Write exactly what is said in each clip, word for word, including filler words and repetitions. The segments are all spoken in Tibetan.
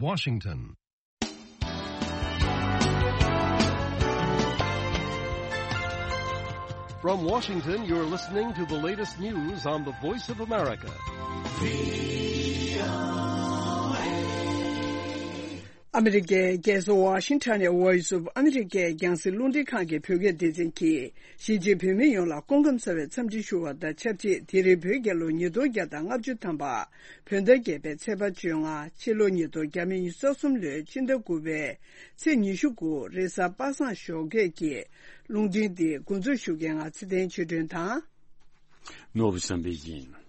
Washington. From Washington, you're listening to the latest news on the Voice of America. ཨ་མི་རི་ཀའི་རྒྱལ་ས་ཝ་ཤིང་ཊོན་ནས་Voice of America རྒྱང་སྲིང་རླུང་འཕྲིན་ཁང་གི་བོད་སྐད་སྡེ་ཚན་གྱིས་གཞིས་བྱེས་བོད་མི་ཡོངས་ལ་སྐུ་ཁམས་བཟང་བའི་འཚམས་འདྲི་ཞུ་བ་དང་ཆབས་ཅིག་དེ་རིང་བོད་རྒྱལ་ལོ་ཉིས་སྟོང་བརྒྱ་དང་ལྔ་བཅུ་ཐམ་པ། བོད་ཟླ་བརྒྱད་པའི་ཚེས་པ་བཅོ་ལྔ། ཕྱི་ལོ་ཉིས་སྟོང་ཉི་ཤུ་རྩ་གསུམ་ལོའི་ཕྱི་ཟླ་དགུ་པའི་ཚེས་ཉི་ཤུ་དགུ། རེས་གཟའ་པ་སངས་ཞོགས་ཀས་ཀྱི་རླུང་འཕྲིན་འདི་འགོ་འཛུགས་ཞུ་མཁན་ང་ཚེ་བརྟན་ཆོས་སྒྲོན་དང་། ནོར་བུ་བསམ་འཕེལ་ཡིན།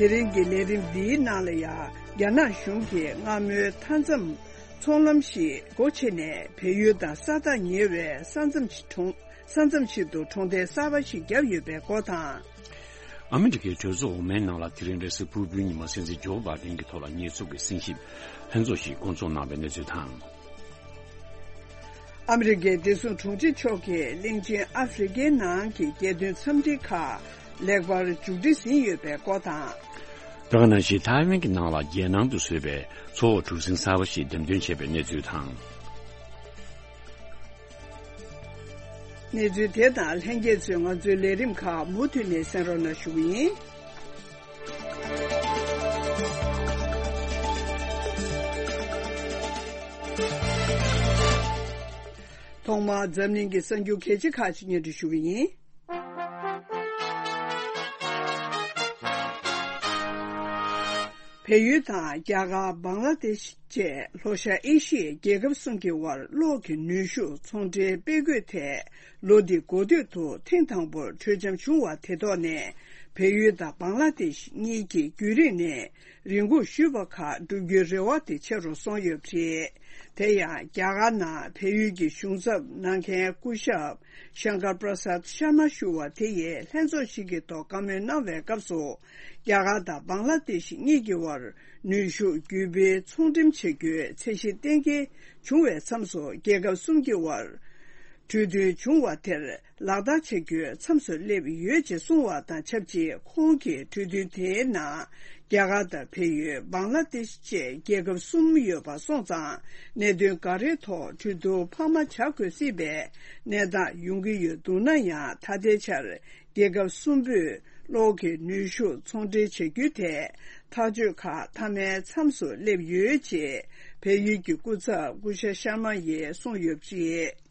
དེ་རིང་གི་ལས་རིམ་འདིའི་ནང་ལ་ཡང་རྒྱ་ནག་གཞུང་གིས་སྔ་མོའི་མཐའ་མཚམས་ཚོང་ལམ་ཞིག་སྒོ་ཕྱེ་ནས་བལ་ཡུལ་དང་ས་ཐག་ཉེ་བའི་ས་མཚམས་ཤིག་གྲོང་། ས་མཚམས་ཤིག་ཏུ་གྲོང་རྡལ་གསར་པ་ཞིག་བརྒྱབ་ཡོད་པའི་སྐོར་དང་། ཨ་མི་རི་ཀའི་གྲོས་ཚོགས་འོག་མའི་ནང་ལ་དེ་རིང་རེས་གཟའ་ཕུར་བུའི་ཉིན་མོ་སྲིད་འཛིན་ཇོ་བྷ་ཌེན་གྱི་ཐོག་ལ་ཉེས་འཛུགས་ཀྱི་གསན་ཞིབ་ལྷན་ཚོགས་ཤིག་བསྐོང་ཚོགས་གནང་བའི་གནས་ཚུལ་དང་། ཨ་མི་རི་ཀའི་བདེ་སྲུང་དྲུང་ཆེ་མཆོག་གིས་གླིང་ཆེན་ཨ་ཧྥེ་རི་ཀའི་ནང་གི་རྒྱལ་དོན་འཚམས་འདྲི་ཁག་ལེགས་པར་མཇུག་སྒྲིལ་ཟིན་ཡོད་པའི་སྐོར་དང་། དེ་ག་ནང་བཞིན་ཐའེ་ཝན་གྱི་ནང་ལ་རྒྱལ་ནང་དུ་བཟོས་པའི་མཚོ་འོག་གྲུ་གཟིངས་གསར་པ་ཞིག་འགྲེམས་སྟོན་བྱས་པའི་གནས་ཚུལ་དང་། གནས་ཚུལ་དེ་དང་ལྷན་རྒྱས་ཚོས་ང་ཚོའི་ལས་རིམ་ཁག་མུ་མཐུད་ནས་གསན་རོགས་གནང་ཞུ་གི་ཡིན། ཐོག་མར་འཛམ་གླིང་གི་གསར་འགྱུར་གལ་ཆེ་ཁག་ཅིག་སྙན་སྒྲོན་ཞུ་གི་ཡིན། བལ་ཡུལ་དང་རྒྱ་གར། བང་ལ་དེ་ཤི་བཅས་ལྷོ་ཤར་ཨེ་ཤི་ཡའི་རྒྱལ་ཁབ་གསུམ་གྱི་དབར་གློག་གི་ནུས་ཤུགས་ཚོང་འབྲེལ་སྤེལ་དགོས་ཐད། ལོ་འདི་འགོ་སྟོད་དུ་ཐེངས་དང་པོར་གྲོས་འཆམ་བྱུང་བ་དེ་ཐོག་ནས། བལ་ཡུལ་དང་བང་ལ་དེ་ཤི་གཉིས་ཀྱིས་རྒྱུན་རིང་ནས་རེ་སྒུག་ཞུས་པ་ཁག་བསྒྲུབ་རྒྱུའི་རེ་བ་དེ་ཆེ་རུ་སོང་ཡོད་པ་རེད། དེ་ཡང་རྒྱ་གར་ནང་བལ་ཡུལ་གྱི་གཞུང་ཚབ་གནང་མཁན་སྐུ་ཞབས་ཤང་ཀར་པྲ་སཱད་ཤར་མ་ཞུ་བ་དེ་ཡིས་ལྷན་ཚོགས་ཤིག་གི་ཐོག་བཀའ་མོལ་གནང་བའི་སྐབས་སུ། རྒྱ་གར་དང་བང་ལ་དེ་ཤི་གཉིས་ཀྱི་དབར་ནུས་ཤུགས་བརྒྱུད་སྤེལ་ཚོང་འགྲེམས་བྱ་རྒྱུའི་ཚད་གཞི་གཏན་འཁེལ་བྱུང་བའི་མཚམས་སུ། རྒྱལ་ཁབ་གསུམ་གྱི་དབར་གྲོས་མཐུན་བྱུང་བ་དེར་ལག་བསྟར་བྱ་རྒྱུའི་མཚམས་སུ་སླེབས་ཡོད་ཅེས་གསུངས་བ་དང་ཆབས་ཅིག་ཁོང་གིས་གྲོས་མཐུན་དེའི་ནང་རྒྱ་གར་དང་བལ་ཡུལ། བང་ལ་དེ་ཤི་བཅས་རྒྱལ་ཁབ་གསུམ་ཡོད་པ་སོང་ཙང་། གནད་དོན་འགའ་རེའི་ཐོག་གྲོས་བསྡུར་འཕར་མ་བྱ་དགོས་སྲིད་པའི་གནས་སྟངས་ཡོང་གི་ཡོད་འདུག་ན་ཡང་། ད་ལྟའི་ཆར་རྒྱལ་ཁབ་གསུམ་པོས་གློག་གི་ནུས་ཤུགས་ཚོང་འབྲེལ་བྱ་རྒྱུའི་ཐད་ཐག་གཅོད་ཁག་མཐའ་མའི་མཚམས་སུ་སླེབས་ཡོད་ཅེས་བལ་ཡུལ་གྱི་སྐུ་ཚབ་སྐུ་ཞབས་ཤར་མ་ཡིས་གསུངས་ཡོད་པ་རེད།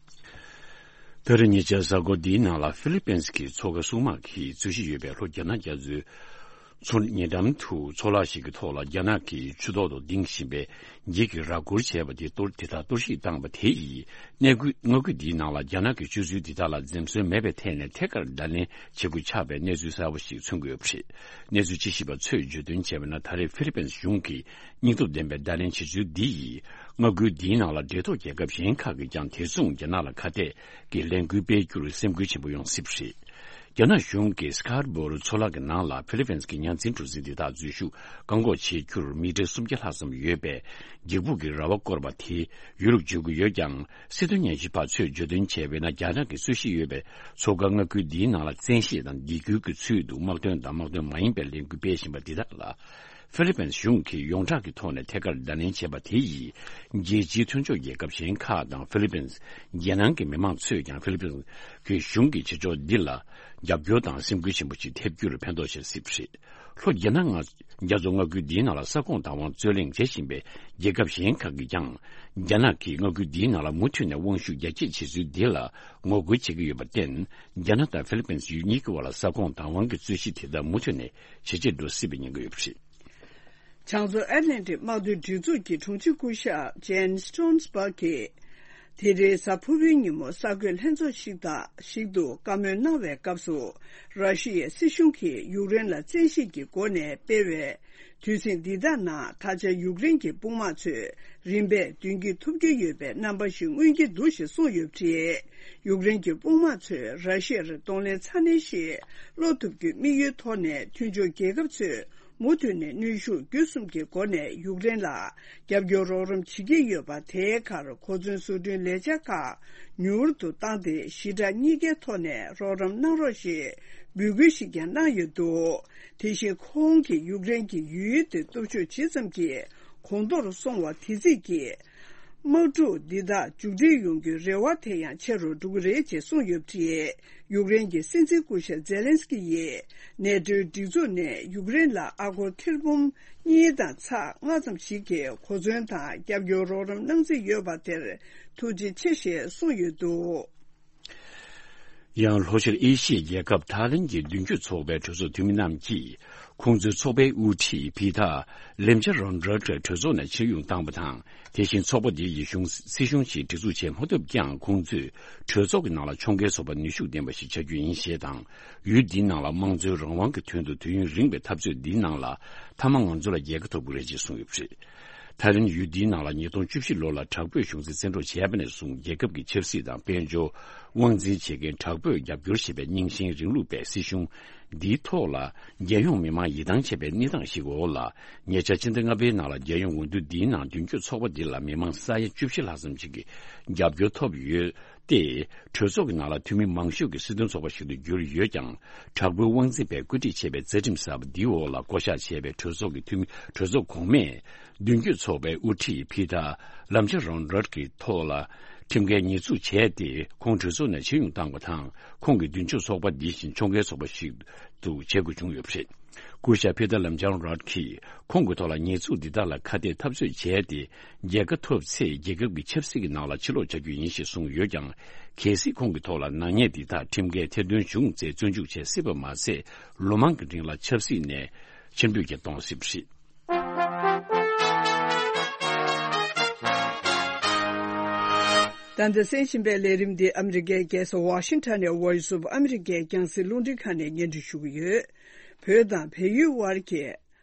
ད་རེས་ཉེ་ཆར་གཟའ་འཁོར་འདིའི་ནང་ལ་ཧྥི་ལི་པིན་གྱི་མཚོ་ཁ་སྲུང་དམག་གིས་རྩོད་གཞི་ཡོད་པའི་ལྷོ་རྒྱ་ནག་རྒྱ་མཚོའི་མཚོ་ཉེ་འགྲམ་དུ་མཚོ་ལག་ཞིག་གི་ཐོག་ལ་རྒྱ་ནག་གི་ཆུ་ཐོག་ཏུ་ལྡིང་བཞིན་པའི་འགྱིག་གིས་ར་སྐོར་བྱས་པ་དེ་གཏོར། དེ་དག་གཏོར་བཤིག་བཏང་བ་དེ་ཡིས། གནས་སྐུ་མངའ་ཁུལ་འདིའི་ནང་ལ་རྒྱ་ནག་གི་སྤྱོད་ཚུལ་འདི་དག་ལ་འཛེམ་ཟོན་མེད་པའི་ཐད་ནས་ཐད་ཀར་བརྡ་ལན་བྱེད་དགོས་ཆགས་པའི་གནས་ཚུལ་གསར་པ་ཞིག་མཚོན་གྱི་ཡོད་པ་རེད། གནས་ཚུལ་དཔྱད་ཞིབ་པ་ཚོས་བརྗོད་དོན་བྱས་པ་ན། ད་རེས་ཧྥི་ལི་པིན་གཞུང་གིས་སྙིང་སྟོབས་ལྡན་པའི་བརྡ་ལན་བྱེད་ཚུལ་འདི་ཡིས། མངའ་ཁུལ་འདིའི་ནང་ལ་འབྲེལ་ཐོགས་རྒྱལ་ཁབ་གཞན་ཁག་གིས་ཀྱང་དེ་མཚུངས་རྒྱ་ནག་ལ་ཁ་གཏད་ཀྱི་ལས་འགུལ་སྤེལ་རྒྱུར་སེམས་འགུལ་ཆེན་པོ་ཡོང་སྲིད་པ་རེད། རྒྱ་ནག་གཞུང་གིས་སི་ཀར་བོ་རུ་མཚོ་ལག་གི་ནང་ལ་ཧྥི་ལི་པིན་གྱི་ཉ་འཛིན་གྲུ་གཟིངས་དེ་དག་འཛུལ་ཞུགས་བཀག་འགོག་བྱེད་རྒྱུར་མི་ཊར་སུམ་བརྒྱ་ལྷག་ཙམ་ཡོད་པའི་འགྱིག་ཕུག་གི་ར་བ་བསྐོར་བ་དེ་ཡུལ་ལུགས་བརྗོད་ཀྱི་ཡོད་ཀྱང་། སྲིད་དོན་ཉམས་ཞིབ་པ་ཚོས་བརྗོད་དོན་བྱས་པ་ཡིན་ན། རྒྱ་ནག་གིས་རྩོད་གཞི་ཡོད་པའི་མཚོ་ཁ་མངའ་ཁུལ་འདིའི་ནང་ལ་བཙན་ཤེད་དང་སྡིགས་སྐུལ་གྱི་ཚུལ་དུ་དམག་དོན་དང་དམག་དོན་མ་ཡིན་པའི་ལས་འགུལ་སྤེལ་བཞིན་པ་འདི་དག་ལ། ཧྥི་ལི་པིན་གཞུང་གིས་ཡོངས་གྲགས་ཀྱི་ཐོག་ནས་ཐད་ཀར་བརྡ་ལན་བྱས་པ་དེ་ཡིས། རྒྱལ་སྤྱིའི་མཐུན་ཕྱོགས་རྒྱལ་ཁབ་གཞན་ཁག་དང་ཧྥི་ལི་པིན་རྒྱལ་ནང་གི་མི་མང་ཚོས་ཀྱང་ཧྥི་ལི་པིན་གྱི་གཞུང་གི་བྱེད་ཕྱོགས་འདི་ལ་རྒྱབ་སྐྱོར་དང་སེམས་འགུལ་ཆེན་པོ་ཞིག་ཐེབས་རྒྱུར་ཕན་ཐོགས་ཆེར་སྲིད་པ་རེད། ལྷོ་རྒྱ་ནག་རྒྱ་མཚོ་མངའ་ཁུལ་འདིའི་ནང་ལ་ས་ཁོངས་བདག་དབང་རྩོད་གླེང་བྱེད་བཞིན་པའི་རྒྱལ་ཁབ་གཞན་ཁག་གིས་ཀྱང་། རྒྱ་ནག་གིས་མངའ་ཁུལ་འདིའི་ནང་ལ་མུ་མཐུད་ནས་དབང་ཤུགས་རྒྱ་སྐྱེད་བྱེད་ཚུལ་འདི་ལ་ངོ་རྒོལ་བྱེད་ཀྱི་ཡོད་པར་བརྟེན། རྒྱ་ནག་དང་ཧྥི་ལི་པིན་ཡུལ་གཉིས་ཀྱི་དབར་ལ་ས་ཁོངས་བདག་དབང་གི་རྩོད་གཞི་དེ་དག་མུ་མཐུད་ནས་ཇེ་ཆེར་འགྲོ་སྲིད་པའི་ཉེན་ཁ་ཡོད་པ་རེད། བྱང་མཚོ་ཨེཊ་ལན་ཊིག་དམག་དོན་སྒྲིག་འཛུགས་ཀྱི་དྲུང་ཆེ་སྐུ་ཞབས་ཇན་སི་ཊོན་སི་བྷག་གིས། དེ་རིང་གཟའ་ཕུར་བུའི་ཉིན་མོ་གསར་འགོད་ལྷན་ཚོགས་ཤིག་དང་ཞིག་ཏུ་བཀའ་མོལ་གནང་བའི་སྐབས་སུ། ར་ཤི་ཡའི་སྲིད་གཞུང་གིས་ཡུཀ་རེན་ལ་བཙན་ཤེད་ཀྱི་སྒོ་ནས་སྤེལ་བའི་དུས་ཟིང་འདི་དག་ནང་། ད་ཆ་ཡུཀ་རེན་གྱི་དཔུང་དམག་ཚོས་རིམ་པས་མདུན་སྐྱོད་ཐུབ་ཀྱི་ཡོད་པའི་རྣམ་པ་ཞིག་མངོན་གྱི་འདུག་ཞེས་གསུངས་ཡོད་པ་རེད། ཡུཀ་རེན་གྱི་དཔུང་དམག་ཚོས་ར་ཤི་ཡར་གདོང་ལེན་ཚ་ནན་ཞིག་སློག་ཐུབ་རྒྱུའི་དམིགས་ཡུལ་ཐོག་ནས། མཐུན་ཕྱོགས་རྒྱལ་ཁབ་ཚོས་མུ་མཐུད་ནས་གནོན་ཤུགས་བརྒྱུད་གསུམ་གྱི་སྒོ་ནས་ཡུཀ་རེན་ལ་རྒྱབ་སྐྱོར་རོགས་རམ་བྱེད་ཀྱི་ཡོད་པ། དེའི་ཁར་གོ་མཚོན་བཟོ་སྐྲུན་ལས་འཆར་ཁག་མྱུར་དུ་བཏང་སྟེ། ཞི་དྲག་གཉིས་ཀའི་ཐོག་ནས་རོགས་རམ་གནང་རོགས་ཞེས་ འབོད་སྐུལ་ཞིག་ཀྱང་གནང་ཡོད་འདུག་དེ་བཞིན་ཁོང་གིས་ཡུཀ་རེན་གྱི་ཡུལ་དེ་སྟོབས་ཤུགས་ཇི་ཙམ་གྱིས་གོང་མཐོར་སོང་བ་དེ་རྩིས་ཀྱིས། དམག་འཁྲུག་འདི་དག་མཇུག་སྒྲིལ་ཡོང་རྒྱུའི་རེ་བ་དེ་ཡང་ཆེ་རུ་འགྲོ་གི་རེད་ཅེས་གསུངས་ཡོད་པ་རེད། ཡུཀ་རེན་གྱི་སྲིད་འཛིན་སྐུ་ཞབས་ཛེ་ལན་སི་ཀི་ཡིས་ནེ་ཏོའི་སྒྲིག་འཛུགས་ནས་ཡུཀ་རེན་ལ་ཨ་སྒོར་ཐེར་འབུམ་གཉིས་དང་ཚེག་ལྔ་ཙམ་ཞིག་གི་གོ་མཚོན་དང་རྒྱབ་སྐྱོར་རོགས་རམ་གནང་རྩིས་ཡོད་པ་དེར་ཐུགས་རྗེ་ཆེ་ཞེས་གསུངས་ཡོད་འདུག་ཡང་ལྷོ་ཤར་ཨེ་ཤི་ཡའི་རྒྱལ་ཁབ་ཐའི་ལན་གྱི་མདུན་སྐྱོད་ཚོགས་པའི་གྲོས་ཚོགས་འཐུས་མི་རྣམས་ཀྱིས། ཁོང་ཚོའི་ཚོགས་པའི་དབུ་ཁྲིད་ཕི་ཐ་ལེམ་ཅ་རོན་རོད་ཀྱིས་གྲོས་ཚོགས་ནས་ཕྱིར་དབྱུང་བཏང་བ་དང་། དེ་བཞིན་ཚོགས་པ་འདི་ཡི་གཞུང་སྲིད་གཞུང་ཞིག་སྒྲིག་འཛུགས་བྱེད་མ་ཐུབ་ཀྱང་། ཁོང་ཚོས་གྲོས་ཚོགས་ཀྱི་ནང་ལ་ཕྱོགས་འགལ་བཟོ་བར་ནུས་ཤུགས་ལྡན་པ་ཞིག་ཆགས་རྒྱུ་ཡིན་ཞེས་དང་། ཡུལ་འདིའི་ནང་ལ་དམངས་གཙོའི་རང་དབང་གི་དོན་དུ་དུས་ཡུན་རིང་བའི་འཐབ་རྩོད་འདིའི་ནང་ལ། མཐའ་མ་ང་ཚོ་ལ་རྒྱལ་ཁ་ཐོབ་ཀྱི་རེད་ཅེས་གསུངས་ཡོད་པ་རེད། ཐའི་ལན་ཡུལ་འདིའི་ནང་ལ་ཉིས་སྟོང་བཅུ་བཞི་ལོ་ལ་དྲག་པོས་གཞུང་འཛིན་བཙན་འཕྲོག་བྱས་པ་ནས་བཟུང་། རྒྱལ་ཁབ་ཀྱི་ཆབ་སྲིད་དང་དཔལ་འབྱོར། དབང་འཛིན་བྱེད་མཁན་དྲག་པོས་རྒྱབ་སྐྱོར་བྱེད་པའི་རྙིང་ཞེན་རིང་ལུགས་པའི་སྲིད་གཞུང་འདིའི་ཐོག་ལ། རྒྱལ་ཡོངས་མི་མང་ཡིད་ཐང་ཆད་པའི་གནས་སྟངས་ཤིག་འོག་ལ། ཉེ་ཆར་ཕྱི་ཟླ་ལྔ་པའི་ནང་ལ། རྒྱལ་ཡོངས་འོས་བསྡུ་འདིའི་ནང་མདུན་སྐྱོད་ཚོགས་པ་འདི་ལ་མི་མང་ས་ཡ་བཅུ་བཞི་ལྷག་ཙམ་ཞིག་གིས་རྒྱབ་སྐྱོར་ཐོབ་ཡོད་དེ། གྲོས་ཚོགས་ཀྱི་ནང་ལ་འཐུས་མི་མང་ཤོས་ཀྱི་སྲིད་དོན་ཚོགས་པ་ཞིག་ཏུ་གྱུར་ཡོད་ཀྱང་། དྲག་པོའི་དབང་འཛིན་པས་བཀོད་སྒྲིག་བྱས་པའི་རྩ་ཁྲིམས་གསར་པ་འདིའི་འོག་ལ་བསྐོ་གཞག་བྱས་པའི་གྲོས་ཚོགས་ཀྱི་འཐུས་མི། གྲོས་ཚོགས་གོང་མས། མདུན་སྐྱོད་ཚོགས་པའི་དབུ་ཁྲིད་ཕི་ཐ་ལམ་ཅ་རོན་རོད་ཀྱི་ཐོག་ལ་ཁྲིམས་འགལ་ཉེས་འཛུགས་བྱས་ཏེ། ཁོང་གྲོས་ཚོགས་ནས་ཕྱིར་དབྱུང་བཏང་བ་དང་། ཁོང་གི་མདུན་སྐྱོད་ཚོགས་པ་འདི་བཞིན་ཕྱོགས་འགལ་ཚོགས་པ་ཞིག་ཏུ་བྱེད་དགོས་བྱུང་ཡོད་པ་རེད། སྐུ་ཞབས་ཕི་ཐ་ལམ་ཅ་རོན་རོད་ཀྱིས་ཁོང་གི་ཐོག་ལ་ཉེས་འཛུགས་འདི་དག་ལ་ཁ་གཏད་འཐབ་རྩོད་བྱས་ཏེ། རྒྱལ་ཁ་ཐོབ་ཚེ་རྒྱལ་ཁབ་ཀྱི་ཆབ་སྲིད་ཀྱི་ནང་ལ་ཕྱིར་ལོག་བྱ་རྒྱུ་ཡིན་ཞེས་གསུངས་ཡོད་ཀྱང་། གལ་སྲིད་ཁོང་གི་ཐོག་ལ་ནག་ཉེས་འདི་དག་ཁྲིམས་འགལ་ཐེར་འདོན་བྱུང་ཚེ། བཙོན་འཇུག་བྱེད་སྲིད་པ་མ་ཟད། ལོ་མང་གི་རིང་ལ་ཆབ་སྲིད་ནས་ཕྱིར་འབུད་ཀྱང་གཏོང་སྲིད་པ་རེད། ད་ལྟ་གསན་བཞིན་པའི་ལས་རིམ་འདི་ཨ་མི་རི་ཀའི་རྒྱལ་ས་ཝ་ཤིང་ཊོན་ནས་Voice of America རྒྱང་སྲིང་རླུང་འཕྲིན་ཁང་ནས་སྙན་སྒྲོན་ཞུ་གི་ཡོད། བོད་དང་བལ་ཡུལ་དབར་གྱི་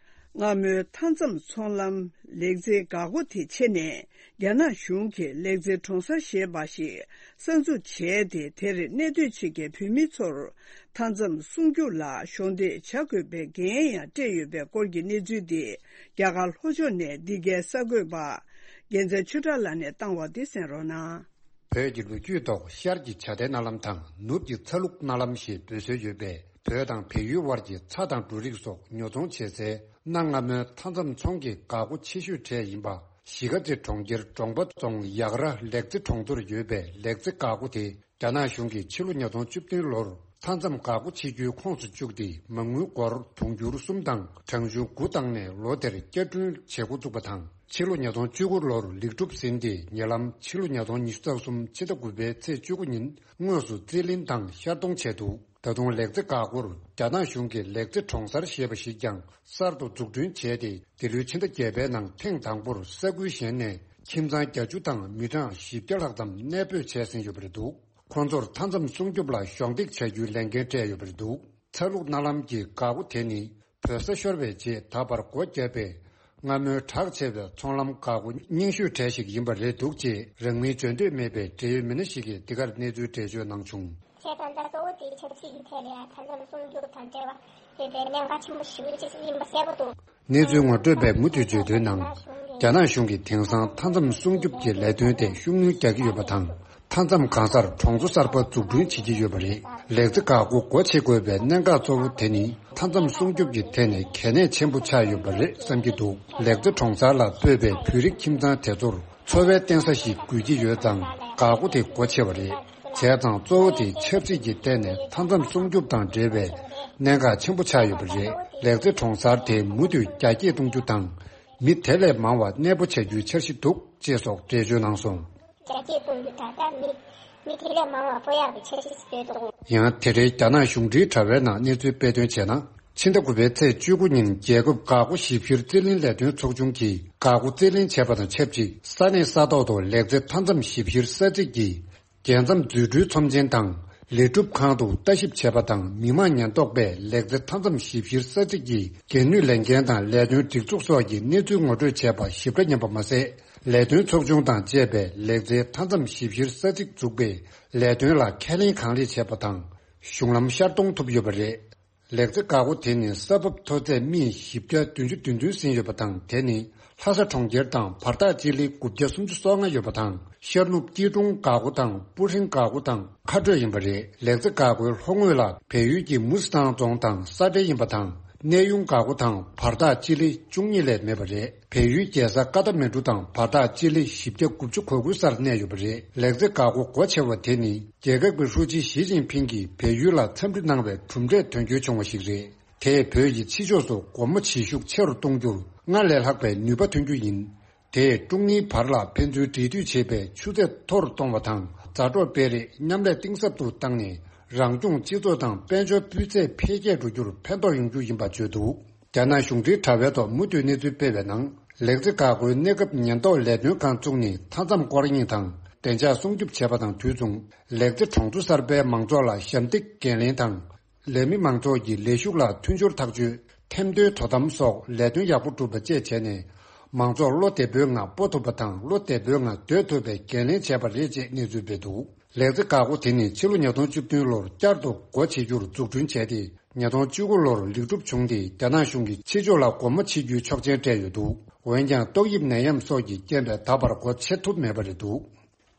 སྔ་མོའི་མཐའ་མཚམས་ཚོང་ལམ་ལེགས་མཛེས་འགག་སྒོ་དེ་ཕྱེ་ནས། རྒྱ་ནག་གཞུང་གིས་ལེགས་མཛེས་གྲོང་གསར་ཞེས་པ་ཞིག་གསར་འཛུགས་བྱས་ཏེ། དེར་གནས་སྡོད་བྱེད་མཁན་བོད་མི་ཚོར་མཐའ་མཚམས་སྲུང་སྐྱོབ་ལ་གཞོགས་འདེགས་བྱ་དགོས་པའི་འགན་ཡང་སྤྲད་ཡོད་པའི་སྐོར་གྱི་གནས་ཚུལ་འདི། རྒྱ་གར་ལྷོ་ཕྱོགས་ནས་འདི་གའི་གསར་འགོད་པ་རྒྱལ་མཚན་ཆོས་གྲགས་ལགས་ནས་བཏང་བ་འདི་གསན་རོགས་གནང་། བོད་ཀྱི་ལོ་རྒྱུས་ཐོག་ཤར་གྱི་བྱ་དེ་མནའ་ལམ་དང་ནུབ་ཀྱི་ཚ་ལུག་མནའ་ལམ་ཞེས་འབོད་སྲོལ་ཡོད་པའི། བོད་དང་བལ་ཡུལ་དབར་གྱི་ཚྭ་དང་འབྲུ་རིགས་སོགས་ཉོ་ཚོང་བྱེད་སའི་གནའ་སྔ་མོའི་མཐའ་མཚམས་ཚོང་གི་འགག་སྒོ་ཆེ་ཤོས་གྲས་ཡིན་པ། གཞིས་ཀ་རྩེ་གྲོང་ཁྱེར་འབྲོང་པ་རྫོང་ཡག་ར་ལེགས་རྩེ་གྲོང་ཚོར་ཡོད་པའི་ལེགས་རྩེ་འགག་སྒོ་དེ། རྒྱ་ནག་གཞུང་གིས་ཕྱི་ལོ་ཉིས་སྟོང་བཅུ་བདུན་ལོར་མཐའ་མཚམས་འགག་སྒོ་ཕྱེ་རྒྱུའི་ཁོངས་སུ་བཅུག་སྟེ། མ་དངུལ་སྒོར་དུང་ཕྱུར་གསུམ་དང་གྲངས་ཆུང་དགུ་བཏང་ནས། ལོ་དེར་བསྐྱར་སྐྲུན་བྱེད་འགོ་བཙུགས་པ་དང་། ཕྱི་ལོ་ཉིས་སྟོང་བཅུ་དགུ་ལོར་ལེགས་གྲུབ་ཟིན་ཏེ། ཉེ་ལམ་ཕྱི་ལོ་ཉིས་སྟོང་ཉི་ཤུ་རྩ་གསུམ་ཕྱི་ཟླ་དགུ་པའི་ཚེས་བཅུ་དགུ་ཉིན་དངོས་སུ་རྩིས་ལེན་དང་ཤར་གཏོང་བྱས་འདུག་ད་དུང་ལེགས་རྩེ་འགག་སྒོར་རྒྱ་ནག་གཞུང་གིས་ལེགས་རྩེ་གྲོང་གསར་ཞེས་པ་ཞིག་ཀྱང་གསར་དུ་འཛུགས་སྐྲུན་བྱས་ཏེ། འདི་ལོའི་ཕྱི་ཟླ་བརྒྱད་པའི་ནང་ཐེངས་དང་པོར་ས་ཁུལ་གཞན་ནས་ཁྱིམ་ཚང་བརྒྱད་ཅུ་དང་མི་གྲངས་བཞི་བརྒྱ་ལྷག་ཙམ་གནས་སྤོས་བྱས་ཟིན་ཡོད་པ་རེད་འདུག་ཁོང་ཚོར་མཐའ་མཚམས་སྲུང་སྐྱོབ་ལ་གཞོགས་འདེགས་བྱ་རྒྱུའི་ལས་འགན་སྤྲད་ཡོད་པ་རེད་འདུག་ཚྭ་ལུག་མནའ་ལམ་གྱི་འགག་སྒོ་དེ་ནི། བོད་ས་ཤོར་བའི་རྗེས་ད་བར་སྒོ་བརྒྱབ་པའི་སྔ་མོའི་གྲགས་ཆེ་བའི་ཚོང་ལམ་འགག་སྒོ་རྙིང་ཤོས་གྲས་ཤིག་ཡིན་པ་རེད་འདུག་ཅེས་རང་མིང་བརྗོད་འདོད་མེད་པའི་འབྲེལ་ཡོད་མི་སྣ་ཞིག་གིས་འདི་གར་གནས་ཚུལ་འགྲེལ་བརྗོད་གནང་བྱུང་། བྱས་ཙང་ད་གཙོ་བོ་དེ་ཆབ་སྲིད་ཀྱི་ཐད་ལ་ཡང་མཐའ་མཚམས་སྲུང་སྐྱོབ་དང་འབྲེལ་བ་ཡོད་པའི་གནད་འགག་ཆེན་པོ་ཞིག་ཅིག་ཡིན་པ་གསལ་པོ་འདུག་གནས་ཚུལ་ངོ་སྤྲོད་པས་མུ་མཐུད་བརྗོད་དོན་ནང་། རྒྱ་ནག་གཞུང་གིས་དེང་སང་མཐའ་མཚམས་སྲུང་སྐྱོབ་ཀྱི་ལས་དོན་དེ་ཤུགས་སྣོན་རྒྱག་གི་ཡོད་པ་དང་། མཐའ་མཚམས་གང་སར་གྲོང་ཚོ་གསར་པ་འཛུགས་སྐྲུན་བྱེད་ཀྱི་ཡོད་པ་རེད། ལེགས་རྩེ་འགག་སྒོ་སྒོ་ཕྱེ་དགོས་པའི་གནད་འགག་གཙོ་བོ་དེ་ནི། མཐའ་མཚམས་སྲུང་སྐྱོབ་ཀྱི་ཐད་ནས་གལ་གནད་ཆེན་པོ་ཆགས་ཡོད་པ་རེད་བསམ་གྱི་འདུག་ལེགས་རྩེ་གྲོང་གསར་ལ་སྤོས་པའི་བོད་རིགས་ཁྱིམ་ཚང་དེ་ཚོར། འཚོ་བའི་རྟེན་ས་ཞིག་དགོས་ཀྱི་ཡོད་ཙང་། འགག་སྒོ་དེ་སྒོ་ཕྱེ་བ་རེད། བྱས་ཙང་གཙོ་བོ་དེ་ཆབ་སྲིད་ཀྱི་ཐད་ནས་མཐའ་མཚམས་སྲུང་སྐྱོབ་དང་འབྲེལ་བའི་གནད་འགག་ཆེན་པོ་ཆགས་ཡོད་པ་རེད། ལེགས་རྩེ་གྲོང་གསར་དེ་མུ་མཐུད་རྒྱ་སྐྱེད་གཏོང་རྒྱུ་དང་། མི་དེ་ལས་མང་བ་གནས་སྤོ་བྱ་རྒྱུའི་འཆར་གཞི་འདུག་ཅེས་སོགས་འགྲེལ་བརྗོད་གནང་སོང་། རྒྱ་སྐྱེད་གཏོང་རྒྱུ་དང་། ད་མི་མི་དེ་ལས་མང་བ་སྤོ་ཡག་གི་འཆར་གཞི་ཞིག་ཡོད་འདུག་ཡང་དེ་རིང་རྒྱ་ནག་གཞུང་འབྲེལ་དྲ་བའི་ནང་གནས་ཚུལ་སྤེལ་དོན་བྱས་ན། ཕྱི་ཟླ་དགུ་པའི་ཚེས་བཅུ་དགུ་ཉིན་རྒྱལ་ཁབ་འགག་སྒོ་ཞིབ་བཤེར་རྩིས་ལེན་ལས་དོན་ཚོགས་ཆུང་གིས་འགག་སྒོ་རྩིས་ལེན་བྱས་པ་དང་ཆབས་ཅིག་ས་གནས་ས་ཐོག་ཏུ་ལེགས་རྩེ་མཐའ་མཚམས་ཞིབ་བཤེར་ས་ཚིགས་ཀྱི་རྒྱལ་མཚམས་འཛུལ་སྒྲོལ་ཚོམས་ཆེན་དང་། ལས་སྒྲུབ་ཁང་དུ་ལྟ་ཞིབ་བྱས་པ་དང་། མི་དམངས་ཉེན་རྟོག་པས་ལེགས་རྩེ་མཐའ་མཚམས་ཞིབ་བཤེར་ས་ཚིགས་ཀྱི་འགན་ནུས་ལས་འགན་དང་ལས་དོན་སྒྲིག་འཛུགས་སོགས་ཀྱི་གནས་ཚུལ་ངོ་སྤྲོད་བྱས་པ་ཞིབ་ཕྲ་ཉན་པ་མ་ཟད། ལས་དོན་ཚོགས་ཆུང་དང་བཅས་པས་ལེགས་རྩེ་མཐའ་མཚམས་ཞིབ་བཤེར་ས་ཚིགས་འཛུགས་པའི་ལས་དོན་ལ་ཁས་ལེན་གང་ལེགས་བྱས་པ་དང་། གཞུང་ལམ་ཤར་གཏོང་ཐུབ་ཡོད་པ་རེད། ལེགས་རྩེ་འགག་སྒོ་དེ་ནི་ས་བབ་མཐོ་ཚད་སྨི་བཞི་བརྒྱ་བདུན་ཅུ་དོན་བདུན་ཟིན་ཡོད་པ་དང་། དེ་ནི་ལྷ་ས་གྲོང་ཁྱེར་དང་བར་ཐག་སྤྱི་ལེ་དགུ་བརྒྱ་སུམ་ཅུ་སོ་ལྔ་ཡོད་པ་དང་ ཤར་ནུབ་སྐྱིད་གྲོང་འགག་སྒོ་དང་སྤུ་ཧྲེང་འགག་སྒོ་དང་ཁ་སྤྲོད་ཡིན་པ་རེད། ལེགས་རྩེ་འགག་སྒོའི་ལྷོ་ངོས་ལ་བལ་ཡུལ་གྱི་མུ་སི་ཐང་རྫོང་དང་ས་འབྲེལ་ཡིན་པ་དང་། གནས་དབྱུང་འགག་སྒོ་དང་བར་ཐག་སྤྱི་ལེ་བཅུ་གཉིས་ལས་མེད་པ་རེད། བལ་ཡུལ་རྒྱལ་ས་ཀ་ཐ་མན་གྲུ་དང་བར་ཐག་སྤྱི་ལེ་བཞི་བརྒྱ་དགུ་བཅུ་གོ་དགུ་སར་གནས་ཡོད་པ་རེད། ལེགས་རྩེ་འགག་སྒོ་སྒོ་ཕྱེ་བ་དེ་ནི་རྒྱལ་ཁབ་ཀྱི་ཧྲུའུ་ཅི་ཞི་ཅིན་ཕིང་གིས་བལ་ཡུལ་ལ་འཚམས་འདྲི་གནང་བའི་གྲུབ་འབྲས་དོན་འཁྱོལ་བྱུང་བ་ཞིག་རེད། དེས་བོད་ཀྱི་ཕྱི་ཕྱོགས་སུ་སྒོ་མོ་འབྱེད་ཤུགས་ཆེ་རུ་གཏོང་རྒྱུར་སྔར་ལས་ལྷག་པའི་ནུས་པ་ཐོན་རྒྱུ་ཡིན། དེས་ཀྲུང་ནིའི་བར་ལ་ཕན་ཚུན་འབྲེལ་མཐུད་བྱེད་པའི་ཆུ་ཚད་མཐོ་རུ་གཏོང་བ་དང་། མཛའ་གྲོགས་སྤེལ་རེས་མཉམ་ལས་གཏིང་ཟབ་ཏུ་བཏང་ནས། རང་སྐྱོང་སྤྱི་ཚོགས་དང་དཔལ་འབྱོར་སྤུས་ཚད་འཕེལ་རྒྱས་འགྲོ་རྒྱུར་ཕན་ཐོགས་ཡོང་རྒྱུ་ཡིན་པ་བརྗོད་འདུག་རྒྱ་ནག་གཞུང་འབྲེལ་དྲ་བའི་ཐོག་མུ་མཐུད་གནས་ཚུལ་སྤེལ་བའི་ནང་། ལེགས་རྩེ་འགག་སྒོའི་གནས་སྐབས་ཉེན་རྟོག་ལས་དོན་ཁང་བཙུགས་ནས་མཐའ་མཚམས་སྐོར་གཡེང་དང་བདེ་འཇགས་སྲུང་སྐྱོབ་བྱས་པ་དང་དུས་མཚུངས། ལེགས་རྩེ་གྲོང་ཚོ་གསར་པའི་མང་ཚོགས་ལ་ཞབས་འདེགས་འགན་ལེན་དང་། ལས་མི་མང་ཚོགས་ཀྱི་ལས་ཞུགས་ལ་མཐུན་སྦྱོར་ཐག་གཅོད། ཐེམ་མདོའི་དོ་དམ་སོགས་ལས་དོན་ཡག་པོ་སྒྲུབ་པ་བཅས་བྱས་ནས། མང་ཚོགས་བློ་བདེ་པོའི་ངང་སྤོ་ཐུབ་པ་དང་། བློ་བདེ་པོའི་ངང་སྡོད་ཐུབ་པའི་འགན་ལེན་བྱས་པ་རེད་ཅེས་གནས་ཚུལ་སྤེལ་འདུག་ལེགས་རྩེ་འགག་སྒོ་དེ་ནི་ཕྱི་ལོ་ཉིས་སྟོང་བཅུ་བདུན་ལོར་བསྐྱར་དུ་སྒོ་ཕྱེ་རྒྱུར་འཛུགས་སྐྲུན་བྱས་ཏེ། ཉིས་སྟོང་བཅུ་དགུ་ལོར་ལེགས་གྲུབ་བྱུང་སྟེ། རྒྱ་ནག་གཞུང་གིས་ཕྱི་ཕྱོགས་ལ་སྒོ་མོ་ཕྱེ་རྒྱུའི་ཆོག་མཆན་སྤྲད་ཡོད་འདུག་འོན་ཀྱང་ཏོག་དབྱིབས་ནད་ཡམས་སོགས་ཀྱི་རྐྱེན་པས་ད་བར་སྒོ་ཕྱེ་ཐུབ་མེད་པ་རེད་འདུག་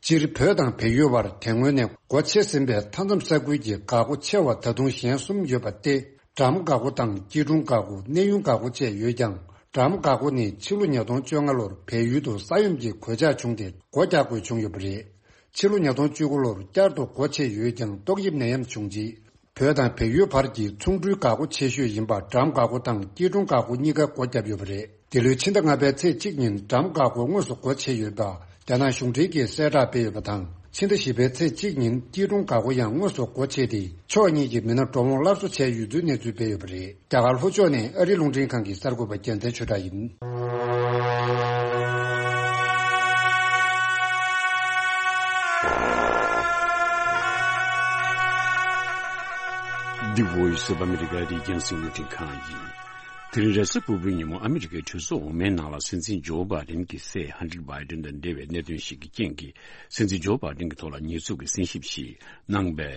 སྤྱིར་བོད་དང་བལ་ཡུལ་བར་དེ་སྔོན་ནས་སྒོ་ཕྱེ་ཟིན་པའི་མཐའ་མཚམས་ས་ཁུལ་གྱི་འགག་སྒོ་ཕྱེ་བ་ད་དུང་གཞན་གསུམ་ཡོད་པ་སྟེ། འགྲམ་འགག་སྒོ་དང་སྐྱིད་གྲོང་འགག་སྒོ། གནས་དབྱུང་འགག་སྒོ་བཅས་ཡོད་ཀྱང་། འགྲམ་འགག་སྒོ་ནི་ཕྱི་ལོ་ཉིས་སྟོང་བཅོ་ལྔ་ལོར་བལ་ཡུལ་དུ་ས་ཡོམ་གྱི་གོད་ཆག་བྱུང་སྟེ་སྒོ་རྒྱག་དགོས་བྱུང་ཡོད་པ་རེད། ཕྱི་ལོ་ཉིས་སྟོང་བཅུ་དགུ་ལོར་བསྐྱར་དུ་སྒོ་ཕྱེ་ཡོད་ཀྱང་ཏོག་དབྱིབས་ནད་ཡམས་བྱུང་རྗེས། བོད་དང་བལ་ཡུལ་བར་གྱི་ཚོང་འགྲུལ་འགག་སྒོ་ཆེ་ཤོས་ཡིན་པ་འགྲམ་འགག་སྒོ་དང་སྐྱིད་གྲོང་འགག་སྒོ་གཉིས་ཀ་སྒོ་བརྒྱབ་ཡོད་པ་རེད། འདི་ལོའི་ཕྱི་ཟླ་ལྔ་པའི་ཚེས་གཅིག་ཉིན་འགྲམ་འགག་སྒོ་དངོས་སུ་སྒོ་ཕྱེ་ཡོད་པ་རྒྱ་ནག་གཞུང་འབྲེལ་གྱིས་གསལ་བསྒྲགས་སྤེལ་ཡོད་པ་དང་། ཕྱི་ཟླ་བཞི་པའི་ཚེས་གཅིག་ཉིན་སྐྱིད་གྲོང་འགག་སྒོ་ཡང་དངོས་སུ་སྒོ་ཕྱེ་སྟེ། ཕྱོགས་གཉིས་ཀྱི་མི་སྣ་འགྲོ་འོང་སླར་གསོ་བྱས་ཡོད་ཚུལ་གནས་ཚུལ་སྤེལ་ཡོད་པ་རེད། རྒྱ་གར་ལྷོ་ཕྱོགས་ནས་ཨ་རིའི་རླུང་འཕྲིན་ཁང་གི་གསར་འགོད་པ་རྒྱལ་མཚན་ཆོས་གྲགས་ཡིན། The Voice of America རྒྱང་སྲིང་རླུང་འཕྲིན་ཁང་ཡིན། དེ་རིང་རེས་གཟའ་ཕུར་བུའི་ཉིན་མོ་ཨ་མི་རི་ཀའི་གྲོས་ཚོགས་འོག་མའི་ནང་ལ་སྲིད་འཛིན་ཇོ་བྷའི་ཌེན་གྱི་སྲས་ཧན་ཊར་བྷའི་ཌེན་དང་འབྲེལ་བའི་གནད་དོན་ཞིག་གི་རྐྱེན་གྱིས། སྲིད་འཛིན་ཇོ་བྷའི་ཌེན་གྱི་ཐོག་ལ་ཉེས་འཛུགས་ཀྱི་གསན་ཞིབ་ཞིག་གནང་བའི་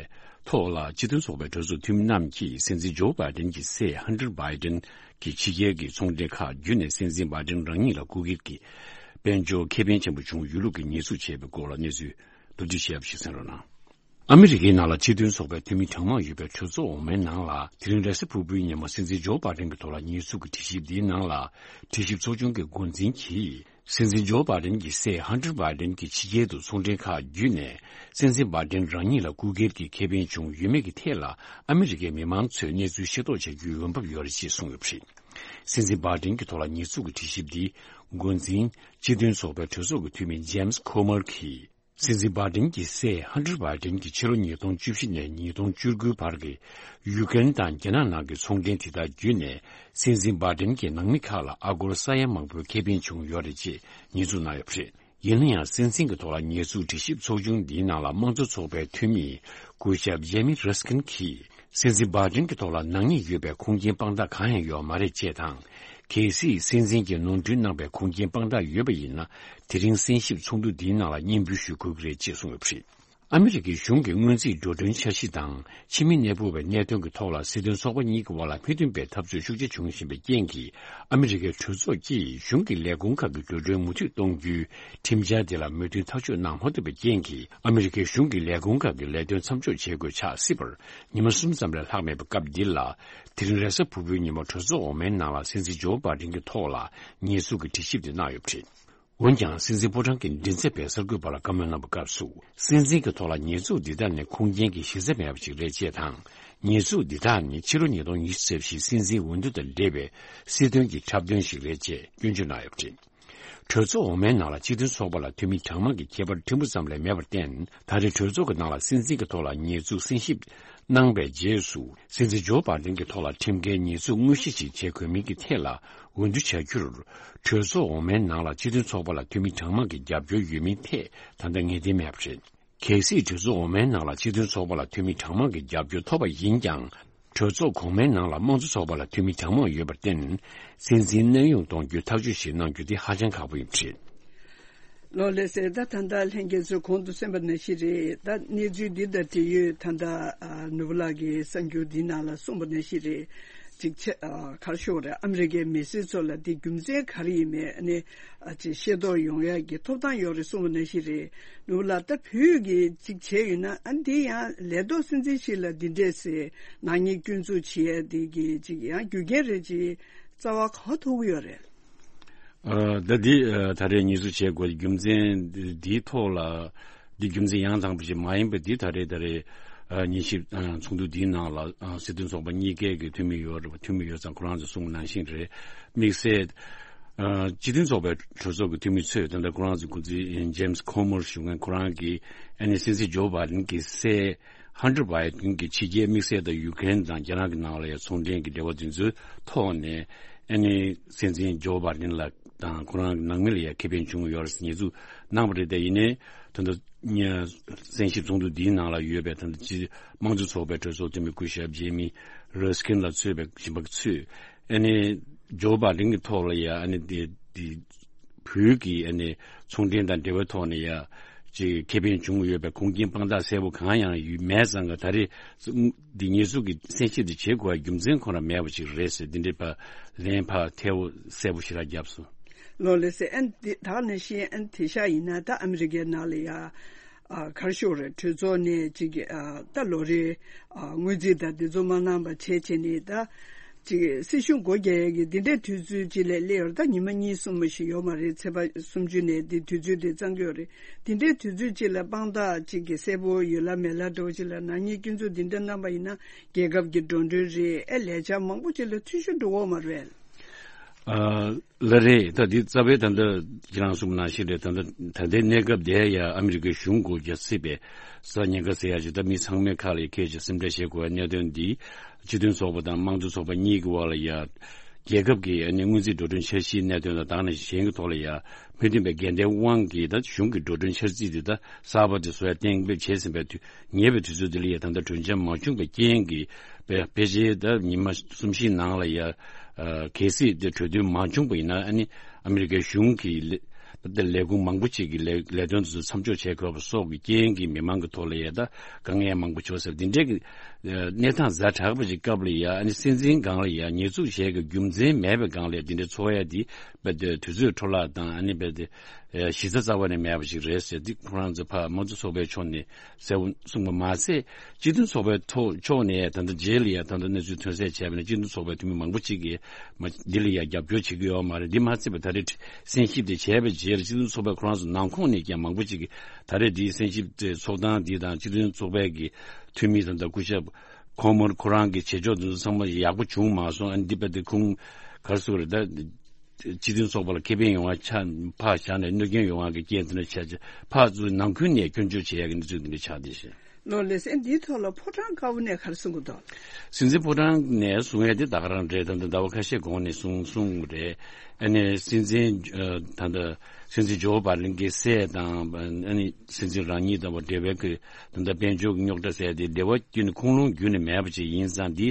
ཐོག་ལ། སྤྱི་མཐུན་ཚོགས་པའི་གྲོས་ཚོགས་འཐུས་མི་རྣམས་ཀྱིས་སྲིད་འཛིན་ཇོ་བྷའི་ཌེན་གྱི་སྲས་ཧན་ཊར་བྷའི་ཌེན་གྱི་ཕྱི་རྒྱལ་གྱི་ཚོང་འབྲེལ་ཁག་བརྒྱུད་ནས་སྲིད་འཛིན་བྷའི་ཌེན་རང་ཉིད་ལ་སྐུ་སྒེར་གྱི་དཔལ་འབྱོར་ཁེ་ཕན་ཆེན་པོ་བྱུང་ཡོད་ལུགས་ཀྱི་ཉེས་འཛུགས་བྱས་པའི་སྐོར་ལ་གནས་ཚུལ་མདོར་བསྡུས་ཞིབ་ཞིག་གསན་རོགས་གནང་། ཨ་མི་རི་ཀའི་ནང་ལ་སྤྱི་མཐུན་ཚོགས་པའི་འཐུས་མི་གྲངས་མང་ཡོད་པའི་གྲོས་ཚོགས་འོག་མའི་ནང་ལ། དེ་རིང་རེས་གཟའ་ཕུར་བུའི་ཉིན་མོ་སྲིད་འཛིན་ཇོ་བྷའི་ཌེན་གྱི་ཐོག་ལ་ཉེས་འཛུགས་ཀྱི་དྲི་ཞིབ་འདིའི་ནང་ལ། དྲི་ཞིབ་ཚོགས་ཆུང་གི་འགོ་འཛིན་གྱིས། སྲིད་འཛིན་ཇོ་བྷའི་ཌེན་གྱི་སྲས་ཧན་ཊར་བྷའི་ཌེན་གྱིས་ཕྱི་རྒྱལ་དུ་ཚོང་འབྲེལ་ཁག་བརྒྱུད་ནས། སྲིད་འཛིན་བྷའི་ཌེན་རང་ཉིད་ལ་སྐུ་སྒེར་གྱི་ཁེ་ཕན་བྱུང་ཡོད་མེད་ཀྱི་ཐད་ལ། ཨ་མི་རི་ཀའི་མི་མང་ཚོས་གནས་ཚུལ་ཤེས་རྟོགས་བྱ་རྒྱུའི་འོས་འབབ་ཡོད་རེད་ཅེས་གསུངས་ཡོད་པ་རེད། སྲིད་འཛིན་བྷའི་ཌེན་གྱི་ཐོག་ལ་ཉེས་འཛུགས་ཀྱི་དྲི་ཞིབ་འདི། འགོ་འཛིན་སྤྱི་མཐུན་ཚོགས་པའི་གྲོས་ཚོགས་ཀྱི་འཐུས་མི་ཇེམ་སི་ཁོ་མར་གྱིས། སྲིད་འཛིན་བྷའི་ཌེན་གྱི་སྲས་ཧན་ཊར་བྷའི་ཌེན་གྱིས་ཕྱི་ལོ་ཉིས་སྟོང་བཅུ་བཞི་ནས་ཉིས་སྟོང་བཅུ་དགུའི་བར་གྱི་ཡུ་ཀེ་རེན་དང་རྒྱ་ནག་ནང་གི་ཚོང་འབྲེལ་དེ་དག་བརྒྱུད་ནས། སྲིད་འཛིན་བྷའི་ཌེན་གྱི་ནང་མི་ཁག་ལ་ཨ་སྒོར་ས་ཡ་མང་པོའི་ཁེ་ཕན་བྱུང་ཡོད་རེད་ཅེས་ཉེས་འཛུགས་གནང་ཡོད་པ་རེད། ཡིན་ན་ཡང་། སྲིད་འཛིན་གྱི་ཐོག་ལ་ཉེས་འཛུགས་དྲི་ཞིབ་ཚོགས་ཆུང་འདིའི་ནང་ལ་དམངས་གཙོ་ཚོགས་པའི་འཐུས་མི་སྐུ་ཞབས་ཇེ་མི་རེས་ཀིན་གྱིས། སྲིད་འཛིན་བྷའི་ཌེན་གྱི་ཐོག་ལ་ནག་ཉེས་ཡོད་པའི་ཁུངས་སྐྱེལ་དཔང་རྟགས་གང་ཡང་ཡོད་མ་རེད་ཅེས་དང་། གལ་སྲིད་སྲིད་འཛིན་གྱིས་ནོར་འཁྲུལ་གནང་བའི་ཁུངས་སྐྱེལ་དཔང་རྟགས་ཡོད་པ་ཡིན་ན། དེ་རིང་གསན་ཞིབ་ཚོགས་འདུ་འདིའི་ནང་ལ་སྙན་འབུལ་ཞུ་དགོས་ཀྱི་རེད་ཅེས་གསུངས་ཡོད་པ་རེད། ཨ་མི་རི་ཀའི་གཞུང་གི་སྔོན་རྩིས་འགྲོ་གྲོན་འཆར་གཞི་དང་། ཕྱི་མི་གནས་སྤོ་བའི་གནད་དོན་གྱི་ཐོག་ལ་སྲིད་དོན་ཚོགས་པ་གཉིས་ཀྱི་དབར་ལ་མི་མཐུན་པའི་འཐབ་རྩོད་ཤུགས་ཆེ་བྱུང་བཞིན་པའི་རྐྱེན་གྱིས། ཨ་མི་རི་ཀའི་གྲོས་ཚོགས་ཀྱིས་གཞུང་གི་ལས་ཁུངས་ཁག་གི་འགྲོ་གྲོན་མུ་མཐུད་གཏོང་རྒྱུའི་ཁྲིམས་འཆར་དེ་ལ་མོས་མཐུན་ཐག་གཅོད་གནང་མ་ཐུབ་པའི་རྐྱེན་གྱིས། ཨ་མི་རི་ཀའི་གཞུང་གི་ལས་ཁུངས་ཁག་གི་ལས་དོན་མཚམས་འཇོག་བྱེད་དགོས་ཆགས་སྲིད་པར། ཉི་མ་གསུམ་ཙམ་ལས་ལྷག་མེད་པའི་སྐབས་འདི་ལ། དེ་རིང་རེས་གཟའ་ཕུར་བུའི་ཉིན་མོ་གྲོས་ཚོགས་འོག་མའི་ནང་ལ་སྲིད་འཛིན་ཇོ་བྷའི་ཌེན་གྱི་ཐོག་ལ་ཉེས་འཛུགས་ཀྱི་དྲི་ཞིབ་དེ་གནང་ཡོད་པ་རེད། འོན་ཀྱང་། སྲིད་འཛིན་ཕོ་བྲང་གི་མགྲིན་ཚབ་པས་གསར་འགོད་པ་ལ་བཀའ་མོལ་གནང་བའི་སྐབས་སུ། སྲིད་འཛིན་གྱི་ཐོག་ལ་ཉེས་འཛུགས་འདི་དག་ནི་ཁུངས་སྐྱེལ་གྱི་གཞི་རྩ་མེད་པ་ཞིག་རེད་ཅེས་དང་། ཉེས་འཛུགས་འདི་དག་ནི་ཕྱི་ལོ་ཉིས་སྟོང་ཉི་ཤུ་རྩ་བཞིའི་སྲིད་འཛིན་འོས་བསྡུ་དང་འབྲེལ་བའི་སྲིད་དོན་གྱི་འཁྲབ་སྟོན་ཞིག་རེད་ཅེས་སྐྱོན་བརྗོད་གནང་ཡོད་པ་རེད། གྲོས་ཚོགས་འོག་མའི་ནང་ལ་སྤྱི་མཐུན་ཚོགས་པ་ལ་འཐུས་མི་གྲངས་མང་གི་ཁྱད་པར་ཕྲན་བུ་ཙམ་ལས་མེད་པར་བརྟེན། ད་རེས་གྲོས་ཚོགས་ཀྱི་ནང་ལ་སྲིད་འཛིན་གྱི་ཐོག་ལ་ཉེས་འཛུགས་གསན་ཞིབ་གནང་བའི་རྗེས་སུ། སྲིད་འཛིན་ཇོ་བྷའི་ཌེན་གྱི་ཐོག་ལ་ཁྲིམས་འགལ་ཉེས་འཛུགས་དངོས་གཞི་ཞིག་བྱེད་དགོས་མིན་གྱི་ཐད་ལ་འོས་བསྡུ་བྱ་རྒྱུར། གྲོས་ཚོགས་འོག་མའི་ནང་ལ་སྤྱི་མཐུན་ཚོགས་པ་ལ་འཐུས་མི་གྲངས་མང་གི་རྒྱབ་སྐྱོར་ཡོད་མིན་ཐད་ད་ལྟ་ངེས་གཏན་མེད་པ་རེད། གལ་སྲིད་གྲོས་ཚོགས་འོག་མའི་ནང་ལ་སྤྱི་མཐུན་ཚོགས་པ་ལ་འཐུས་མི་གྲངས་མང་གི་རྒྱབ་སྐྱོར་ཐོབ་པ་ཡིན་ཀྱང་། གྲོས་ཚོགས་གོང་མའི་ནང་ལ་དམངས་གཙོ་ཚོགས་པ་ལ་འཐུས་མི་གྲངས་མང་ཡོད་པར་བརྟེན། སྲིད་འཛིན་གནས་དབྱུང་གཏོང་རྒྱུའི་ཐག་གཅོད་ཞིག་གནང་རྒྱུ་དེ་ཧ་ཅང་ཁག་པོ་ཡིན་པ་རེད། ལགས་ལགས་སེ། ད་ད་ལྟ་ལྷན་རྒྱས་ཚོས་གོང་དུ་གསན་པ་ནང་བཞིན་རེད། ད་གནས་ཚུལ་འདི་དང་འབྲེལ་ཡོད་ད་ལྟ་ཨ་ནོར་བུ་ལགས་ཀྱིས་གསར་འགྱུར་འདི་ནང་ལ་གསུངས་པ་ནང་བཞིན་རེད། ཅིག་ཆེ་ཨ་ག་རེ་ཞུ་དགོས་རེད། ཨ་མི་རི་ཀའི་མི་སེར་ཚོ་ལ་འདི་རྒྱུ་མཚན་ག་རེ་ཡིན་མིན་ཨ་ནི་ཨ་ཅིག་ཤེས་རྟོགས་ཡོང་ཡག་གི་ཐོབ་ཐང་ཡོད་རེད་གསུངས་པ་ནང་བཞིན་རེད། ནོར་བུ་ལགས། ད་བོད་ཀྱི་ཅིག་བྱས་ཡོད་ན་ཨ་འདི་ཡང་ལས་ཐོག་སྲིད་འཛིན་ཞིག་ལ་འདི་འདྲས་སེ་ནག་ཉེས་སྐྱོན་འཛུགས་བྱེད་ཡ་འདི་གི་ཅིག་ཡང་རྒྱུ་རྐྱེན་རེད་ཅིག་རྩ་བ་ག་པར་ཐུག་གི་ཡོད་རེད། ཨ་ད་འདི་ཨ་ད་རེས་ཉེས་འཛུགས་བྱེད་དགོས་རྒྱུ་མཚན་འདིའི་ཐོག་ལ་འདི་རྒྱུ་མཚན་ཡང་དག་པ་ཞིག་མ་ཡིན་པ་འདི་ད་རེས་ད་རེས་ཨ་ཉིན་ཞིབ་ཨ་ཚོགས་འདུ་འདིའི་ནང་ལ་ཨ་སྲིད་དོན་ཚོགས་པ་གཉིས་ཀའི་གི་འཐུས་མི་ཡོད་རེད་པ། འཐུས་མི་ཡོད་ཙང་ཁོ་རང་ཚོས་གསུངས་པ་ནང་བཞིན་རེད། དམིགས་བསལ་ཨ་སྤྱི་མཐུན་ཚོགས་པའི་གྲོས་ཚོགས་ཀྱི་འཐུས་མི་ཚོས་ད་ལྟ་ཁོ་རང་ཚོའི་འགོ་འཛིན་ཇེམ་སི་ཁོ་མོར་ཞུ་མཁན་ཁོ་རང་གིས་ཨ་ནི་སྲིད་འཛིན་ཇོ་བྷའི་ཌེན་གྱི་སྲས་ཧན་ཊར་བྷའི་ཌེན་གྱིས་ཕྱི་རྒྱལ་དམིགས་བསལ་དང་ཡུ་ཀེ་རེན་དང་རྒྱ་ནག་གི་ནང་ལ་ཡང་ཚོང་འབྲེལ་གྱི་འབྲེལ་བ་དེ་ཚོའི་ཐོག་ནས་ཨ་ནི་སྲིད་འཛིན་ཇོ་བྷའི་ཌེན་ལ་དང་ཁོ་རང་གི་ནང་མི་ལ་ཡང་ཁེ་ཕན་བྱུང་ཡོད་རེད་ཉེས་འཛུགས་གནང་བ་རེད། དེ་ཡིན་ནའི་ད་ལྟ་གསན་ཞིབ་ཚོགས་འདུ་འདིའི་ནང་ལ་ཡོད་པའི་ད་ལྟ་སྤྱི་དམངས་གཙོ་ཚོགས་པའི་གྲོས་ཚོགས་འཐུས་མི་སྐུ་ཞབས་ཇེ་མི་རི་སི་ཀིན་ལ་གཙོས་པའི་གཞན་པ་ཚོས་ཨ་ནི་ཇོ་བྷའི་ཌེན་གྱི་ཐོག་ལ་ཡང་ཨ་ནི་དེ་དེ། བོད་ཀྱི་ཨ་ནི་ཚོང་འབྲེལ་དང་འབྲེལ་བའི་ཐོག་ནས་ཡ་ཅིག་ཁེ་ཕན་བྱུང་ཡོད་པའི་ཁུངས་སྐྱེལ་དཔང་རྟགས་གསལ་པོ་གང་ཡང་ཡོད་མེད་ཙང་ག་ད་རེས་འདི་ཉེས་འཛུགས་ཀྱི་གསན་ཞིབ་འདི་བྱེད་དགོས་པའི་རྒྱུ་མཚན་ཁོ་རང་མེད་པ་ཅིག་རེད་ཟེར་འདི་འདྲའི་ཕར་ལན་ཕར་ཐལ་བོ་གསལ་པོ་ཞེ་དྲག་བརྒྱབ་སོང་། ལགས་ལགས་སེ། ཨན་འདི་ད་ག་ནང་བཞིན་ཨན་དེ་ཤ་ཡིན་ན་ད་ཨ་མི་རི་ཀའི་ནང་ལ་ཡ། ཨ་ག་རེ་ཞུ་དགོས་རེད། གྲོས་ཚོགས་ནས་ཅིག་ཨ་ད་ལོ་རེའི་ཨ་སྔོན་རྩིས་དང་དེ་ཚོ་མ་གནང་པ་བྱས་བྱས་ནས་ད་ཅིག་སྲིད་གཞུང་སྒོ་རྒྱག་ཡས་ཀྱི་འདི་འདྲའི་དུས་ཚོད་ཅིག་ལ་སླེབས་ཡོད་རེད། ད་ཉི་མ་གཉིས་གསུམ་མ་ཞིག་ཡོད་མ་རེད། ཚེས་པ་སུམ་ཅུ་ནས་འདི་དུས་ཚོད་དེ་བརྩམས་ཀྱི་ཡོད་རེད། འདི་འདྲའི་དུས་ཚོད་ཅིག་ལ་དཔང་རྟགས་ཅིག་གི་གསལ་པོ་ཡོད་ལ་མེད་ལ་འདྲ་བོ་ཅིག་ལ་ནག་ཉེས་སྐྱོན་འཛུགས་འདི་འདྲ་གནང་པ་ཡིན་ན་རྒྱལ་ཁབ་ཀྱི་འགྲོ་གྲོན་རེད། ཨེ་ལས་འཆར་མང་པོ་ཅིག་ལ་འཐུས་ཤོར་འགྲོ་འོག་མ་རེད། ཨ་ལགས་རེད། ད་འདི་རྩ་བའི་ད་ལྟ་ཁྱེད་རང་གསུངས་པ་ནང་བཞིན་རེད། ད་ལྟ་ད་ལྟའི་གནས་སྐབས་དེ་ཡང་ཨ་མི་རི་ཀའི་གཞུང་སྒོ་རྒྱག་སྲིད་པའི་ས་ཉེན་ཁ་ཟེར་ཡ་ཅིག་ད་མི་ཚང་མའི་ཁ་ལ་ཁྱེད་ཀྱིས་སེམས་ཁྲལ་བྱེད་དགོས་པའི་གནད་དོན་འདི་སྤྱི་མཐུན་ཚོགས་པ་དང་དམངས་གཙོ་ཚོགས་པ་གཉིས་ཀྱི་དབར་ལ་ཡ་རྒྱལ་ཁབ་ཀྱི་ཨ་ནི་སྔོན་རྩིས་འགྲོ་གྲོན་འཆར་གཞིའི་གནད་དོན་དང་དེ་ནང་བཞིན་གྱི་ཐོག་ལ་ཡ་མི་མཐུན་པའི་འགལ་ཟླའི་དབང་གིས་ད་གཞུང་གི་འགྲོ་གྲོན་འཆར་རྩིས་འདི་ད་གསར་པ་དེ་བཟོ་ཡ་གཏན་འབེབས་བྱས་ཟིན་པའི་དུས་ཉེ་བའི་དུས་ཚོད་འདི་ལ་ཡ་ད་ལྟ་གྲོས་འཆར་མ་བྱུང་བའི་རྐྱེན་གྱིས་དཔེ་དཔེ་ཆའི་ད་ཉི་མ་གསུམ་བཞིའི་ནང་ལ་ཡ་ཨ་གལ་སྲིད་དེ་གྲོས་མཐུན་མ་བྱུང་པ་ཡིན་ན་ཨ་ནི་ཨ་མི་རི་ཀའི་གཞུང་གི་ལས་ད་ལས་ཁུངས་མང་པོ་ཅིག་གི་ལས་ལས་དོན་དེ་ཚོ་མཚམས་འཇོག་བྱེད་དགོས་པ་སོགས་ཀྱི་རྐྱེན་གྱིས་མི་མང་གི་ཐོག་ལ་ཡ་ད་དཀའ་ངལ་མང་པོ་བྱུང་ཟེར་འདི་འདྲའི་གི་གནས་སྟངས་ཛ་དྲག་པ་ཅིག་སྐབས་ལ་ཡ་ཨ་ནི་སྲིད་འཛིན་སྒང་ལ་ཡ་ཉེས་འཛུགས་བྱས་ཀྱི་རྒྱུ་མཚན་མེད་པའི་སྒང་ལ་འདི་འདྲའི་ཚོར་ཡ་འདི་དཔེ་དེ་དུས་ཚོད་འཕྲོ་བརླག་དང་ཨ་ནི་དཔེ་དེ་གཞི་རྩ་རྩ་བ་ནས་མེད་པ་ཅིག་རེད་ཟེར་འདི་ཁོ་རང་ཚོ་ཕར་དམངས་གཙོ་ཚོགས་པའི་ཕྱོགས་ནས་གསལ་པོ་གསུངས་པ་མ་ཟད། སྤྱི་མཐུན་ཚོགས་པའི་ཐོག་ཕྱོགས་ནས་ད་ལྟ་རྗེས་ལ་ཡང་ད་ལྟ་གནས་ཚུལ་ཐོན་གསལ་བྱས་པ་ནས་སྤྱི་མཐུན་ཚོགས་པའི་འཐུས་མི་མང་པོ་ཅིག་གིས་མ་འདི་ལ་ཡང་རྒྱབ་སྐྱོར་བྱེད་ཀྱི་ཡོད་མ་རེད། འདི་མ་ཚད་པ་ད་རེས་གསན་ཞིབ་དེ་བྱས་པའི་རྗེས་ལ་སྤྱི་མཐུན་ཚོགས་པའི་ཁོ་རང་ཚོ་ནང་ཁོངས་ནས་ཀྱང་མང་པོ་ཅིག་གིས་ད་རེས་འདིའི་གསན་ཞིབ་དེ་ཚོགས་སྟངས་འདི་དང་སྤྱི་མཐུན་ཚོགས་པའི་གི་འཐུས་མི་དང་ད་སྐུ་ཞབས་ཁོ་མོར་ཁོ་རང་གི་བྱེད་ཕྱོགས་འདི་ཚོ་ཚང་མ་ཡག་པོ་བྱུང་མ་སོང་། ཨ་འདི་པ་འདི་ཁུངས་ག་རེ་ཟེར་དགོས་རེད། ད་སྤྱི་མཐུན་ཚོགས་པ་ལ་ཁེ་ཕན་ཡོང་བ་ཆ་ཕར་བཞག་ནས་གནོད་སྐྱོན་ཡོང་བ་གི་རྐྱེན་དེ་འདྲ་ཆགས་ཆགས་ཕར་ཚུར་ནང་ཁུལ་ནས་སྐྱོན་བརྗོད་བྱེད་ཡག་གི་གནས་ཚུལ་འདི་འདྲ་ཆགས་བསྡད་ཤག་ལགས་ལགས་སེ། འདིའི་ཐོག་ལ་ཕོ་བྲང་དཀར་པོ་ནས་ག་རེ་གསུང་གི་འདུག་སྲིད་འཛིན་ཕོ་བྲང་ནས་གསུང་ཡ་དེ་ད་ག་རང་རེད། ད་ལྟ་ཟླ་བ་ཁ་ཤས་གོང་ནས་གསུང་གསུང་རེད། ཨ་ནི་སྲིད་འཛིན་ཨ་ད་ལྟ་སྲིད་འཛིན་ཇོ་བྷའི་ཌེན་གྱི་སྲས་དང་ཨ་ནི་སྲིད་འཛིན་རང་ཉིད་དང་འབྲེལ་བའི་གི་ད་ལྟ་དཔལ་འབྱོར་གྱི་རྙོག་དྲ་ཟེར་ཡ་དེ་འབྲེལ་བ་ཁྱོན་ནས་ཁུངས་ལུང་རྒྱུན་ནས་མེད་པ་ཅིག་ཡིན་ཙང་འདི་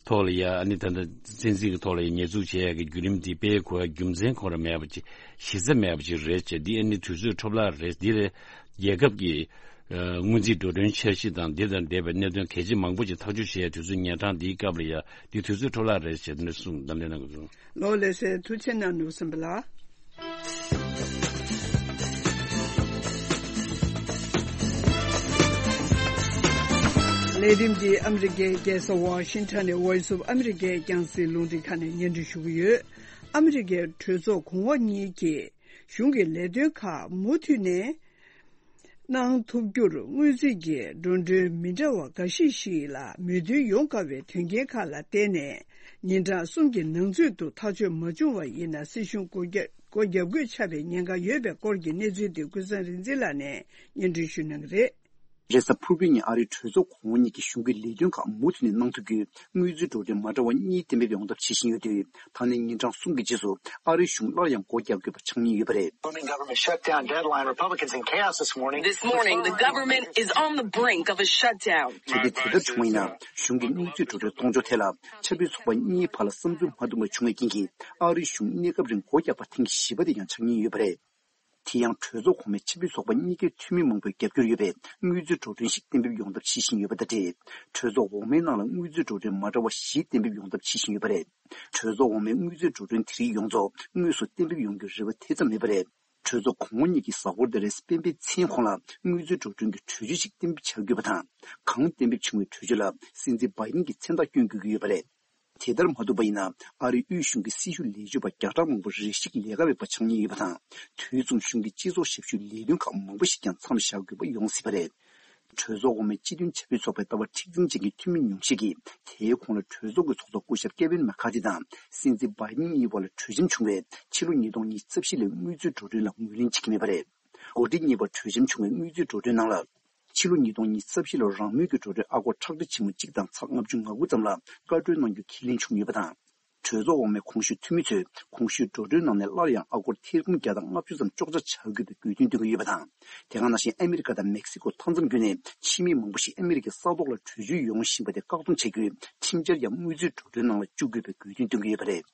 ཐོག་ལ་ཡ་ཨ་ནི་ད་ལྟ་སྲིད་འཛིན་གྱི་ཐོག་ལ་ཡ་ཉེས་འཛུགས་བྱེད་ཡ་གི་བརྒྱུད་རིམ་འདི་སྤེལ་དགོས་ཡ་རྒྱུ་མཚན་ཁོ་རང་མེད་པ་ཅིག་གཞི་རྩ་མེད་པ་ཅིག་རེད་ཅེས་འདི་ཨ་ནི་དུས་ཚོད་འཕྲོ་བརླག་རེད། འདི་ལས་རྒྱལ་ཁབ་ཀྱི་ཨ་སྔོན་རྩིས་འགྲོ་གྲོན་འཆར་གཞི་དང་འདི་དང་འབྲེལ་བའི་གནད་དོན་གལ་ཆེ་མང་པོ་ཅིག་ཐག་གཅོད་བྱེད་ཡ་དུས་ཚོད་ཉེ་གྲང་འདིའི་སྐབས་ལ་ཡ་འདི་དུས་ཚོད་འཕྲོ་བརླག་རེད་ཅེས་འདི་འདྲ་གསུངས་གདམ་ལན་གནང་དགོས་སོང་། ལགས་ལགས་སེ། ཐུགས་རྗེ་གནང་ནོར་བུ་སེམས་པ་ལགས། ལས་རིམ་འདི་ཨ་མི་རི་ཀའི་རྒྱལ་ས་ཝ་ཤིང་ཊོན་ནས་Voice of America་རྒྱང་སྲིང་རླུང་འཕྲིན་ཁང་ནས་སྙན་སྒྲོན་ཞུ་གི་ཡོད། ཨ་མི་རི་ཀའི་གྲོས་ཚོགས་གོང་འོག་གཉིས་ཀྱིས་གཞུང་གི་ལས་དོན་ཁག་མུ་མཐུད་ནས་གནང་ཐུབ་རྒྱུར་སྔོན་རྩིས་ཀྱི་འགྲོ་གྲོན་མི་འདྲ་བ་འགའ་ཤས་ཤིག་ལ་མོས་མཐུན་ཡོང་དཀའ་བའི་དོན་རྐྱེན་ཁག་ལ་བརྟེན་ནས་ཉིན་གྲངས་གསུམ་གྱི་ནང་ཚུད་དུ་ཐག་གཅོད་མ་བྱུང་བ་ཡིན་ན་སྲིད་གཞུང་སྒོ་རྒྱག་སྒོ་རྒྱག་དགོས་ཆགས་པའི་ཉེན་ཁ་ཡོད་པའི་སྐོར་གྱི་གནས་ཚུལ་དེ་ཀུན་བཟང་རིག་འཛིན་ལགས་ནས་སྙན་སྒྲོན་ཞུ་གནང་གི་རེད། རེས་གཟའ་ཕུར་བུའི་ཉིན་ཨ་རིའི་གྲོས་ཚོགས་གོང་འོག་གཉིས་ཀྱིས་གཞུང་གི་ལས་དོན་ཁག་མུ་མཐུད་ནས་གནང་ཐུབ་རྒྱུའི་དངུལ་རྩིས་འགྲོ་གྲོན་མ་འདྲ་བ་གཉིས་གཏན་འབེབས་ཡོང་ཐབས་བྱེད་བཞིན་ཡོད་དུས། ད་ནི་ཉིན་གྲངས་གསུམ་གྱི་རྗེས་སུ་ཨ་རིའི་གཞུང་སླར་ཡང་སྒོ་རྒྱག་དགོས་པ་ཆགས་ཉེན་ཡོད་པ་རེད། Looming government shutdown deadline. Republicans in chaos this morning. This morning, the government is on the brink of a shutdown. གལ་ཏེ་དེ་ལྟར་བྱུང་བ་ཡིན་ན། གཞུང་གི་དངུལ་རྩིས་འགྲོ་གྲོན་གཏོང་ཕྱོགས་ཐད་ལ་ཆབ་སྲིད་ཚོགས་པ་གཉིས་བར་ལ་བསམ་ཚུལ་མ་མཐུན་པ་བྱུང་བའི་རྐྱེན་གྱིས་ཨ་རིའི་གཞུང་གནས་སྐབས་རིང་སྒོ་རྒྱག་པ་ཐེངས་བཞི་པ་དེ་ཡང་ཆགས་ཉེན་ཡོད་པ་རེད། དེ་ཡང་གྲོས་ཚོགས་གོང་མའི་ཆབ་སྲིད་ཚོགས་པ་གཉིས་ཀའི་འཐུས་མི་མང་པོས་རྒྱབ་སྐྱོར་ཡོད་པའི་དངུལ་རྩིས་འགྲོ་གྲོན་ཞིག་གཏན་འབེབས་ཡོང་ཐབས་བྱེད་བཞིན་ཡོད་པ་དང་འབྲེལ། གྲོས་ཚོགས་འོག་མའི་ནང་ལ་དངུལ་རྩིས་འགྲོ་གྲོན་མ་འདྲ་བ་བཞི་གཏན་འབེབས་ཡོང་ཐབས་བྱེད་བཞིན་ཡོད་པ་རེད། གྲོས་ཚོགས་འོག་མའི་དངུལ་རྩིས་འགྲོ་གྲོན་དེ་རིགས་ཡོངས་རྫོགས་དངོས་སུ་གཏན་འབེབས་ཡོང་རྒྱུའི་རེ་བ་དེ་ཙམ་མེད་པ་རེད། གྲོས་ཚོགས་གོང་འོག་གཉིས་ཀྱི་གཟའ་འཁོར་འདིར་སྤེན་པའི་མཚན་གོང་ལ་དངུལ་རྩིས་འགྲོ་གྲོན་གྱི་གྲོས་ཆོད་ཅིག་གཏན་འབེབས་བྱ་དགོས་པ་དང་། གོང་གཏན་འབེབས་བྱུང་བའི་གྲོས་ཆོད་ལ་སྲིད་འཛིན་བྷའི་ཌེན་གྱི་མཚན་རྟགས་བསྐྱོན་དགོས་ཀྱི་ཡོད་པ་རེད། དེ་ལྟར་མ་ཐུབ་པ་ཡིན་ན། ཨ་རིའི་དབུས་གཞུང་གི་སྲི་ཞུ་ལས་བྱེད་པ་བརྒྱ་ཕྲག་མང་པོ་རེ་ཞིག་ལས་ཀ་མེད་པ་ཆགས་ཉེན་ཡོད་པ་དང་། དུས་མཚུངས་གཞུང་གི་སྤྱི་ཚོགས་ཞབས་ཞུའི་ལས་དོན་ཁག་མང་པོ་ཞིག་ཀྱང་མཚམས་བཞག་དགོས་པ་ཡོང་སྲིད་པ་རེད། གྲོས་ཚོགས་འོག་མའི་སྤྱི་མཐུན་ཆབ་སྲིད་ཚོགས་པའི་ལྟ་བ་མཁྲེགས་འཛིན་ཅན་གྱི་འཐུས་མི་ཉུང་ཤས་ཀྱིས། དེའི་གོང་ལ་གྲོས་ཚོགས་ཀྱི་ཚོགས་གཙོ་སྐུ་ཞབས་ཀེ་ཝིན་མེ་ཁ་ཐི་དང་། སྲིད་འཛིན་བྷའི་ཌེན་གཉིས་བར་ལ་གྲོས་འཆམ་བྱུང་བའི་ཕྱི་ལོ་ཉིས་སྟོང་ཉི་ཤུ་རྩ་བཞི་ལོའི་དངུལ་རྩིས་འགྲོ་གྲོན་ལ་ངོས་ལེན་བྱེད་ཀྱི་མེད་པ་རེད། འགོ་ཁྲིད་གཉིས་བར་གྲོས་འཆམ་བྱུང་བའི་དངུལ་རྩིས་འགྲོ་གྲོན་ནང་ལ། ཕྱི་ལོ་ཉིས་སྟོང་ཉི་ཤུ་རྩ་བཞི་ལོར་རང་མོས་ཀྱི་འགྲོ་གྲོན་ཨ་སྒོར་ཁྲག་ཁྲིག་ཆེན་མོ་གཅིག་དང་ཚེག་ལྔ་བཅུ་ང་དགུ་ཙམ་ལ་བཀའ་འཁྲོལ་གནང་རྒྱུ་ཁས་ལེན་བྱུང་ཡོད་པ་དང་། གྲོས་ཚོགས་འོག་མའི་གོང་ཞུས་འཐུས་མི་ཚོས་གོང་ཞུས་འགྲོ་གྲོན་ནང་ནས་སླར་ཡང་ཨ་སྒོར་ཐེར་འབུམ་བརྒྱ་དང་ལྔ་བཅུ་ཙམ་གཅོག་ཆ་བྱ་དགོས་པའི་དགོས་འདུན་བཏོན་གྱི་ཡོད་པ་དང་། དེ་ག་ནང་བཞིན་ཨ་མི་རི་ཀ་དང་མེག་སི་ཀོ་མཐའ་མཚམས་བརྒྱུད་ནས་ཕྱི་མི་མང་པོ་ཞིག་ཨ་མི་རི་ཀའི་ས་ཐོག་ལ་བྲོས་བྱོལ་ཡོང་བཞིན་པ་དེ་བཀག་སྡོམ་བྱ་རྒྱུའི་ཁྲིམས་འཆར་ཡང་དངུལ་རྩིས་འགྲོ་གྲོན་ནང་ལ་བཅུག་དགོས་པའི་དགོས་འདུན་བཏོན་གྱི་ཡོད་པ་རེད།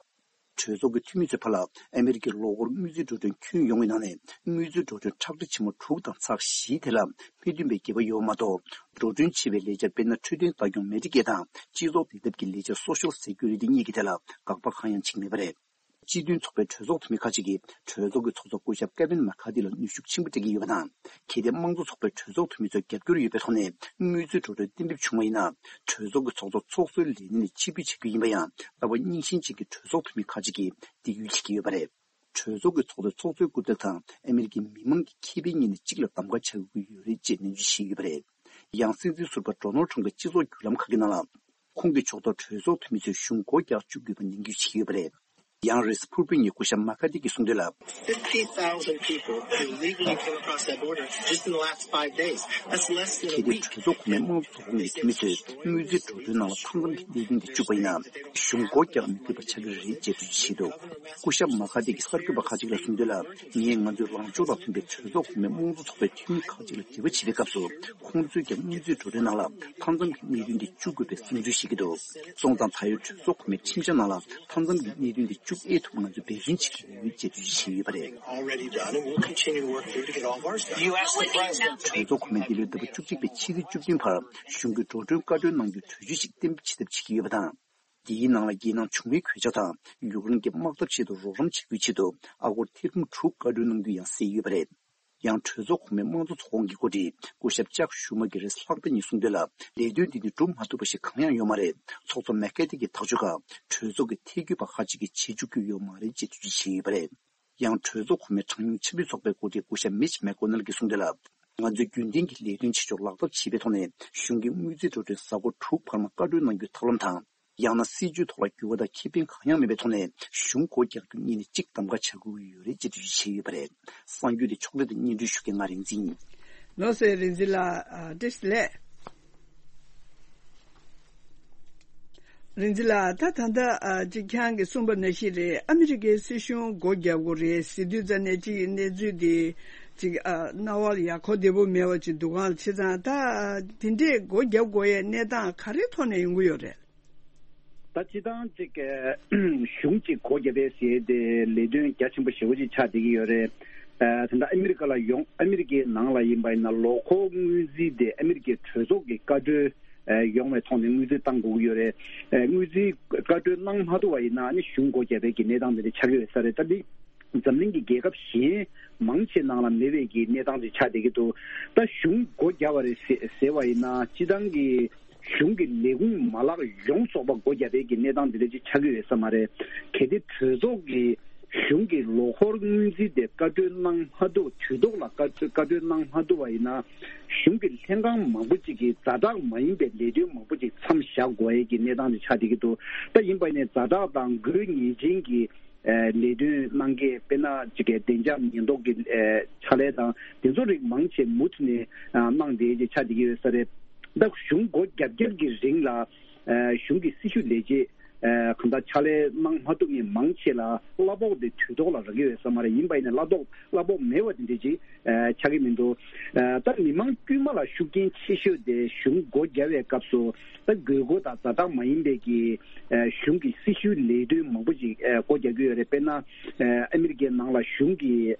གྲོས་ཚོགས་ཀྱི་འཐུས་མི་ཚོའི་བར་ལ་ཨ་མི་རི་ཀའི་ལོ་འཁོར་དངུལ་རྩིས་འགྲོ་གྲོན་ཁྱོན་ཡོངས་ཀྱི་ནང་ནས་དངུལ་རྩིས་འགྲོ་གྲོན་ཁྲག་ཁྲིག་ཆེན་མོ་དྲུག་དང་ཚེག་བཞི་དེ་ལ་མི་བསྟུན་པའི་འགྱེད་པ་ཡོད་པ་མ་གཏོགས། འགྲོ་གྲོན་ཆེ་བའི་ལས་འཆར་དཔེར་ན་འཕྲོད་བསྟེན་ལྟ་སྐྱོང་མེ་ཌི་ཀེ་དང་སྤྱི་ཚོགས་བདེ་ཐབས་ཀྱི་ལས་འཆར་སོ་ཤལ་སེ་ཀུ་རི་ཊི་གཉིས་ཀྱི་ཐད་ལ་དགག་པ་གང་ཡང་བྱེད་ཀྱི་མེད་པ་རེད། སྤྱི་མཐུན་ཚོགས་པའི་གྲོས་ཚོགས་འཐུས་མི་ཁག་ཅིག་གིས་གྲོས་ཚོགས་ཀྱི་ཚོགས་གཙོ་སྐུ་ཞབས་ཀེ་ཝིན་མེ་ཁ་ཐི་ལ་ནུས་ཤུགས་ཆེན་པོ་སྤྲད་ཀྱི་ཡོད་པ་དང་། གལ་ཏེ་དམངས་གཙོ་ཚོགས་པའི་གྲོས་ཚོགས་འཐུས་མི་ཚོའི་རྒྱབ་སྐྱོར་ཡོད་པའི་ཐོག་ནས་དངུལ་རྩིས་འགྲོ་གྲོན་གཏན་འབེབས་བྱུང་བ་ཡིན་ན། གྲོས་ཚོགས་ཀྱི་ཚོགས་གཙོ་ཚོགས་གཙོའི་ལས་གནས་ནས་ཕྱིར་འབུད་བྱ་རྒྱུ་ཡིན་པ་ཡང་ལྟ་བ་རྙིང་ཞེན་ཅན་གྱི་གྲོས་ཚོགས་འཐུས་མི་ཁག་ཅིག་གིས་འདི་ཡོད་བྱེད་ཀྱི་ཡོད་པ་རེད། གྲོས་ཚོགས་ཀྱི་ཚོགས་གཙོས་ཚོགས་གཙོའི་སྐུ་ཚབ་དང་ཨ་མི་རི་ཀའི་མི་མང་གི་ཁེ་ཕན་གཉིས་ནས་གཅིག་ལ་གདམ་ག་བྱ་དགོས་ཀྱི་ཡོད་རེད་ཅེས་ནན་བརྗོད་བྱས་ཡོད་པ་རེད། ཡང་སྲིད་འཛིན་ཟུར་པ་ཌོ་ནལ་ཊམ་གྱི་སྤྱི་ཚོགས་བརྒྱུད་ལམ་ཁག་གི་ནང་ལ། ཁོང་གིས་ཕྱོགས་གཏོགས་གྲོས་ཚོགས་འཐུས་མི་ཚོས་གཞུང་སྒོ་རྒྱག་བཅུག་དགོས་པ་ནན་སྐུལ་བྱས་ཡོད་པ་རེད། ཡང་རི་པབ་ལི་ཀན་གྱི་སྐུ་ཞབས་མེ་ཁ་ཐི་གིས་གསུངས་དོན་ལ། Fifty thousand people illegally came across that border just in the last five days. That's less than a week. གལ་ཏེ་གྲོས་ཚོགས་གོང་མའི་དམངས་གཙོ་ཚོགས་ཁོངས་ཀྱི་འཐུས་མི་ཚོས་དངུལ་རྩིས་འགྲོ་གྲོན་ནང་ལ་མཐའ་མཚམས་ཀྱི་གནད་དོན་དེ་བཅུག་པ་ཡིན་ན། གཞུང་སྒོ་རྒྱག་མི་དགོས་པ་ཆགས་ཀྱི་རེད་ཅེས་འགྲེལ་བརྗོད་བྱས་འདུག་སྐུ་ཞབས་མ་ཁ་ཏི་གིས་གསར་འགོད་པ་ཁག་ཅིག་ལ་གསུངས་དོན་ལ། ངས་ང་ཚོའི་ལངས་ཕྱོགས་དང་མཐུན་པའི་གྲོས་ཚོགས་གོང་མའི་དམངས་གཙོ་ཚོགས་པའི་འཐུས་མི་ཁག་ཅིག་ལ་འབྲེལ་བ་བྱེད་པའི་སྐབས་སུ། ཁོང་ཚོས་ཀྱང་དངུལ་རྩིས་འགྲོ་གྲོན་ནང་ལ་མཐའ་མཚམས་ཀྱི་གནད་དོན་དེ་བཅུག་དགོས་པའི་བསམ་ཚུལ་བཤད་ཀྱི་འདུག་སོང་ཙང་ད་ཡོད་གྲོས་ཚོགས་གོང་མའི་ཁྲིམས་འཆར་ནང་ལ་མཐའ་མཚམས་ཀྱི་གནད་དོན་དེ་བཅུག་ཨེ་ཐུབ་ང་ཚོས་འབད་བརྩོན་བྱེད་ཀྱི་ཡོད་ཅེས་འགྲེལ་བརྗོད་བྱས་ཡོད་པ་རེད། Already done, and we'll continue to work through to get all of ours done. You asked the president. གྲོས་ཚོགས་གོང་མའི་འདི་ལོའི་ཟླ་བ་བཅུ་གཅིག་པའི་ཕྱི་ཚེས་བཅུ་བདུན་བར་གཞུང་གིས་འགྲོ་གྲོན་བཀའ་འཁྲོལ་གནང་རྒྱུའི་གྲོས་ཆོད་ཞིག་གཏན་འབེབས་བྱེད་ཐབས་བྱེད་ཀྱི་ཡོད་པ་དང་། འདིའི་ནང་ལ་རྒྱལ་ནང་བྱུང་བའི་གོད་ཆག་དང་ཡུཀ་རེན་གྱི་དམག་འཐབ་ཆེད་དུ་རོགས་རམ་བྱ་རྒྱུའི་ཆེད་དུ་ཨ་སྒོར་ཐེར་འབུམ་དྲུག་བཀའ་འཁྲོལ་གནང་རྒྱུ་ཡང་གསལ་ཡོད་པ་རེད། ཡང་གྲོས་ཚོགས་གོང་མའི་དམངས་གཙོ་ཚོགས་ཁོངས་ཀྱི་འགོ་ཁྲིད་སྐུ་ཞབས་ཅག་ཤུ་མ་གི་རེས་ལྷག་པ་ཉིད་གསུངས་དོན་ལ། ལས་དོན་འདི་ནི་འགྲུབ་མ་ཐུབ་པ་ཞིག་གང་ཡང་ཡོད་མ་རེད། ཚོགས་གཙོ་མེ་ཁེ་ཏི་གི་ཐག་གཅོད་ཁག་གྲོས་ཚོགས་ཀྱི་ཐད་བསྐོས་པ་ཁག་ཅིག་གིས་བྱེད་བཅུག་རྒྱུ་ཡོད་མ་རེད་ཅེས་འགྲེལ་བརྗོད་བྱས་ཡོད་པ་རེད། ཡང་གྲོས་ཚོགས་གོང་མའི་གྲངས་ཉུང་ཆབ་སྲིད་ཚོགས་པའི་འགོ་ཁྲིད་སྐུ་ཞབས་མིཆ་མེག་ཀོ་ནལ་གྱིས་གསུངས་དོན་ལ། ང་ཚོས་རྒྱུན་ལྡན་གྱི་ལས་དོན་བྱེད་ཕྱོགས་ལག་བསྟར་བྱེད་པའི་ཐོག་ནས་གཞུང་གིས་དངུལ་རྩིས་འགྲོ་གྲོན་གཟའ་འཁོར་དྲུག་བར་མ་བཀའ་འཁྲོལ་གནང་རྒྱུའི་ཐབས་ལམ་དང་། ཡང་ན་སྲིད་ཇུས་ཐོག་ལ་འགྱུར་བ་དང་ཁེ་ཕན་གང་ཡང་མེད་པའི་ཐོག་ནས་གཞུང་སྒོ་རྒྱག་རྒྱུ་གཉིས་ནས་གཅིག་གདམ་ག་བྱ་དགོས་ཀྱི་ཡོད་རེད་ཅེས་འགྲེལ་བརྗོད་བྱས་ཡོད་པ་རེད། གསར་འགྱུར་དེ་ཕྱོགས་སྒྲིག་དང་སྙན་སྒྲོན་ཞུ་མཁན་ང་རིག་འཛིན་ཡིན། ལགས་སོ། རིག་འཛིན་ལགས། ཨ། བཀྲ་ཤིས་བདེ་ལེགས། རིག་འཛིན་ལགས། ད་ད་ལྟ་ཨ་ཅིག་ཁྱེད་རང་གིས་གསུངས་པ་ནང་བཞིན་རེད། ཨ་མི་རི་ཀའི་སྲིད་གཞུང་སྒོ་རྒྱག་དགོས་རེད་ཟེར་དུས་ཙམ་ནས་ཅིག་གནས་ཚུལ་དེ་ཅིག་ཨ་རྣ་བ་ལ་ཡག་པོ་བདེ་པོ་མེད་པ་ཅིག་འདུག་ག། བྱས་ཙང་ད་དེ་འདྲས་སྒོ་རྒྱག་དགོས་ཡའི་གནས་སྟངས་ག་རེ་ཐོག་ནས་ཡོང་གི་ཡོད་རེད། ད་སྤྱིར་བཏང་ཅིག་གཞུང་ཅིག་སྒོ་བརྒྱབ་པའི་ཟེར་ཏེ་ལས་དོན་རྒྱ་ཆེན་པོ་ཞེ་པོ་ཅིག་ཆགས་བསྡད་ཀྱི་ཡོད་རེད། ཨ། ད་ལྟ་ཨ་མི་རི་ཀ་ལ་ཡོང་ཨ་མི་རི་ཀའི་ནང་ལ་ཡིན་པ་ཡིན་ན་ལོ་འཁོར་སྔོན་རྩིས་དེ་ཨ་མི་རི་ཀའི་གྲོས་ཚོགས་ཀྱི་བཀའ་འཁྲོལ་ཨ་ཡོང་བའི་ཐོག་ནས་སྔོན་རྩིས་བཏང་དགོས་ཀྱི་ཡོད་རེད། ཨ། སྔོན་རྩིས་བཀའ་འཁྲོལ་གནང་མ་ཐུབ་པ་ཡིན་ན་ཨ་ནི་གཞུང་སྒོ་བརྒྱབ་པའི་གི་གནས་སྟངས་དེ་འདྲ་ཆགས་ཀྱི་ཡོད་ས་རེད། ད་འདི་འཛམ་གླིང་གི་རྒྱལ་ཁབ་གཞན་མང་ཆེ་ནང་ལ་མེད་པའི་གི་གནས་སྟངས་ཅིག་ཆགས་བསྡད་ཀྱི་འདུག་ད་གཞུང་སྒོ་བརྒྱབ་པ་རེད་ཟེ་ཟེར་བ་ཡིན་ན་སྤྱིར་བཏང་གི་གཞུང་གི་ལས་ཁུངས་མ་ལག་ཡོངས་རྫོགས་པ་སྒོ་བརྒྱབ་པའི་གི་གནས་སྟངས་འདི་འདྲ་ཅིག་ཆགས་ཀྱི་ཡོད་ས་མ་རེད། གལ་ཏེ་གྲོས་ཚོགས་ཀྱི་གཞུང་གི་ལོ་འཁོར་སྔོན་རྩིས་དེ་བཀའ་འཁྲོལ་གནང་མ་ཐུབ། དུས་ཐོག་ལ་བཀའ་བཀའ་འཁྲོལ་གནང་མ་ཐུབ་པ་ཡིན་ན་གཞུང་གི་ལྷན་ཁང་མང་པོ་ཅིག་གིས་ཛ་དྲག་མ་ཡིན་པའི་ལས་དོན་མང་པོ་ཅིག་མཚམས་བཞག་དགོས་ཡས་ཀྱི་གནས་སྟངས་ཅིག་ཆགས་བསྡད་ཀྱི་འདུག་ད་ཡིན་པ་ཡིན་ནའི་ཛ་དྲག་དང་དགོས་ངེས་ཅན་གྱི་ཨ་ལས་དོན་གནང་མཁན་དཔེར་ན་ཅིག་གི་བདེ་འཇགས་ཉེན་རྟོག་གི་ཨ་ཕྱག་ལས་དང་དེ་ཚོ་རིགས་མང་ཆེ་མུ་མཐུད་ནས་ཨ་གནང་བསྡད་ཀྱི་ཆགས་བསྡད་ཀྱི་ཡོད་ས་རེད། ད་གཞུང་སྒོ་རྒྱབ་རྒྱབ་ཀྱི་རིང་ལ་ཨ་གཞུང་གི་སྲི་ཞུ་ལས་བྱེད་ ཨ་གང་ལྟར་ཕྱག་ལས་གནང་མ་ཐུབ་མཁན་མང་ཆེ་ལ་གླ་ཕོགས་དེ་དུས་ཐོག་ལ་རག་གི་ཡོད་ས་མ་རེད། ཡིན་པ་ཡིན་ན་གླ་ཕོགས་གླ་ཕོགས་མེད་པ་དེ་འདྲ་ཅིག་ཨ་ཆགས་ཀྱི་མི་འདུག་ཨ་ད་མི་མང་དཀྱུས་མ་ལ་ཤུགས་རྐྱེན་ཆེ་ཤོས་དེ་གཞུང་སྒོ་རྒྱག་པའི་སྐབས་སུ་ད་དགོས་མཁོ་དང་ཛ་དྲག་མ་ཡིན་པའི་གི་ཨ་གཞུང་གི་སྲི་ཞུའི་ལས་དོན་མང་པོ་ཅིག་ཨ་སྒོ་རྒྱག་གི་ཡོད་རེད། དཔེར་ན་ཨ་ཨ་མི་རི་ཀའི་ནང་ལ་གཞུང་གི་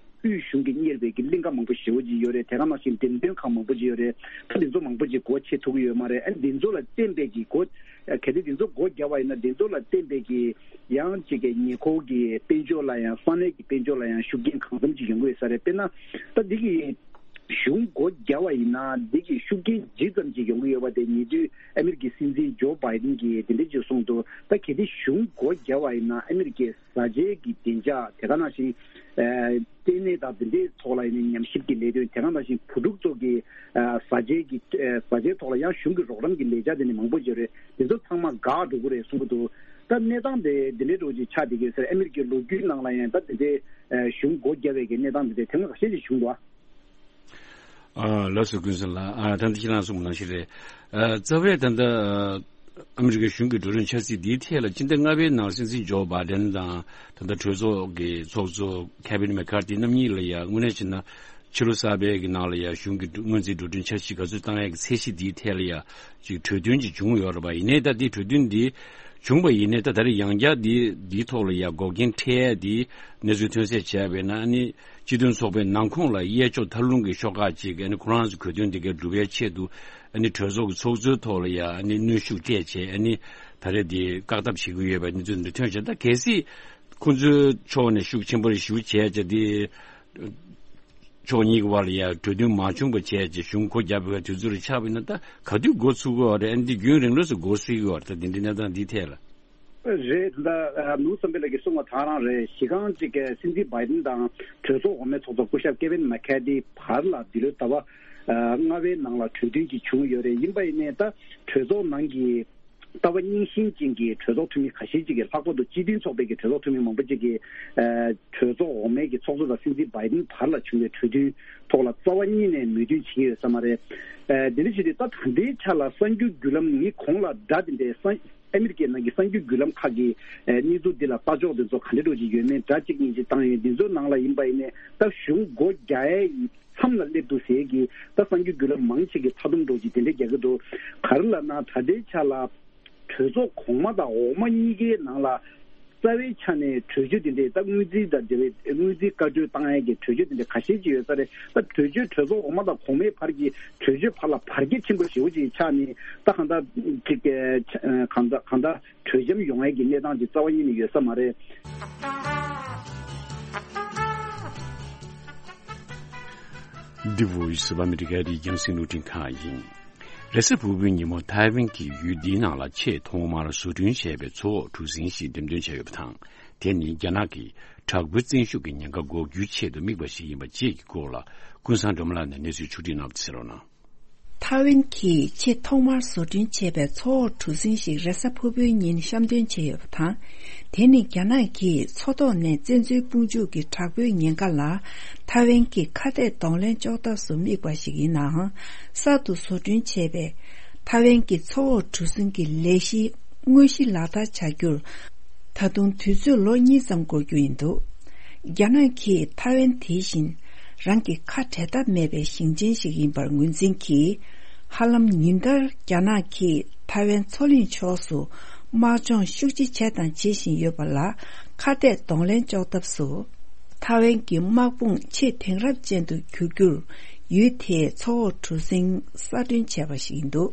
དབུས་གཞུང་གིས་གཉེར་བའི་གི་གླིང་ག་མང་པོ་ཞེ་པོ་ཅིག་ཡོད་རེད། དེ་ག་ནང་བཞིན་འགྲེམས་སྟོན་ཁང་མང་པོ་ཅིག་ཡོད་རེད། ད་འདི་ཚོ་མང་པོ་ཅིག་སྒོ་ཕྱེ་ཐུབ་ཀྱི་ཡོད་མ་རེད། ཨ་འདི་ཚོ་ལ་བརྟེན་པའི་གི་སྒོ་ཨ་གལ་ཏེ་འདི་ཚོ་སྒོ་བརྒྱབ་པ་ཡིན་ན་འདི་ཚོ་ལ་བརྟེན་པའི་གི་ཡང་ཅིག་གི་ཉེ་འཁོར་གྱི་དཔལ་འབྱོར་ལ་ཡང་ས་གནས་ཀྱི་དཔལ་འབྱོར་ལ་ཡང་ཤུགས་རྐྱེན་གང་འཚམ་ཅིག་ཡོང་གི་ཡོད་ས་རེད། དཔེར་ན་ད་འདི་གི་གཞུང་སྒོ་བརྒྱབ་པ་ཡིན་ན་འདི་གི་ཤུགས་རྐྱེན་ཇི་ཙམ་ཅིག་ཡོང་གི་ཡོད་པ་དེ་ཉེ་དུས་ཨ་མི་རི་ཀའི་སྲིད་འཛིན་ཇོ་བྷའི་ཌེན་གྱིས་དེ་འདྲ་ཅིག་གསུངས་འདུག་ད་གལ་ཏེ་གཞུང་སྒོ་བརྒྱབ་པ་ཡིན་ན་ཨ་མི་རི་ཀའི་བཟའ་བཅའི་གི་བདེ་འཇགས། དེ་ག་ནང་བཞིན་ཨ་ལྟེ་གནས་དང་དེ་འདྲའི་ཐོག་ལ་ཡིན་ན་ཉམས་ཞིབ་ཀྱི་ལས་དོན། དེ་ག་ནང་བཞིན་བུ་ཕྲུག་ཚོ་གི་ཨ་བཟའ་བཅའི་གི་ཨ་བཟའ་བཅའི་ཐོག་ལ་ཡང་གཞུང་གི་རོགས་རམ་གྱི་ལས་འཆར་དེ་འདྲ་མང་པོ་ཡོད་རེད། དེ་ཚོ་ཚང་མ་འགག་འགྲོ་གི་རེད་གསུང་གི་འདུག་ད་གནས་སྟངས་དེ་འདི་འདྲའི་འགྲོ་ཅིག་ཆགས་བསྡད་ཀྱི་ཡོད་ས་རེད། ཨ་མི་རི་ཀའི་ལོ་རྒྱུས་ནང་ལ་ཡང་ད་དེ་འདྲའི་ཨ་གཞུང་སྒོ་བརྒྱབ་པའི་གི་གནས་སྟངས་དེ་འདྲ་དེ་སྔ་ཁ་ཤས་ཤིག་བྱུང་འདུག་ཨ། ཨ་ལགས་སོ། ཀུན་བཟང་ལགས། ཨ་ད་ལྟ་ཁྱེད་རང་གསུངས་པ་ནང་བཞིན་རེད། ཨ་རྩ་བའི་ད་ལྟ་ཨ་མི་རི་ཀའི་གཞུང་གི་འགྲོ་གྲོན་འཆར་གཞི་འདིའི་ཐད་ལ་སྤྱི་ཟླ་ལྔ་པའི་ནང་སྲིད་འཛིན་ཇོ་བྷའི་ཌེན་དང་ད་ལྟ་གྲོས་ཚོགས་ཀྱི་ཚོགས་གཙོ་ཁེ་བིན་མེ་ཁར་ཐི་རྣམ་གཉིས་ལ་ཡ་དངོས་གནས་བྱས་ན་ཕྱི་ལོ་གསར་པའི་གི་ནང་ལ་ཡ་གཞུང་གི་སྔོན་རྩིས་འགྲོ་གྲོན་འཆར་གཞི་ག་ཚོད་བཏང་ཡག་གི་ཚད་གཞི་འདིའི་ཐད་ལ་ཡ་ཅིག་གྲོས་མཐུན་ཅིག་བྱུང་ཡོད་རེད་པ། ཡིན་ནའི་ད་ལྟའི་གྲོས་མཐུན་འདི་བྱུང་བ་ཡིན་ནའི་ད་ད་རེས་ཡང་བསྐྱར་འདི་འདིའི་ཐོག་ལ་ཡ་འགོག་རྐྱེན་འཕྲད་ཡ་འདི་གནས་ཚུལ་ཐོན་གསལ་བྱས་པས་ན་ཨ་ནི། སྤྱི་མཐུན་ཚོགས་པའི་ནང་ཁོངས་ལ་གཡས་ཕྱོགས་མཐའ་ལྷུང་གི་ཤོག་ཁག་ཅིག་ཨ་ནི་ཁོ་རང་ཚོ་གོ་དོན་འདི་གའི་སྒྲུབ་པའི་ཆེད་དུ་ཨ་ནི་གྲོས་ཚོགས་ཀྱི་ཚོགས་གཙོའི་ཐོག་ལ་ཡ་ཨ་ནི་གནོན་ཤུགས་སྤྲད་བྱས་ཨ་ནི་ད་རེས་འདི་བཀག་སྡོམ་བྱེད་ཀྱི་ཡོད་པའི་གནས་ཚུལ་འདི་ཐོན་བྱས། ད་གལ་སྲིད་ཁོང་ཚོའི་ཕྱོགས་ནས་ཤུགས་ཆེན་པོ་རེ་ཞུ་བྱས་བྱས་འདི་ཕྱོགས་གཉིས་ཀྱི་བར་ལ་ཡ་གྲོས་མཐུན་མ་བྱུང་བ་བྱས་བྱས་གཞུང་སྒོ་བརྒྱབ་པའི་དུས་ཚོད་རེ་ཆགས་པ་ཡིན་ན་ད་ག་དུས་འགོ་ཚུགས་ཀྱི་ཡོད་རེད། ཨ་ནི་འདི་རྒྱུན་རིང་ལོས་སུ་འགོ་སྲིད་ཀྱི་ཡོད་རེད། ད་འདི་འདྲའི་གནས་སྟངས་འདི་ཐད་ལ། རེད། ད་ནུབ་བསམ་འཕེལ་ལགས་ཀྱིས་གསུངས་པ་དེ་རང་རེད། གཞི་རྐང་གཅིག་གི་སྲིད་འཛིན་བྷའི་ཌེན་དང་གྲོས་ཚོགས་འོག་མའི་ཚོགས་གཙོ་སྐུ་ཞབས་ཀེ་ཝིན་མེ་ཁར་ཐི་བར་ལ་འདི་ལོའི་ཟླ་བ་ལྔ་པའི་ནང་ལ་གྲོས་མཐུན་ཅིག་བྱུང་ཡོད་རེད། ཡིན་པ་ཡིན་ནའི་ད་གྲོས་ཚོགས་ནང་གི་ལྟ་བ་རྙིང་ཞེན་ཅན་གྱི་གྲོས་ཚོགས་འཐུས་མི་ཁ་ཤས་ཅིག་གིས། ལྷག་པར་དུ་སྤྱི་མཐུན་ཚོགས་པའི་གི་གྲོས་ཚོགས་འཐུས་མི་མང་པོ་ཅིག་གིས་གྲོས་ཚོགས་འོག་མའི་གི་ཚོགས་གཙོ་དང་སྲིད་འཛིན་བྷའི་ཌེན་བར་ལ་བྱུང་བའི་གྲོས་མཐུན་ཐོག་ལ་རྩ་བ་ཉིད་ནས་མོས་མཐུན་བྱེད་ཀྱི་ཡོད་ས་མ་རེད། དེ་འདྲ་བྱས་ཏེ་ད་ད་ལྟའི་ཆ་ལ་གསར་འགྱུར་བརྒྱུད་ལམ་ནི་གོང་ལ་སྒྲ་དེ་འདྲའི་གསར། ཨ་མི་རི་ཀའི་ནང་གི་གསར་འགྱུར་བརྒྱུད་ལམ་ཁག་གི་ཨ་གནས་ཚུལ་འདི་ལ་ལྟ་ཕྱོགས་འདི་ཚོ་ག་འདྲ་འདྲ་ཅིག་ཡོད་མེད་སྒྲ་གཅིག་གཉིས་ཅིག་བཏང་ཡོད། འདི་ཚོའི་ནང་ལ་ཡིན་པ་ཡིན་ནའི་ད་གཞུང་སྒོ་རྒྱག་ཡའི་མཚམས་ལ་སླེབས་འདུག་ཟེར་གྱི་ད་གསར་འགྱུར་བརྒྱུད་ལམ་མང་ཆེ་གིས་མཐའ་སྡོམ་འདྲ་ཅིག་དེ་འདྲ་རྒྱག་གི་འདུག་ག་རེ་ལབ་ན་ད་ལྟའི་ཆ་ལ་གྲོས་ཚོགས་གོང་མ་དང་འོག་མ་གཉིས་ཀའི་ནང་ལ་རྩ་བའི་ཆ་ནས་གྲོས་ཆོད་དེ་འདྲའི་ད་དངུལ་རྩིས་དང་འབྲེལ་བའི་དངུལ་རྩིས་བཀའ་འཁྲོལ་བཏང་ཡས་ཀྱི་གྲོས་ཆོད་དེ་འདྲ་ཁ་ཤས་ཅིག་ཡོད་ས་རེད། ད་གྲོས་ཆོད་གྲོས་ཚོགས་འོག་མ་དང་གོང་མའི་བར་གྱི་གྲོས་ཆོད་བར་ལ་བར་ཁྱད་ཆེན་པོ་ཞེ་པོ་ཅིག་ཆགས་ནས་ད་གང་ལྟར་ཅིག་གང་ལྟར་གང་ལྟར། གྲོས་འཆམ་ཡོང་ཡས་ཀྱི་གནས་སྟངས་ཀྱི་རྩ་བ་ཉིད་ནས་ཡོད་ས་མ་རེད། འདི་Voice of America རི་རྒྱང་སྲིང་རླུང་འཕྲིན་ཁང་ཡིན། རེས་གཟའ་ཕུར་བུའི་ཉིན་མོ་ཐའེ་ཝན་གྱི་ཡུལ་འདིའི་ནང་ལ་ཆེས་ཐོག་མར་བཟོ་སྐྲུན་བྱས་པའི་མཚོ་འོག་གྲུ་གཟིངས་ཤིག་འགྲེམས་སྟོན་བྱས་ཡོད་པ་དང་། དེ་ནི་རྒྱ་ནག་གིས་དྲག་པོའི་བཙན་ཤུགས་ཀྱི་ཉེན་ཁ་འགོག་རྒྱུའི་ཆེད་དུ་དམིགས་པ་ཞིག་ཡིན་པ་བཅས་ཀྱི་སྐོར་ལ་ཀུན་བཟང་སྒྲོལ་མ་ལགས་ནས་གནས་ཚུལ་ཕྱོགས་སྒྲིག་གནང་བ་དེ་གསན་རོགས་གནང་། ཐའེ་ཝན་གྱིས་ཆེས་ཐོག་མར་བཟོ་སྐྲུན་བྱས་པའི་མཚོ་འོག་གྲུ་གཟིངས་ཤིག་རེས་གཟའ་ཕུར་བུའི་ཉིན་བཤམས་སྟོན་བྱས་ཡོད་པ་དང་། དེ་ནི་རྒྱ་ནག་གིས་མཚོ་ཐོག་ནས་བཙན་འཛུལ་དཔུང་འཇུག་གི་དྲག་པོའི་ཉེན་ཁ་ལ་ཐའེ་ཝན་གྱིས་ཁ་གཏད་གདོང་ལེན་གཅོག་ཐབས་སུ་དམིགས་པ་ཞིག་ཡིན་ནའང་། གསར་དུ་བཟོ་སྐྲུན་བྱས་པའི་ཐའེ་ཝན་གྱི་མཚོ་འོག་གྲུ་གཟིངས་ཀྱི་ལས་གཞི་དངོས་གཞི་ལག་བསྟར་བྱ་རྒྱུར་ད་དུང་དུས་ཚོད་ལོ་གཉིས་ཙམ་འགོར་རྒྱུ་ཡིན་འདུག་རྒྱ་ནག་གིས་ཐའེ་ཝན་དེ་བཞིན་རང་གི་ཁ་བྲལ་ཐབས་མེད་པའི་ཞིང་ཆེན་ཞིག་ཡིན་པར་ངོས་འཛིན་གྱིས། ཧ་ལམ་ཉིན་ལྟར་རྒྱ་ནག་གིས་ཐའེ་ཝན་མཚོ་གླིང་ཕྱོགས་སུ་དམག་སྦྱོང་ཤུགས་ཆེ་བྱས་དང་བྱེད་བཞིན་ཡོད་པ་ལ་ཁ་གཏད་གདོང་ལེན་གཅོག་ཐབས་སུ། ཐའེ་ཝན་གྱི་དམག་དཔུང་ཆེས་དེང་རབས་ཅན་དུ་འགྱུར་རྒྱུར་ཡུལ་དེའི་མཚོ་འོག་གྲུ་གཟིངས་གསར་སྐྲུན་བྱས་པ་ཞིག་ཡིན་འདུག་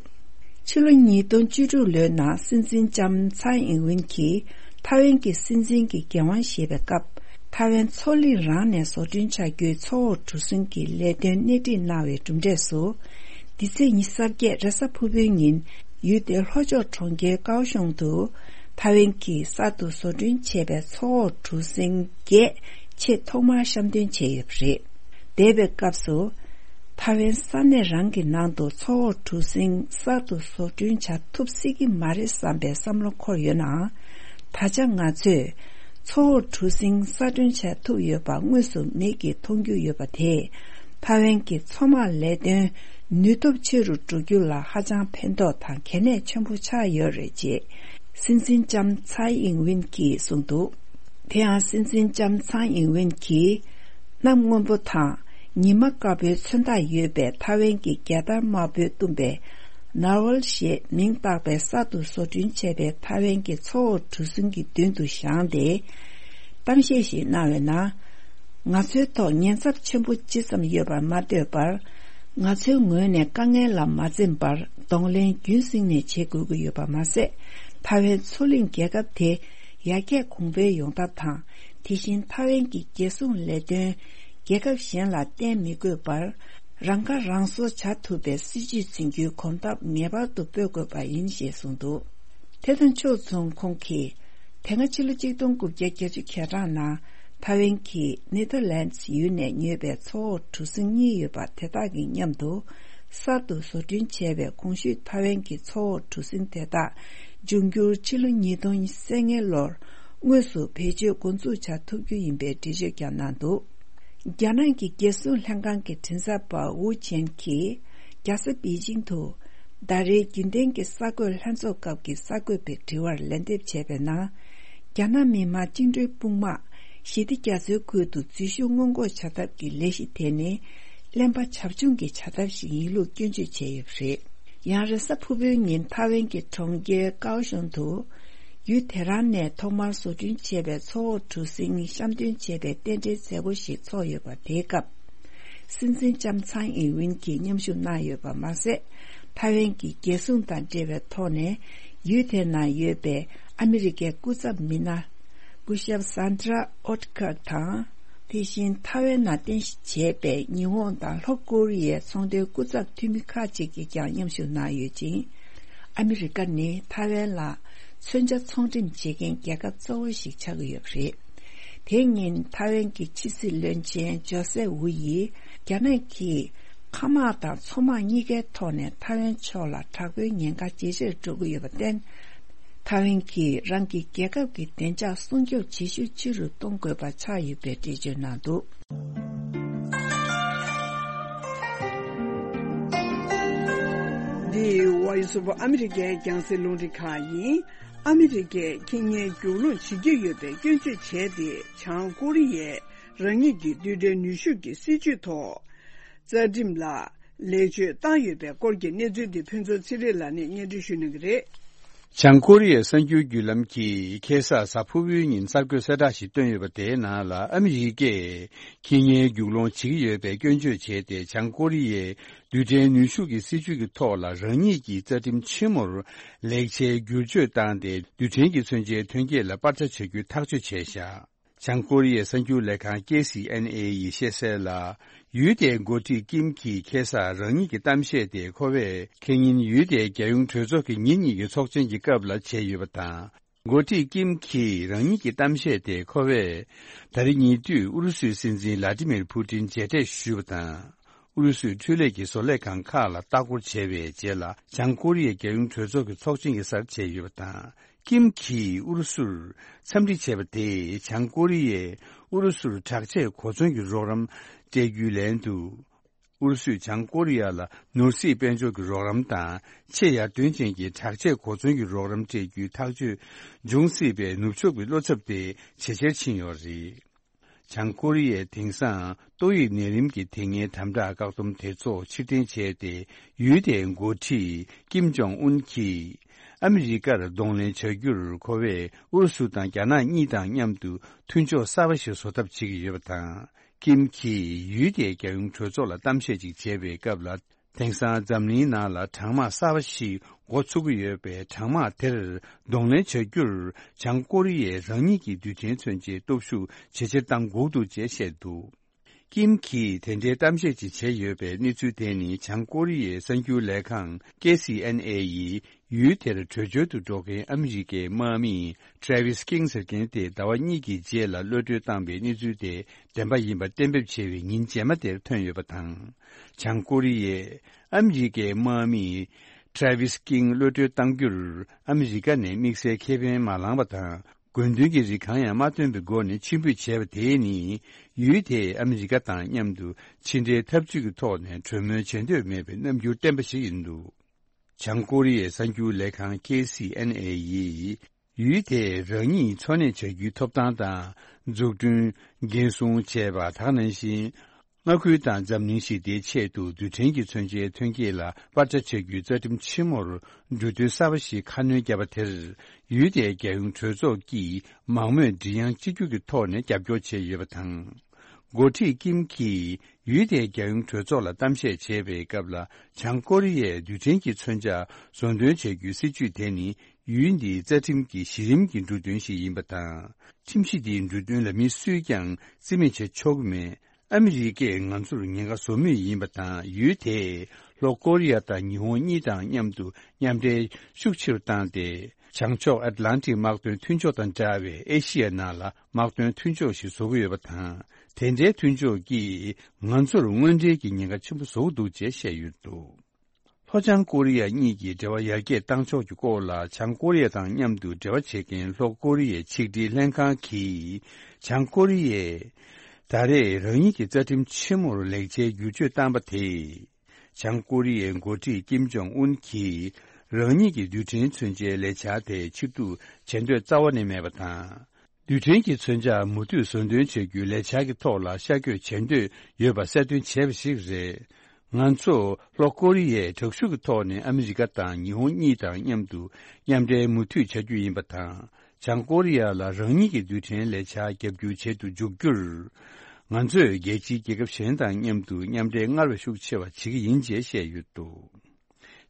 ཕྱི་ལོ་ཉིས་སྟོང་བཅུ་དྲུག་ལོའི་ནང་སྲིད་འཛིན་ལྕམ་ཚའེ་ཨིན་ཝིན་གྱིས་ཐའེ་ཝན་གྱི་སྲིད་འཛིན་གྱི་འགན་དབང་བཞེས་པའི་སྐབས། ཐའེ་ཝན་མཚོ་གླིང་རང་ནས་བཟོ་སྐྲུན་བྱ་རྒྱུའི་མཚོ་འོག་གྲུ་གཟིངས་ཀྱི་ལས་དོན་སྣེ་ཁྲིད་གནང་བའི་གྲུབ་འབྲས་སུ། འདི་ཚེས་ཉི་ཤུ་རྩ་བརྒྱད་རེས་གཟའ་ཕུར་བུའི་ཉིན་ཡུལ་དེའི་ལྷོ་ཕྱོགས་གྲོང་ཁྱེར་ཀའོ་ཤོང་དུ་ཐའེ་ཝན་གྱིས་གསར་དུ་བཟོ་སྐྲུན་བྱས་པའི་མཚོ་འོག་གྲུ་གཟིངས་བརྒྱད་ཆེས་ཐོག་མར་བཤམས་སྟོན་བྱས་ཡོད་པ་རེད། འདས་པའི་སྐབས་སུ། ཐའེ་ཝན་ས་གནས་རང་གི་ནང་དུ་མཚོ་འོག་གྲུ་གཟིངས་གསར་དུ་བཟོ་སྐྲུན་བྱ་ཐུབ་སྲིད་ཀྱི་མ་རེད་བསམ་པའི་བསམ་བློ་འཁོར་ཡོད་ནའང་། ད་ཆ་ང་ཚོས་མཚོ་འོག་གྲུ་གཟིངས་གསར་སྐྲུན་བྱ་ཐུབ་ཡོད་པ་དངོས་སུ་མིག་གིས་མཐོང་རྒྱུ་ཡོད་པ་དེས། ཐའེ་ཝན་གྱི་མཚོ་དམག་ལས་དོན་ནུས་སྟོབས་ཆེ་རུ་འགྲོ་རྒྱུ་ལ་ཧ་ཅང་ཕན་ཐོགས་དང་གལ་གནད་ཆེན་པོ་ཆགས་ཡོད་རེད་ཅེས། སྲིད་འཛིན་ལྕམ་ཚའེ་ཨིང་ཝིན་གྱིས་གསུངས་འདུག་དེ་ཡང་སྲིད་འཛིན་ལྕམ་ཚའེ་ཨིང་ཝིན་གྱིས་གནམ་སྔོན་པོ་དང་ཉི་མ་དཀར་པོའི་མཚོན་རྟགས་ཡོད་པའི་ཐའེ་ཝན་གྱི་རྒྱལ་དར་དམར་པོས་བཏུམས་པའི་ནར་ཝལ་ཞེས་མིང་བཏགས་པའི་གསར་དུ་བཟོ་སྐྲུན་བྱས་པའི་ཐའེ་ཝན་གྱི་མཚོ་འོག་གྲུ་གཟིངས་ཀྱི་མདུན་དུ་བཞེངས་ཏེ། གཏམ་བཤད་ཞིག་གནང་བའི་ནང་། ང་ཚོའི་ཐོག་ཉེན་ཚབས་ཆེན་པོ་ཅི་ཙམ་ཡོད་པར་མ་ལྟོས་པར། ང་ཚོའི་ངོས་ནས་དཀའ་ངལ་ལ་མ་འཛེམས་པར་གདོང་ལེན་རྒྱུན་བསྲིངས་ནས་བྱེད་དགོས་ཀྱི་ཡོད་པ་མ་ཟད། ཐའེ་ཝན་མཚོ་གླིང་རྒྱལ་ཁབ་དེ་ཡར་རྒྱས་གོང་འཕེལ་ཡོང་ཐབས་དང་། དེ་བཞིན་ཐའེ་ཝན་གྱི་རྒྱལ་སྲུང་ལས་དོན་རྒྱལ་ཁབ་གཞན་ལ་བརྟེན་མི་དགོས་པར། རང་ཁ་རང་གསོ་བྱ་ཐུབ་པའི་སྲིད་ཇུས་འཛིན་རྒྱུའི་གོམ་སྟབས་ངེས་པར་དུ་སྤོ་དགོས་པ་ཡིན་ཞེས་གསུངས་འདུག་དེ་དང་ཕྱོགས་མཚུངས་ཁོང་གིས། དེ་སྔ་ཕྱི་ལོ་གཅིག་སྟོང་དགུ་བརྒྱ་བརྒྱད་ཅུ་གྱ་གྲངས་ནང་ཐའེ་ཝན་གྱིས་ནེ་ཐར་ལན་ཡུལ་ནས་ཉོས་པའི་མཚོ་འོག་གྲུ་གཟིངས་གཉིས་ཡོད་པ་དེ་དག་གི་མཉམ་དུ། གསར་དུ་བཟོ་སྐྲུན་བྱས་པའི་གོང་ཞུས་ཐའེ་ཝན་གྱི་མཚོ་འོག་གྲུ་གཟིངས་དེ་དག་འབྱུང་འགྱུར་ཕྱི་ལོ་ཉིས་སྟོང་ཉེར་ལྔ་ལོར་དངོས་སུ་བེད་སྤྱོད་འགོ་འཛུགས་བྱ་ཐུབ་རྒྱུ་ཡིན་པའི་འགྲེལ་བརྗོད་ཀྱང་གནང་འདུག་རྒྱ་ནག་གི་རྒྱལ་སྲུང་ལྷན་ཁང་གི་མགྲིན་ཚབ་པ་ཝུ་ཆེན་གྱིས། རྒྱལ་ས་པེ་ཅིང་དུ། ཟླ་རེའི་རྒྱུན་ལྡན་གྱི་གསར་འགོད་ལྷན་ཚོགས་སྐབས་ཀྱི་གསར་འགོད་པའི་དྲི་བར་ལན་འདེབས་བྱས་པའི་ནང་། རྒྱ་ནག་མི་དམངས་བཅིངས་འགྲོལ་དཔུང་དམག་ཞི་བདེ་རྒྱ་མཚོའི་ཁུལ་དུ་འཛུལ་ཞུགས་སྔོན་འགོག་བྱ་ཐབས་ཀྱི་ལས་གཞི་དེ་ནི། གླེན་པ་བྱབ་ཆུང་གི་བྱ་ཐབས་ཤིག་ཡིན་ལུགས་སྐྱོན་བརྗོད་བྱས་ཡོད་པ་རེད། ཡང་རེས་གཟའ་ཕུར་བུའི་ཉིན་ཐའེ་ཝན་གྱི་གྲོང་ཁྱེར་ཀའོ་ཤོན་དུ། ཡུལ་དེ་རང་ནས་ཐོག་མར་བཟོ་སྐྲུན་བྱས་པའི་མཚོ་འོག་གྲུ་གཟིངས་བཤམས་སྟོན་བྱས་པའི་རྟེན་འབྲེལ་མཛད་སྒོ་ཞིག་ཚོགས་ཡོད་པ་དེའི་སྐབས། སྲིད་འཛིན་ལྕམ་ཚང་ཨིན་ཝིན་གྱིས་མཉམ་ཞུགས་གནང་ཡོད་པ་མ་ཟད། ཐའེ་ཝན་གྱི་རྒྱལ་སྲུང་དང་འབྲེལ་བའི་ཐོག་ནས་ཡུལ་དེ་ན་ཡོད་པའི་ཨ་མི་རི་ཀའི་སྐུ་ཚབ་མི་སྣ། སྐུ་ཞབས་Sandra Outcock དང་། དེ་བཞིན་ཐའེ་ཝན་ནང་རྟེན་གཞི་བྱས་པའི་ཉི་ཧོང་དང་ལྷོ་ཀོ་རི་ཡའི་ཚོང་དོན་སྐུ་ཚབ་འཐུས་མི་ཁག་ཅིག་གིས་ཀྱང་མཉམ་ཞུགས་གནང་ཡོད་ཅིང་། ཨ་མི་རི་ཀ་ནི་ཐའེ་ཝན་ལ་མཚོན་ཆ་ཚོང་འགྲེམས་བྱེད་མཁན་རྒྱལ་ཁབ་གཙོ་བོ་ཞིག་ཆགས་ཀྱི་ཡོད་པ་རེད། དེ་ཉིན་ཐའེ་ཝན་གྱི་ཕྱི་སྲིད་བློན་ཆེན་ཇོ་སེ་ཝུ་ཡིས། རྒྱ་ནག་གིས་མཁའ་དམག་དང་མཚོ་དམག་གཉིས་ཀའི་ཐོག་ནས་ཐའེ་ཝན་ཕྱོགས་ལ་དྲག་པོའི་ཉེན་ཁ་ཇེ་ཆེར་འགྲོ་གི་ཡོད་པར་བརྟེན། ཐའེ་ཝན་གྱིས་རང་གི་རྒྱལ་ཁབ་ཀྱི་བདེ་འཇགས་སྲུང་སྐྱོབ་བྱེད་ཤུགས་ཆེ་རུ་གཏོང་དགོས་པ་ཆགས་ཡོད་པའི་འགྲེལ་བརྗོད་གནང་འདུག་འདི་Voice of America རྒྱང་སྲིང་རླུང་འཕྲིན་ཁང་ཡིན། ཨ་མི་རི་ཀས་ཁེ་ཉེན་རྒྱུག་ལོང་བྱེད་ཀྱི་ཡོད་པའི་སྐྱོན་བརྗོད་བྱས་ཏེ། བྱང་ཀོ་རི་ཡས་རང་ཉིད་ཀྱི་རྡུལ་ཕྲན་ནུས་ཤུགས་ཀྱི་སྲིད་ཇུས་ཐོག་རྩ་ཁྲིམས་ལ་ལེགས་བཅོས་བཏང་ཡོད་པའི་སྐོར་གྱི་གནས་ཚུལ་འདི་ཕུན་ཚོགས་ཚེ་རིང་ལགས་ནས་སྙན་སྒྲོན་ཞུ་གནང་གི་རེད། བྱང་ཀོ་རི་ཡའི་གསར་འགྱུར་བརྒྱུད་ལམ་གྱིས་ཁ་སང་གཟའ་ཕུར་བུའི་ཉིན་གསར་འགོད་གསལ་བསྒྲགས་ཤིག་བཏོན་ཡོད་པ། དེའི་ནང་ལ་ཨ་མི་རི་ཀས་ཁེ་ཉེན་རྒྱུག་ལོང་བྱེད་ཀྱི་ཡོད་པའི་སྐྱོན་བརྗོད་བྱས་ཏེ། བྱང་ཀོ་རི་ཡས་རྡུལ་ཕྲན་ནུས་ཤུགས་ཀྱི་སྲིད་ཇུས་ཀྱི་ཐོག་ལ་རང་ཉིད་ཀྱི་རྩ་ཁྲིམས་ཆེན་མོར་ལེགས་ཆའི་བསྒྱུར་བཅོས་བཏང་སྟེ། རྡུལ་ཕྲན་གྱི་མཚོན་ཆའི་ཐོན་སྐྱེད་ལ་སྤར་ཆ་བྱ་རྒྱུ་ཐག་གཅོད་བྱས་བཞག་བྱང་ཀོ་རི་ཡའི་གསར་འགྱུར་ལས་ཁང་ཀེ་སི་ཨེན་ཨེ་ཡིས་བཤད་གསལ་ལ། ཡུལ་དེའི་འགོ་ཁྲིད་ཀིམ་གྱིས་ཁ་སང་རང་ཉིད་ཀྱི་གཏམ་བཤད་དེ། ཁོ་བས་ཁེ་ཉིན་ཡུལ་དེའི་རྒྱལ་ཡོངས་གྲོས་ཚོགས་ཀྱི་ཉིན་གཉིས་ཀྱི་ཚོགས་ཆེན་གྱི་སྐབས་ལ་བྱས་ཡོད་པ་དང་། འགོ་ཁྲིད་ཀིམ་གྱིས་རང་ཉིད་ཀྱི་གཏམ་བཤད་དེ། ཁོ་བས་ད་རེས་ཉེ་དུས་ཨུ་རུ་སུའི་སྲིད་འཛིན་ལ་ཏི་མིར་ཕུ་ཏིན་མཇལ་འཕྲད་ཞུས་པ་དང་། ཨུ་རུ་སུའི་འཕྲུལ་ལས་ཀྱི་བཟོ་ལས་ཁང་ཁག་ལ་ལྟ་སྐོར་བྱས་པའི་རྗེས་ལ། བྱང་ཀོ་རི་ཡའི་རྒྱལ་ཡོངས་གྲོས་ཚོགས་ཀྱི་ཚོགས་ཆེན་གྱི་སར་བྱས་ཡོད་པ་དང་། ཀིམ་གྱིས་ཨུ་རུ་སུར་འཚམས་འདྲི་བྱས་པ་དེས། བྱང་ཀོ་རི་ཡས་ཨུ་རུ་སུར་དྲག་ཆས་གོ་མཚོན་གྱི་རོགས་རམ་སྤྲད་རྒྱུའི་ལན་དུ། ཨུ་རུ་སུས་བྱང་ཀོ་རི་ཡ་ལ་ནོར་སྲིད་དཔལ་འབྱོར་གྱི་རོགས་རམ་དང་། ཆེས་ཡར་ཐོན་ཅན་གྱི་དྲག་ཆས་གོ་མཚོན་གྱི་རོགས་རམ་སྤྲད་རྒྱུའི་ཐག་གཅོད་འབྱུང་སྲིད་པའི་ནུབ་ཕྱོགས་ཀྱི་བློ་འཚབ་དེ་ཇེ་ཆེར་ཕྱིན་ཡོད་རེད། བྱང་ཀོ་རི་ཡས་དེང་སང་ཏོག་དབྱིབས་ནད་རིམས་ཀྱི་དེ་སྔའི་དམ་དྲག་བཀག་སྡོམ་དེ་ཚོ་ཕྱིར་འཐེན་བྱས་ཏེ། ཡུལ་དེའི་འགོ་ཁྲིད་ཀིམ་ཇོང་ཨུན་གྱིས་ཨ་མི་རི་ཀར་གདོང་ལེན་བྱ་རྒྱུར། ཁོ་བས་ཨུ་རུ་སུ་དང་རྒྱ་ནག་གཉིས་དང་མཉམ་དུ་མཐུན་ཕྱོགས་གསར་པ་ཞིག་བཟོ་ཐབས་བྱེད་ཀྱི་ཡོད་པ་དང་། ཀིམ་གྱིས་ཡུལ་དེའི་རྒྱལ་ཡོངས་གྲོས་ཚོགས་ལ་གཏམ་བཤད་ཅིག་བྱས་པའི་སྐབས་ལ། དེང་སང་འཛམ་གླིང་ནང་ལ་གྲང་དམག་གསར་པ་ཞིག་འགོ་ཚུགས་ཀྱི་ཡོད་པས། གྲང་དམག་དེར་གདོང་ལེན་བྱ་རྒྱུར། བྱང་ཀོ་རི་ཡས་རང་ཉིད་ཀྱི་རྡུལ་ཕྲན་མཚོན་ཆའི་སྟོབས་ཤུགས་ཇེ་ཆེར་གཏང་དགོས་འདུག་ཅེས་བཤད་འདུག་ཀིམ་གྱིས་དེ་འདྲའི་གཏམ་བཤད་ཅིག་བྱས་ཡོད་པའི་གནས་ཚུལ་དེ་ནི། བྱང་ཀོ་རི་ཡའི་གསར་འགྱུར་ལས་ཁང་ཀེ་སི་ཨེན་ཨེ་ཡིས། ཡུལ་དེར་བྲོས་བྱོལ་དུ་འགྲོ་མཁན་ཨ་མི་རི་ཀའི་དམག་མི་Travis King ཟེར་མཁན་དེ་ཟླ་བ་གཉིས་ཀྱི་རྗེས་ལ་གློད་གྲོལ་བཏང་པའི་གནས་ཚུལ་དེ་བདེན་པ་ཡིན་པ་གཏན་འབེབས་བྱས་པའི་ཉིན་རྗེས་མ་དེར་ཐོན་ཡོད་པ་དང་། བྱང་ཀོ་རི་ཡས་ཨ་མི་རི་ཀའི་དམག་མི་Travis King གློད་གྲོལ་གཏང་རྒྱུར་ཨ་མི་རི་ཀ་ནས་དམིགས་བསལ་ཁེ་ཕན་མ་བླངས་པ་དང་། དགོས་འདུན་གྱི་རིགས་གང་ཡང་མ་བཏོན་པའི་སྒོ་ནས་ཕྱིར་འབུད་བྱས་པ་དེ་ནི། ཡུལ་དེས་ཨ་མི་རི་ཀ་དང་མཉམ་དུ་ཕྱི་འབྲེལ་འཐབ་ཇུས་ཀྱི་ཐོག་ནས་གྲོས་མོལ་བྱེད་འདོད་མེད་པའི་རྣམ་འགྱུར་བསྟན་པ་ཞིག་ཡིན་འདུག་བྱང་ཀོ་རི་ཡའི་གསར་འགྱུར་ལས་ཁང་ཀེ་སི་ཨེན་ཨེ་ཡིས་ ཡུལ་དེས་རང་ཉིད་འཚོ་གནས་བྱ་རྒྱུའི་ཐོབ་ཐང་དང་། འཛུགས་སྐྲུན། འགན་སྲུང་བཅས་པ། དེ་ག་ནང་བཞིན། མངའ་ཁུལ་དང་འཛམ་གླིང་ཞི་བདེའི་ཆེད་དུ་རྡུལ་ཕྲན་གྱི་མཚོན་ཆའི་ཐོན་སྐྱེད་ལ་སྤར་ཆ་བྱ་རྒྱུའི་རྩ་ཁྲིམས་ཆེན་མོར་འབྲུ་དོན་གསར་པ་ཞིག་ཁ་སྣོན་བརྒྱབ་པ་དེར། ཡུལ་དེའི་རྒྱལ་ཡོངས་གྲོས་ཚོགས་ཀྱིས་མང་མོས་མགྲིན་དབྱངས་གཅིག་གྱུར་གྱི་ཐོག་ནས་རྒྱབ་སྐྱོར་བྱས་ཡོད་པ་དང་། འགོ་ཁྲིད་ཀིམ་གྱིས་ཡུལ་དེའི་རྒྱལ་ཡོངས་གྲོས་ཚོགས་ལ་གཏམ་བཤད་བྱེད་པའི་སྐབས་ལ། བྱང་ཀོ་རི་ཡས་རྡུལ་ཕྲན་གྱི་མཚོན་ཆ་བཟོ་འདོན་བྱ་རྒྱུའི་སྲིད་ཇུས་དེ་ནི། ཡུལ་འདིའི་རྩ་ཁྲིམས་ཀྱི་གཞི་རིམ་གྱི་འབྲུ་དོན་ཞིག་ཡིན་པ་དང་། ཁྲིམས་གཞི་འདིའི་འབྲུ་དོན་ལ་མི་སུས་ཀྱང་རྩིས་མེད་བྱེད་ཆོག་གི་མེད། ཨ་མི་རི་ཀས་ང་ཚོར་ཉེན་ཁ་བཟོ་མུས་ཡིན་པ་དང་། ཡུལ་དེས་ལྷོ་ཀོ་རི་ཡ་དང་ཉི་ཧོང་གཉིས་དང་མཉམ་དུ་མཉམ་འབྲེལ་ཤུགས་ཆེ་རུ་བཏང་སྟེ། བྱང་ཕྱོགས་ཨེཊ་ལན་ཊིག་དམག་དོན་མཐུན་ཕྱོགས་དང་འདྲ་བའི་ཨེ་ཤི་ཡའི་ནང་ལ་དམག་དོན་མཐུན་ཕྱོགས་ཤིག་བཟོ་གི་ཡོད་པ་དང་། དེ་འདྲའི་མཐུན་ཕྱོགས་ཀྱིས་ང་ཚོར་དངོས་འབྲེལ་གྱི་ཉེན་ཁ་ཆེན་པོ་བཟོ་གི་འདུག་ཅེས་བཤད་ཡོད་འདུག་ལྷོ་བྱང་ཀོ་རི་ཡ་གཉིས་ཀྱིས་འབྲེལ་བ་ཡར་རྒྱས་བཏང་ཕྱོགས་ཀྱི་སྐོར་ལ། བྱང་ཀོ་རི་ཡ་དང་མཉམ་དུ་འབྲེལ་བ་བྱེད་མཁན་ལྷོ་ཀོ་རི་ཡའི་ཆིག་སྒྲིལ་ལྷན་ཁང་གིས། བྱང་ཀོ་རི་ཡས་ད་རེས་རང་ཉིད་ཀྱི་རྩ་ཁྲིམས་ཆེན་མོར་ལེགས་ཆའི་བསྒྱུར་བཅོས་བཏང་པ་དེས། བྱང་ཀོ་རི་ཡའི་འགོ་ཁྲིད་ཀིམ་ཇོང་ཨུན་གྱིས། རང་ཉིད་ཀྱི་རྡུལ་ཕྲན་མཚོན་ཆའི་ལས་འཆར་དེ་ཕྱིར་བསྡུ་བྱེད་འདོད་རྩ་བ་ནས་མེད་པ་དང་། རྡུལ་ཕྲན་གྱི་མཚོན་ཆ་མུ་མཐུད་བཟོ་འདོན་བྱ་རྒྱུའི་ལས་འཆར་གྱི་ཐོག་ལ་ཤར་བསྐྱོད་བྱེད་འདོད་ཡོད་པ་གསལ་སྟོན་བྱས་པ་ཞིག་རེད། ང་ཚོ་ལྷོ་ཀོ་རི་ཡས་དྲག་ཤུགས་ཀྱི་ཐོག་ནས་ཨ་མི་རི་ཀ་དང་ཉི་ཧོང་གཉིས་དང་མཉམ་དུ་མཉམ་འབྲེལ་མུ་མཐུད་བྱ་རྒྱུ་ཡིན་པ་དང་། བྱང་ཀོ་རི་ཡ་ལ་རང་ཉིད་ཀྱི་རྡུལ་ཕྲན་ལས་འཆར་བརྒྱབ་སྐྱུར་བྱེད་དུ་འཇུག་རྒྱུར། ང་ཚོས་རྒྱལ་སྤྱིའི་རྒྱལ་ཁབ་གཞན་དང་མཉམ་དུ་མཉམ་འབྲེལ་སྔར་བས་ཤུགས་ཆེ་བ་བྱེད་ཀྱི་ཡིན་ཅེས་བཤད་ཡོད་འདུག་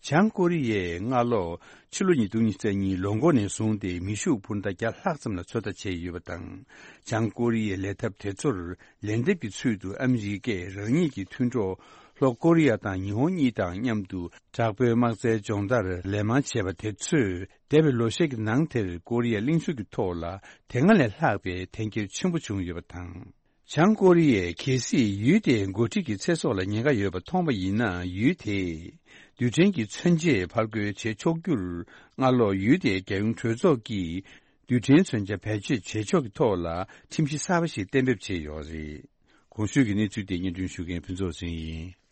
བྱང་ཀོ་རི་ཡས་སྔ་ལོ། ཕྱི་ལོ་ཉིས་སྟོང་ཉི་ཤུ་རྩ་གཉིས་ལོ་འགོ་ནས་བཟུང་སྟེ་མེ་ཤུགས་འཕུར་མདའ་བརྒྱ་ལྷག་ཙམ་ལ་ཚོད་ལྟ་བྱས་ཡོད་པ་དང་། བྱང་ཀོ་རི་ཡའི་ལས་ཐབས་དེ་ཚོར་ལན་འདེབས་ཀྱི་ཚུལ་དུ་ཨ་མི་རི་ཀས་རང་ཉིད་ཀྱི་མཐུན་གྲོགས་ལྷོ་ཀོ་རི་ཡ་དང་ཉི་ཧོང་གཉིས་དང་མཉམ་དུ་དྲག་པོའི་དམག་རྩལ་སྦྱོང་བརྡར་ལན་མང་བྱས་པ་དེ་ཚོས། འདས་པའི་ལོ་ཤས་ཀྱི་ནང་དེར་ཀོ་རི་ཡ་གླིང་ཕྱོགས་ཀྱི་ཐོག་ལ་དེ་སྔ་ལས་ལྷག་པའི་འཐེན་འཁྱེར་ཆེན་པོ་བྱུང་ཡོད་པ་དང་། བྱང་ཀོ་རི་ཡས་གལ་སྲིད་ཡུལ་དེའི་འགོ་ཁྲིད་ཀྱི་ཚེ་སྲོག་ལ་ཉེན་ཁ་ཡོད་པ་མཐོང་བ་ཡིན་ན། ཡུལ་དེས་རྡུལ་ཕྲན་གྱི་མཚོན་ཆས་ཕར་རྒོལ་བྱེད་ཆོག་རྒྱུར། སྔ་ལོ་ཡུལ་དེའི་རྒྱལ་ཡོངས་གྲོས་ཚོགས་ཀྱིས་རྡུལ་ཕྲན་མཚོན་ཆ་བེད་སྤྱོད་བྱེད་ཕྱོགས་ཀྱི་ཐོག་ལ་ཁྲིམས་གཞི་གསར་པ་ཞིག་གཏན་འབེབས་བྱས་ཡོད་རེད། གོང་ཞུས་ཀྱི་གནས་ཚུལ་དེ་སྙན་སྒྲོན་ཞུ་མཁན་ཕུན་ཚོགས་ཟིན་ཡིན།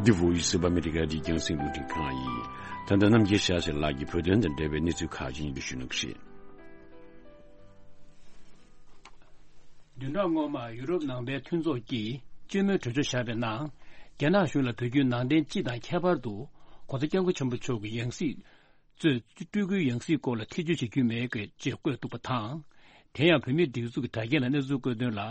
འདི་བོད་ཡིག་གཟུགས་པ་ཨ་མི་རི་ཀ་འདི་རྒྱང་སྲིང་རླུང་འཕྲིན་ཁང་ཡིན། ད་ལྟ་རྣམ་རྒྱལ་ཤཱ་ཟེར་ལགས་ཀྱིས་བོད་དོན་དང་འབྲེལ་བའི་གནས་ཚུལ་ཁག་ཅིག་སྙན་སྒྲོན་ཞུ་གནང་གི་རེད། བདུན་ཕྲག་སྔོན་མ་ཡུ་རོབ་ནང་པའི་མཐུན་ཚོགས་ཀྱིས་སྤྱི་མོས་གྲོས་ཆོད་བཞག་པའི་ནང་། རྒྱ་ནག་གཞུང་ལ་བོད་བརྒྱུད་ནང་བསྟན་སྤྱི་དང་ཁྱད་པར་དུ་༸གོང་ས་༸སྐྱབས་མགོན་ཆེན་པོ་མཆོག་གི་ཡང་སྲིད་གཙོས་སྤྲུལ་སྐུའི་ཡང་སྲིད་སྐོར་ལ་ཐེ་བྱུས་བྱེད་རྒྱུ་མེད་ཅེས་བཀོད་འདུག་པ་དང་། དེ་ཡང་བོད་མིའི་སྒྲིག་འཛུགས་ཀྱི་དྲ་རྒྱ་ནང་གནས་ཚུལ་བཀོད་དོན་ལ།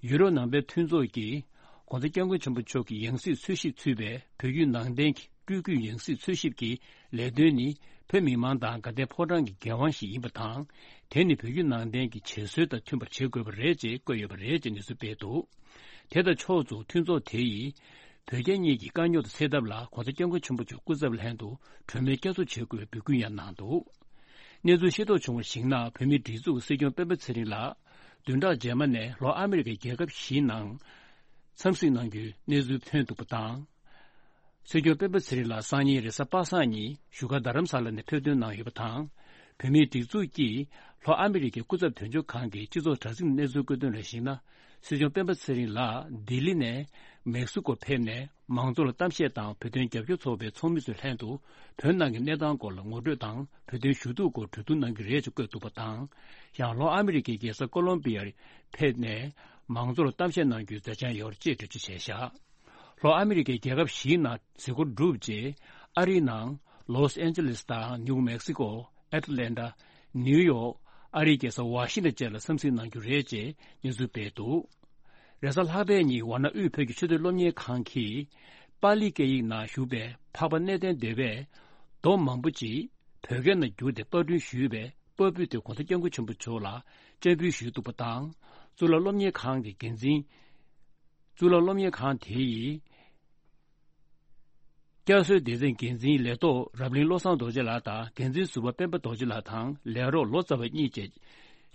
ཡུ་རོབ་ནང་པའི་མཐུན་ཚོགས་ཀྱིས་༸གོང་ས་༸སྐྱབས་མགོན་ཆེན་པོ་མཆོག་གི་ཡང་སྲིད་འཚོལ་ཞིབ་ཚུད་པའི་བོད་བརྒྱུད་ནང་བསྟན་གྱི་སྤྲུལ་སྐུའི་ཡང་སྲིད་འཚོལ་ཞིབ་ཀྱི་ལས་དོན་ནི་བོད་མི་མང་དང་དགའ་ལྡན་ཕོ་བྲང་གི་འགན་དབང་ཞིག་ཡིན་པ་དང་། དེ་ནི་བོད་བརྒྱུད་ནང་བསྟན་གྱི་བྱེད་སྲོལ་དང་མཐུན་པར་བྱེད་དགོས་པ་རེད་ཅེས་བཀོད་ཡོད་པ་རེད་ཅེས་གནས་ཚུལ་སྤེལ་འདུག་དེ་དང་ཕྱོགས་མཚུངས་མཐུན་ཚོགས་དེ་ཡིས་བོད་རྒྱ་གཉིས་ཀྱི་དཀའ་རྙོག་དང་སེལ་ཐབས་ལ་༸གོང་ས་༸སྐྱབས་མགོན་ཆེན་པོ་མཆོག་སྐུ་ཚབ་ལྷན་དུ་གྲོས་མོལ་བསྐྱར་གསོ་བྱེད་དགོས་པའི་འབོད་སྐུལ་ཡང་གནང་འདུག་གནས་ཚུལ་ཤེས་རྟོགས་བྱུང་བར་གཞིགས་ན། བོད་མིའི་སྒྲིག་འཛུགས་ཀྱི་སྲིད་སྐྱོང་སྤེན་པ་ཚེ་རིང་ལགས་བདུན་ཕྲག་རྗེས་མ་ནས་ལྷོ་ཨ་མི་རི་ཀའི་རྒྱལ་ཁབ་བཞིའི་ནང་འཚམས་གཟིགས་གནང་རྒྱུའི་གནས་ཚུལ་ཐོན་འདུག་པ་དང་། སྲིད་སྐྱོང་སྤེན་པ་ཚེ་རིང་ལགས་སང་ཉིན་རེས་གཟའ་པ་སངས་ཉིན་བཞུགས་སྒར་རྡ་རམ་ས་ལ་ནས་ཕེབས་ཐོན་གནང་ཡོད་པ་དང་། བོད་མིའི་སྒྲིག་འཛུགས་ཀྱིས་ལྷོ་ཨ་མི་རི་ཀའི་སྐུ་ཚབ་དོན་གཅོད་ཁང་གི་སྤྱི་ཚོགས་དྲ་ཚིགས་ནས་གནས་ཚུལ་བཀོད་དོན་ལ་གཞིགས་ན། སྲིད་སྐྱོང་སྤེན་པ་ཚེ་རིང་ལགས་ལྡི་ལི་ནས་མེག་སི་ཀོ་ཕེབས་ནས། མང་ཚོགས་ལ་གཏམ་བཤད་དང་བོད་དོན་རྒྱབ་སྐྱོར་ཚོགས་པའི་ཚོགས་མི་ཚོའི་ལྷན་དུ་བོད་ནང་གི་གནས་སྟངས་སྐོར་ལ་ངོ་སྤྲོད་དང་། བོད་དོན་ཞུ་གཏུག་སྐོར་གྲོས་བསྡུར་གནང་གི་རེད་ཅེས་བཀོད་འདུག་པ་དང་། ཡང་ལྷོ་ཨ་མི་རི་ཀའི་རྒྱལ་ས་ཀོ་ལོམ་པི་ཡར་ཕེབས་ནས། མང་ཚོགས་ལ་གཏམ་བཤད་གནང་རྒྱུའི་མཛད་འཆར་ཡོད་ཅེས་འགྲེལ་བརྗོད་བྱས་བཞག་ལྷོ་ཨ་མི་རི་ཀའི་རྒྱལ་ཁབ་བཞིའི་ནང་གཟིགས་སྐོར་བསྒྲུབས་རྗེས། ཨ་རིའི་ནང་ལོས་ཨན་ཇེ་ལིས་དང་ནིའུ་མེག་སི་ཀོ། ཨེ་ཏི་ལན་ཊ། ནིའུ་ཡོག་ཨ་རིའི་རྒྱལ་ས་ཝ་ཤིང་ཊོན་བཅས་ལ་འཚམས་གཟིགས་གནང་རྒྱུ་རེད་ཅེས་སྙན་སེང་སྤེལ་འདུག་རེས་གཟའ་ལྷག་པའི་ཉིན་ཝཱ་ཎ་དབུས་བོད་ཀྱི་ཆེས་མཐོའི་སློབ་གཉེར་ཁང་གིས་པཱ་ལི་སྐད་ཡིག་ནང་བཞུགས་པའི་འཕགས་པ་གནས་བརྟན་སྡེ་བས་མདོ་མང་པོ་ཅིག་བོད་སྐད་ནང་བསྒྱུར་ཏེ་པར་སྐྲུན་ཞུས་པའི་པར་ཕུད་དེ་༸གོང་ས་༸སྐྱབས་མགོན་ཆེན་པོ་མཆོག་ལ་སྤྱན་འབུལ་ཞུས་འདུག་པ་དང་། གཙུག་ལག་སློབ་གཉེར་ཁང་གི་འགན་འཛིན། གཙུག་ལག་སློབ་གཉེར་ཁང་དེ་ཡིས། བསྐྱར་གསོའི་སྡེ་ཚན་འགན་འཛིན་ལས་ཐོག་རབ་གླིང་བློ་བཟང་རྡོ་རྗེ་ལགས་དང་། འགན་འཛིན་ཟུར་པ་སྤེན་པ་རྡོ་རྗེ་ལགས་དང་ལས་རོགས་ལོ་ཙཱ་བ་གཉིས་བཅས་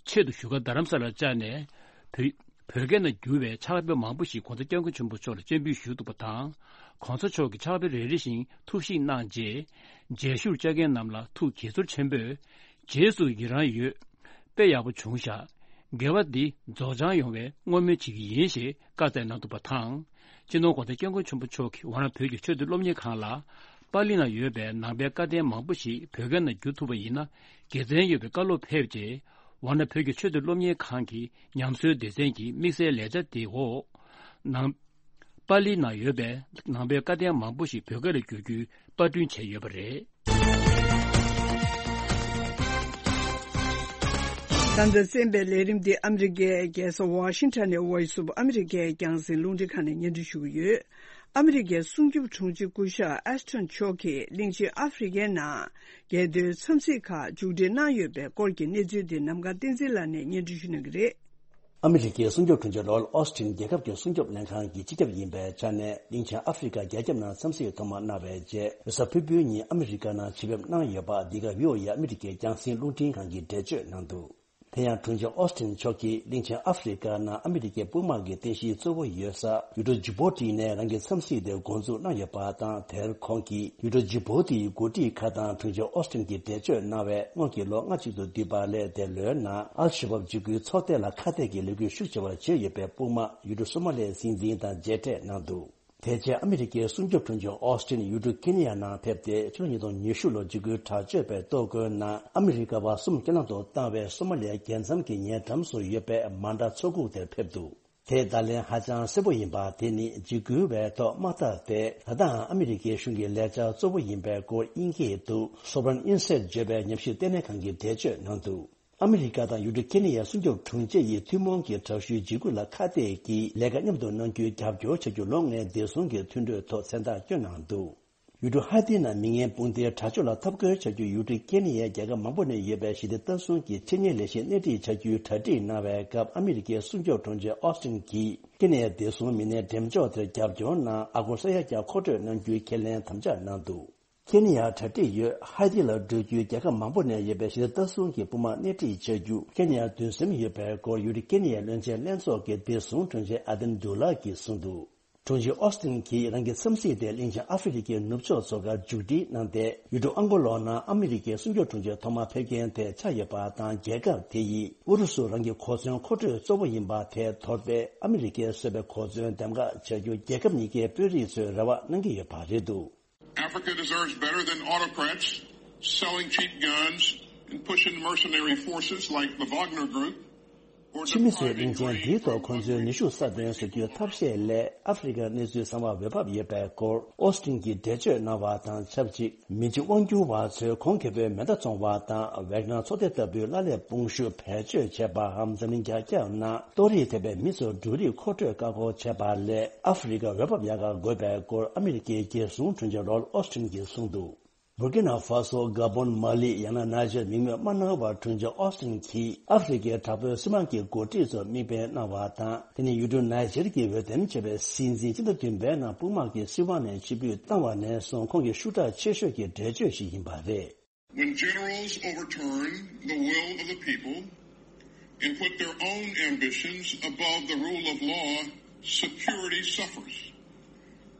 ཆེད་དུ་བཞུགས་སྒར་རྡ་རམ་ས་ལར་བཅར་ནས། བོད་བོད་སྐད་ནང་བསྒྱུར་བའི་ཕྱག་དཔེ་མང་པོ་ཞིག་༸གོང་ས་༸སྐྱབས་མགོན་ཆེན་པོ་མཆོག་ལ་སྤྱན་འབུལ་ཞུས་འདུག་པ་དང་། གོང་ས་མཆོག་གིས་ཕྱག་དཔེ་རེ་རེ་བཞིན་ཐུགས་ཞིབ་གནང་རྗེས། མཇལ་ཞུར་བཅར་མཁན་རྣམས་ལ་ཐུགས་དགྱེས་ཚོར་ཆེན་པོས། རྗེས་སུ་ཡི་རང་ཡོད། དཔེ་ཡག་པོ་བྱུང་ཤག་འགལ་བ་འདི་རྫོགས་བྱང་ཡོང་བའི་བསྔོ་སྨོན་བྱེད་ཀྱི་ཡིན་ཞེས་བཀའ་སྩལ་གནང་འདུག་པ་དང་། སྤྱི་ནོར་གོང་ས་སྐྱབས་མགོན་ཆེན་པོ་མཆོག་གིས་ཝཱ་ཎ་བོད་ཀྱི་ཆོས་དང་སློབ་གཉེར་ཁང་ལ། པཱ་ལི་ནང་ཡོད་པའི་ནང་པའི་བཀའ་བསྟན་མང་པོ་ཞིག་བོད་སྐད་ནང་བསྒྱུར་ཐུབ་པ་ཡིན་ན་དགེ་མཚན་ཡོད་པའི་བཀའ་སློབ་ཕེབས་རྗེས། ཝཱ་ཎ་བོད་ཀྱི་ཆོས་དང་སློབ་གཉེར་ཁང་གི་ཉམས་གསོའི་སྡེ་ཚན་གྱི་དམིགས་བསལ་ལས་འཆར་དེའི་འོག་ནང་། པཱ་ལི་ནང་ཡོད་པའི་ནང་པའི་བཀའ་བསྟན་མང་པོ་ཞིག་བོད་སྐད་ལ་བསྒྱུར་རྒྱུའི་པར་སྐྲུན་བྱས་ཡོད་པ་རེད། ད་ལྟ་གསན་པའི་ལས་རིམ་འདི་ཨ་མི་རི་ཀའི་རྒྱལ་ས་ཝ་ཤིང་ཊོན་ནས་Voice of America་རྒྱང་སྲིང་རླུང་འཕྲིན་ཁང་ནས་སྙན་སྒྲོན་ཞུ་གི་ཡོད། ཨ་མི་རི་ཀའི་སྲུང་སྐྱོབ་དྲུང་ཆེ་སྐུ་ཞབས་ཨེ་སི་ཊོན་མཆོག་གིས་གླིང་ཆེན་ཨ་ཧྥེ་རི་ཀའི་ནང་རྒྱལ་དོན་འཚམས་གཟིགས་ཁག་མཇུག་སྒྲིལ་གནང་ཡོད་པའི་སྐོར་གྱི་གནས་ཚུལ་འདི་ནམ་མཁའ་བསྟན་འཛིན་ལགས་ནས་སྙན་སྒྲོན་ཞུ་གནང་གི་རེད། ཨ་མི་རི་ཀའི་སྲུང་སྐྱོབ་དྲུང་ཆེ་ལོར་ཨོ་སི་ཊིན་རྒྱལ་ཁབ་ཀྱི་སྲུང་སྐྱོབ་ལྷན་ཁང་གི་སྤྱི་ཁྱབ་ཡིན་པའི་ཆ་ནས་གླིང་ཆེན་ཨ་ཧྥེ་རི་ཀ་རྒྱ་ཁྱབ་ནང་འཚམས་གཟིགས་ཐོག་མ་གནང་བའི་རྗེས། རེས་གཟའ་ཕུར་བུའི་ཉིན་ཨ་མི་རི་ཀ་ནང་ཆེད་ཕེབས་གནང་ཡོད་པ། འདི་ག་བྷི་ཨོ་ཨེ་ཨ་མི་རི་ཀའི་རྒྱང་སྲིང་རླུང་འཕྲིན་ཁང་གིས་འགྲེལ་བརྗོད་གནང་འདུག་དེ་ཡང་དྲུང་ཆེ་ཨོ་སི་ཊིན་མཆོག་གིས་གླིང་ཆེན་ཨ་ཧྥེ་རི་ཀ་ནང་ཨ་མི་རི་ཀའི་དཔུང་དམག་གི་རྟེན་གཞི་གཙོ་བོ་ཡོད་ས་ཡུལ་གྲུ་ཇི་བོ་ཊི་ནས་རང་གི་འཚམས་གཟིགས་དེ་འགོ་འཛུགས་གནང་ཡོད་པ་དང་། དེར་ཁོང་གིས་ཡུལ་གྲུ་ཇི་བོ་ཊིའི་འགོ་ཁྲིད་ཁག་དང་དྲུང་ཆེ་ཨོ་སི་ཊིན་གྱིས་འགྲེལ་བརྗོད་གནང་བས། སྔོན་གྱི་ལོ་ལྔ་གཅིག་ཏུ་བསྡུས་པ་ལས་དེ་ལོའི་ནང་ཨལ་ཤ་བབ་འཇིགས་སྐུལ་ཚོགས་སྡེ་ལ་ཁ་གཏད་ཀྱི་ལས་འགུལ་ཤུགས་ཆེ་བ་བྱས་ཡོད་པའི་དཔུང་དམག་ཡུལ་གྲུ་སོ་མ་ལིའི་སྲིད་འཛིན་དང་མཇལ་འཕྲད་གནང་འདུག་དེ་རྗེས་ཨ་མི་རི་ཀའི་སྲུང་སྐྱོབ་དྲུང་ཆེ་ཨོ་སི་ཊིན་ཡུལ་གྲུ་ཀེ་ནི་ཡ་ནང་ཕེབས་ཏེ། ཕྱི་ལོ་ཉིས་སྟོང་ཉི་ཤུ་ལོར་འཇིགས་སྐུལ་དྲག་སྤྱོད་པས་གཏོར་རྒོལ་ནང་ཨ་མི་རི་ཀ་བ་གསུམ་རྐྱེན་ལམ་དུ་བཏང་བའི་སོ་མ་ལི་ཡ་རྒྱལ་མཚམས་ཀྱི་ཉེ་འགྲམ་སུ་ཡོད་པའི་མཱན་ཏྲ་མཚོ་ཁུག་དེར་ཕེབས་འདུག་དེས་བརྡ་ལན་ཧ་ཅང་གསལ་པོ་ཡིན་པ་དེ་ནི། འཇིགས་སྐུལ་བས་ཐོག་མ་བཏགས་ཏེ། ད་ལྟའང་ཨ་མི་རི་ཀའི་གཞུང་གི་ལས་འཆར་གཙོ་བོ་ཡིན་པའི་སྐོར་དབྱིན་སྐད་དུ་Sovereign Insight བརྗོད་པའི་ཉམས་ཞིབ་ལྟེ་གནས་ཁང་གིས་འགྲེལ་བརྗོད་གནང་འདུག་ཨ་མི་རི་ཀ་དང་ཡུལ་གྲུ་ཁེ་ནི་ཡའི་སྲུང་སྐྱོབ་དྲུང་ཆེ་ཡིས་ཐུན་མོང་གི་དྲག་ཤུལ་འཇིགས་སྐུལ་ལ་ཁ་གཏད་ཀྱིས་ལས་ཀ་མཉམ་དུ་གནང་རྒྱུའི་རྒྱབ་སྐྱོར་བྱ་རྒྱུ་ལོ་ལྔའི་བདེ་སྲུང་གི་མཐུན་གྲོས་ཐོག་མཚན་རྟགས་བསྐྱོན་གནང་འདུག་ཡུལ་གྲུ་ཧའེ་ཏི་ནང་མི་ངན་དཔུང་སྡེའི་དྲག་སྤྱོད་ལ་འཐབ་རྒོལ་བྱ་རྒྱུར་ཡུལ་གྲུ་ཁེ་ནི་ཡའི་རྒྱལ་ཁབ་མང་པོ་ནས་ཡོད་པའི་ཞི་བདེ་ལྟ་སྲུང་གི་ཆེད་གཉེར་ལས་གཞི་སྣེ་ཁྲིད་བྱ་རྒྱུའི་གྲ་སྒྲིག་གནང་བའི་སྐབས། ཨ་མི་རི་ཀའི་སྲུང་སྐྱོབ་དྲུང་ཆེ་ཨོ་སི་ཊིན་གྱིས་ཁེ་ནི་ཡའི་བདེ་སྲུང་མི་སྣའི་འགྲེམས་འཇོག་དེར་རྒྱབ་སྐྱོར་གནང་། ཨ་སྒོར་ས་ཡ་བརྒྱ་མཁོ་སྤྲོད་གནང་རྒྱུའི་ཁས་ལེན་དམ་བཅའ་གནང་འདུག་ཁེ་ནི་ཡར་གྲ་སྒྲིག་ཡོད། ཧའེ་ཏི་ལ་འགྲོ་རྒྱུའི་རྒྱལ་ཁབ་མང་པོ་ནས་ཡོད་པའི་ཞི་བདེ་ལྟ་སྲུང་གི་དཔུང་དམག་སྣེ་ཁྲིད་བྱ་རྒྱུ་ཁེ་ནི་ཡར་འདུན་སེམས་ཡོད་པའི་སྐོར་ཡུལ་གྲུ་ཁེ་ནི་ཡའི་བློན་ཆེན་ལྷན་ཚོགས་ཀྱི་བདེ་སྲུང་དྲུང་ཆེ་ཨ་དན་དུ་ལ་གིས་གསུངས་འདུག་དྲུང་ཆེ་ཨོ་སི་ཊིན་གྱིས་རང་གི་འཚམས་གཟིགས་དེ་གླིང་ཆེན་ཨ་ཧྥེ་རི་ཀའི་ནུབ་ཕྱོགས་མཚོ་ཁར་མཇུག་སྒྲིལ་གནང་སྟེ། ཡུལ་གྲུ་ཨང་གོ་ལོ་ནང་ཨ་མི་རི་ཀའི་སྲུང་སྐྱོབ་དྲུང་ཆེ་ཐོག་མར་ཕེབས་མཁན་དེ་ཆགས་ཡོད་པ་དང་། རྒྱལ་ཁབ་དེ་ཡིས་ཨུ་རུ་སུ་རང་གི་གོ་མཚོན་མཁོ་སྤྲོད་གཙོ་བོ་ཡིན་པ་དེ་དོར་ཏེ། ཨ་མི་རི་ཀས་བཟོས་པའི་གོ་མཚོན་འདེམས་ཀ་བྱ་རྒྱུ་རྒྱལ་ཁབ་གཉིས་ཀའི་དཔོན་རིགས་ཚོས་རེ་བ་གནང་གི་ཡོད་པ་རེད་འདུག Africa deserves better than autocrats selling cheap guns and pushing mercenary forces like the Wagner Group or ཕྱི་མི་ཚོས་depriving གླིང་ཆེན་འདིའི་ཐོག་ཁོང་ཚོའི་ནུས་ཤུགས་གསར་སྐྲུན་བཟོ་རྒྱུའི་ཐབས་ཤེས་ལས། ཨ་ཧྥེ་རི་ཀར་གནས་ཚུལ་གསར་བ་འོས་འབབ་ཡོད་པའི་སྐོར་ཨོ་སི་ཊིན་གྱིས་འགྲེལ་བརྗོད་གནང་བ་དང་ཆབས་ཅིག་མི་གཅིག་དབང་སྒྱུར་བ་ཚོས་གོང་ཁེ་པོའི་མེ་མདའ་བཙོང་བ་དང་། ཝེག་ནར་ཚོགས་སྡེ་ལྟ་བུའི་གླ་ལས་དཔུང་ཤུགས་བེད་སྤྱོད་བྱས་པའམ། འཛམ་གླིང་རྒྱ་ཁྱབ་ནང་གཏོར་རིགས་ཐེབས་པའི་མི་ཚོར་འབྲུ་རིགས་མཁོ་སྤྲོད་བཀག་འགོག་བྱས་པ་ལས། ཨ་ཧྥེ་རི་ཀར་འོས་འབབ་ཡག་ག་དགོས་པའི་སྐོར་ཨ་མི་རི་ཀའི་རྒྱལ་སྲུང་དྲུང་ཆེ་ལོར་ཨོ་སི་ཊིན་གྱིས་གསུངས་འདུག་བུར་ཀི་ན་ཧྥ་སོ། ག་བོན། མ་ལི། ཡང་ན་ནཱི་ཇར་མིང་མེད་མ་གནང་བར། དྲུང་ཆེ་ཨོ་སི་ཊིན་གྱིས་ཨ་ཧྥེ་རི་ཀའི་དྲག་པོའི་སྲིད་དམག་གི་འགོ་ཁྲིད་ཚོར་མིག་དཔེ་གནང་བ་དང་། དེ་ནི་ཡུལ་གྲུ་ནཱི་ཇར་གྱི་འོས་འདེམས་བྱས་པའི་སྲིད་འཛིན་སྤྱི་ཟླ་བདུན་པའི་ནང་དཔུང་དམག་གིས་སྲིད་དབང་ནས་ཕྱིར་འབུད་བཏང་བ་ནས་བཟུང་ཁོང་གི་ཤུགས་དྲག་ཆེ་ཤོས་ཀྱི་འགྲེལ་བརྗོད་ཞིག་ཡིན་པ་རེད། When generals overturn the will of the people and put their own ambitions above the rule of law, security suffers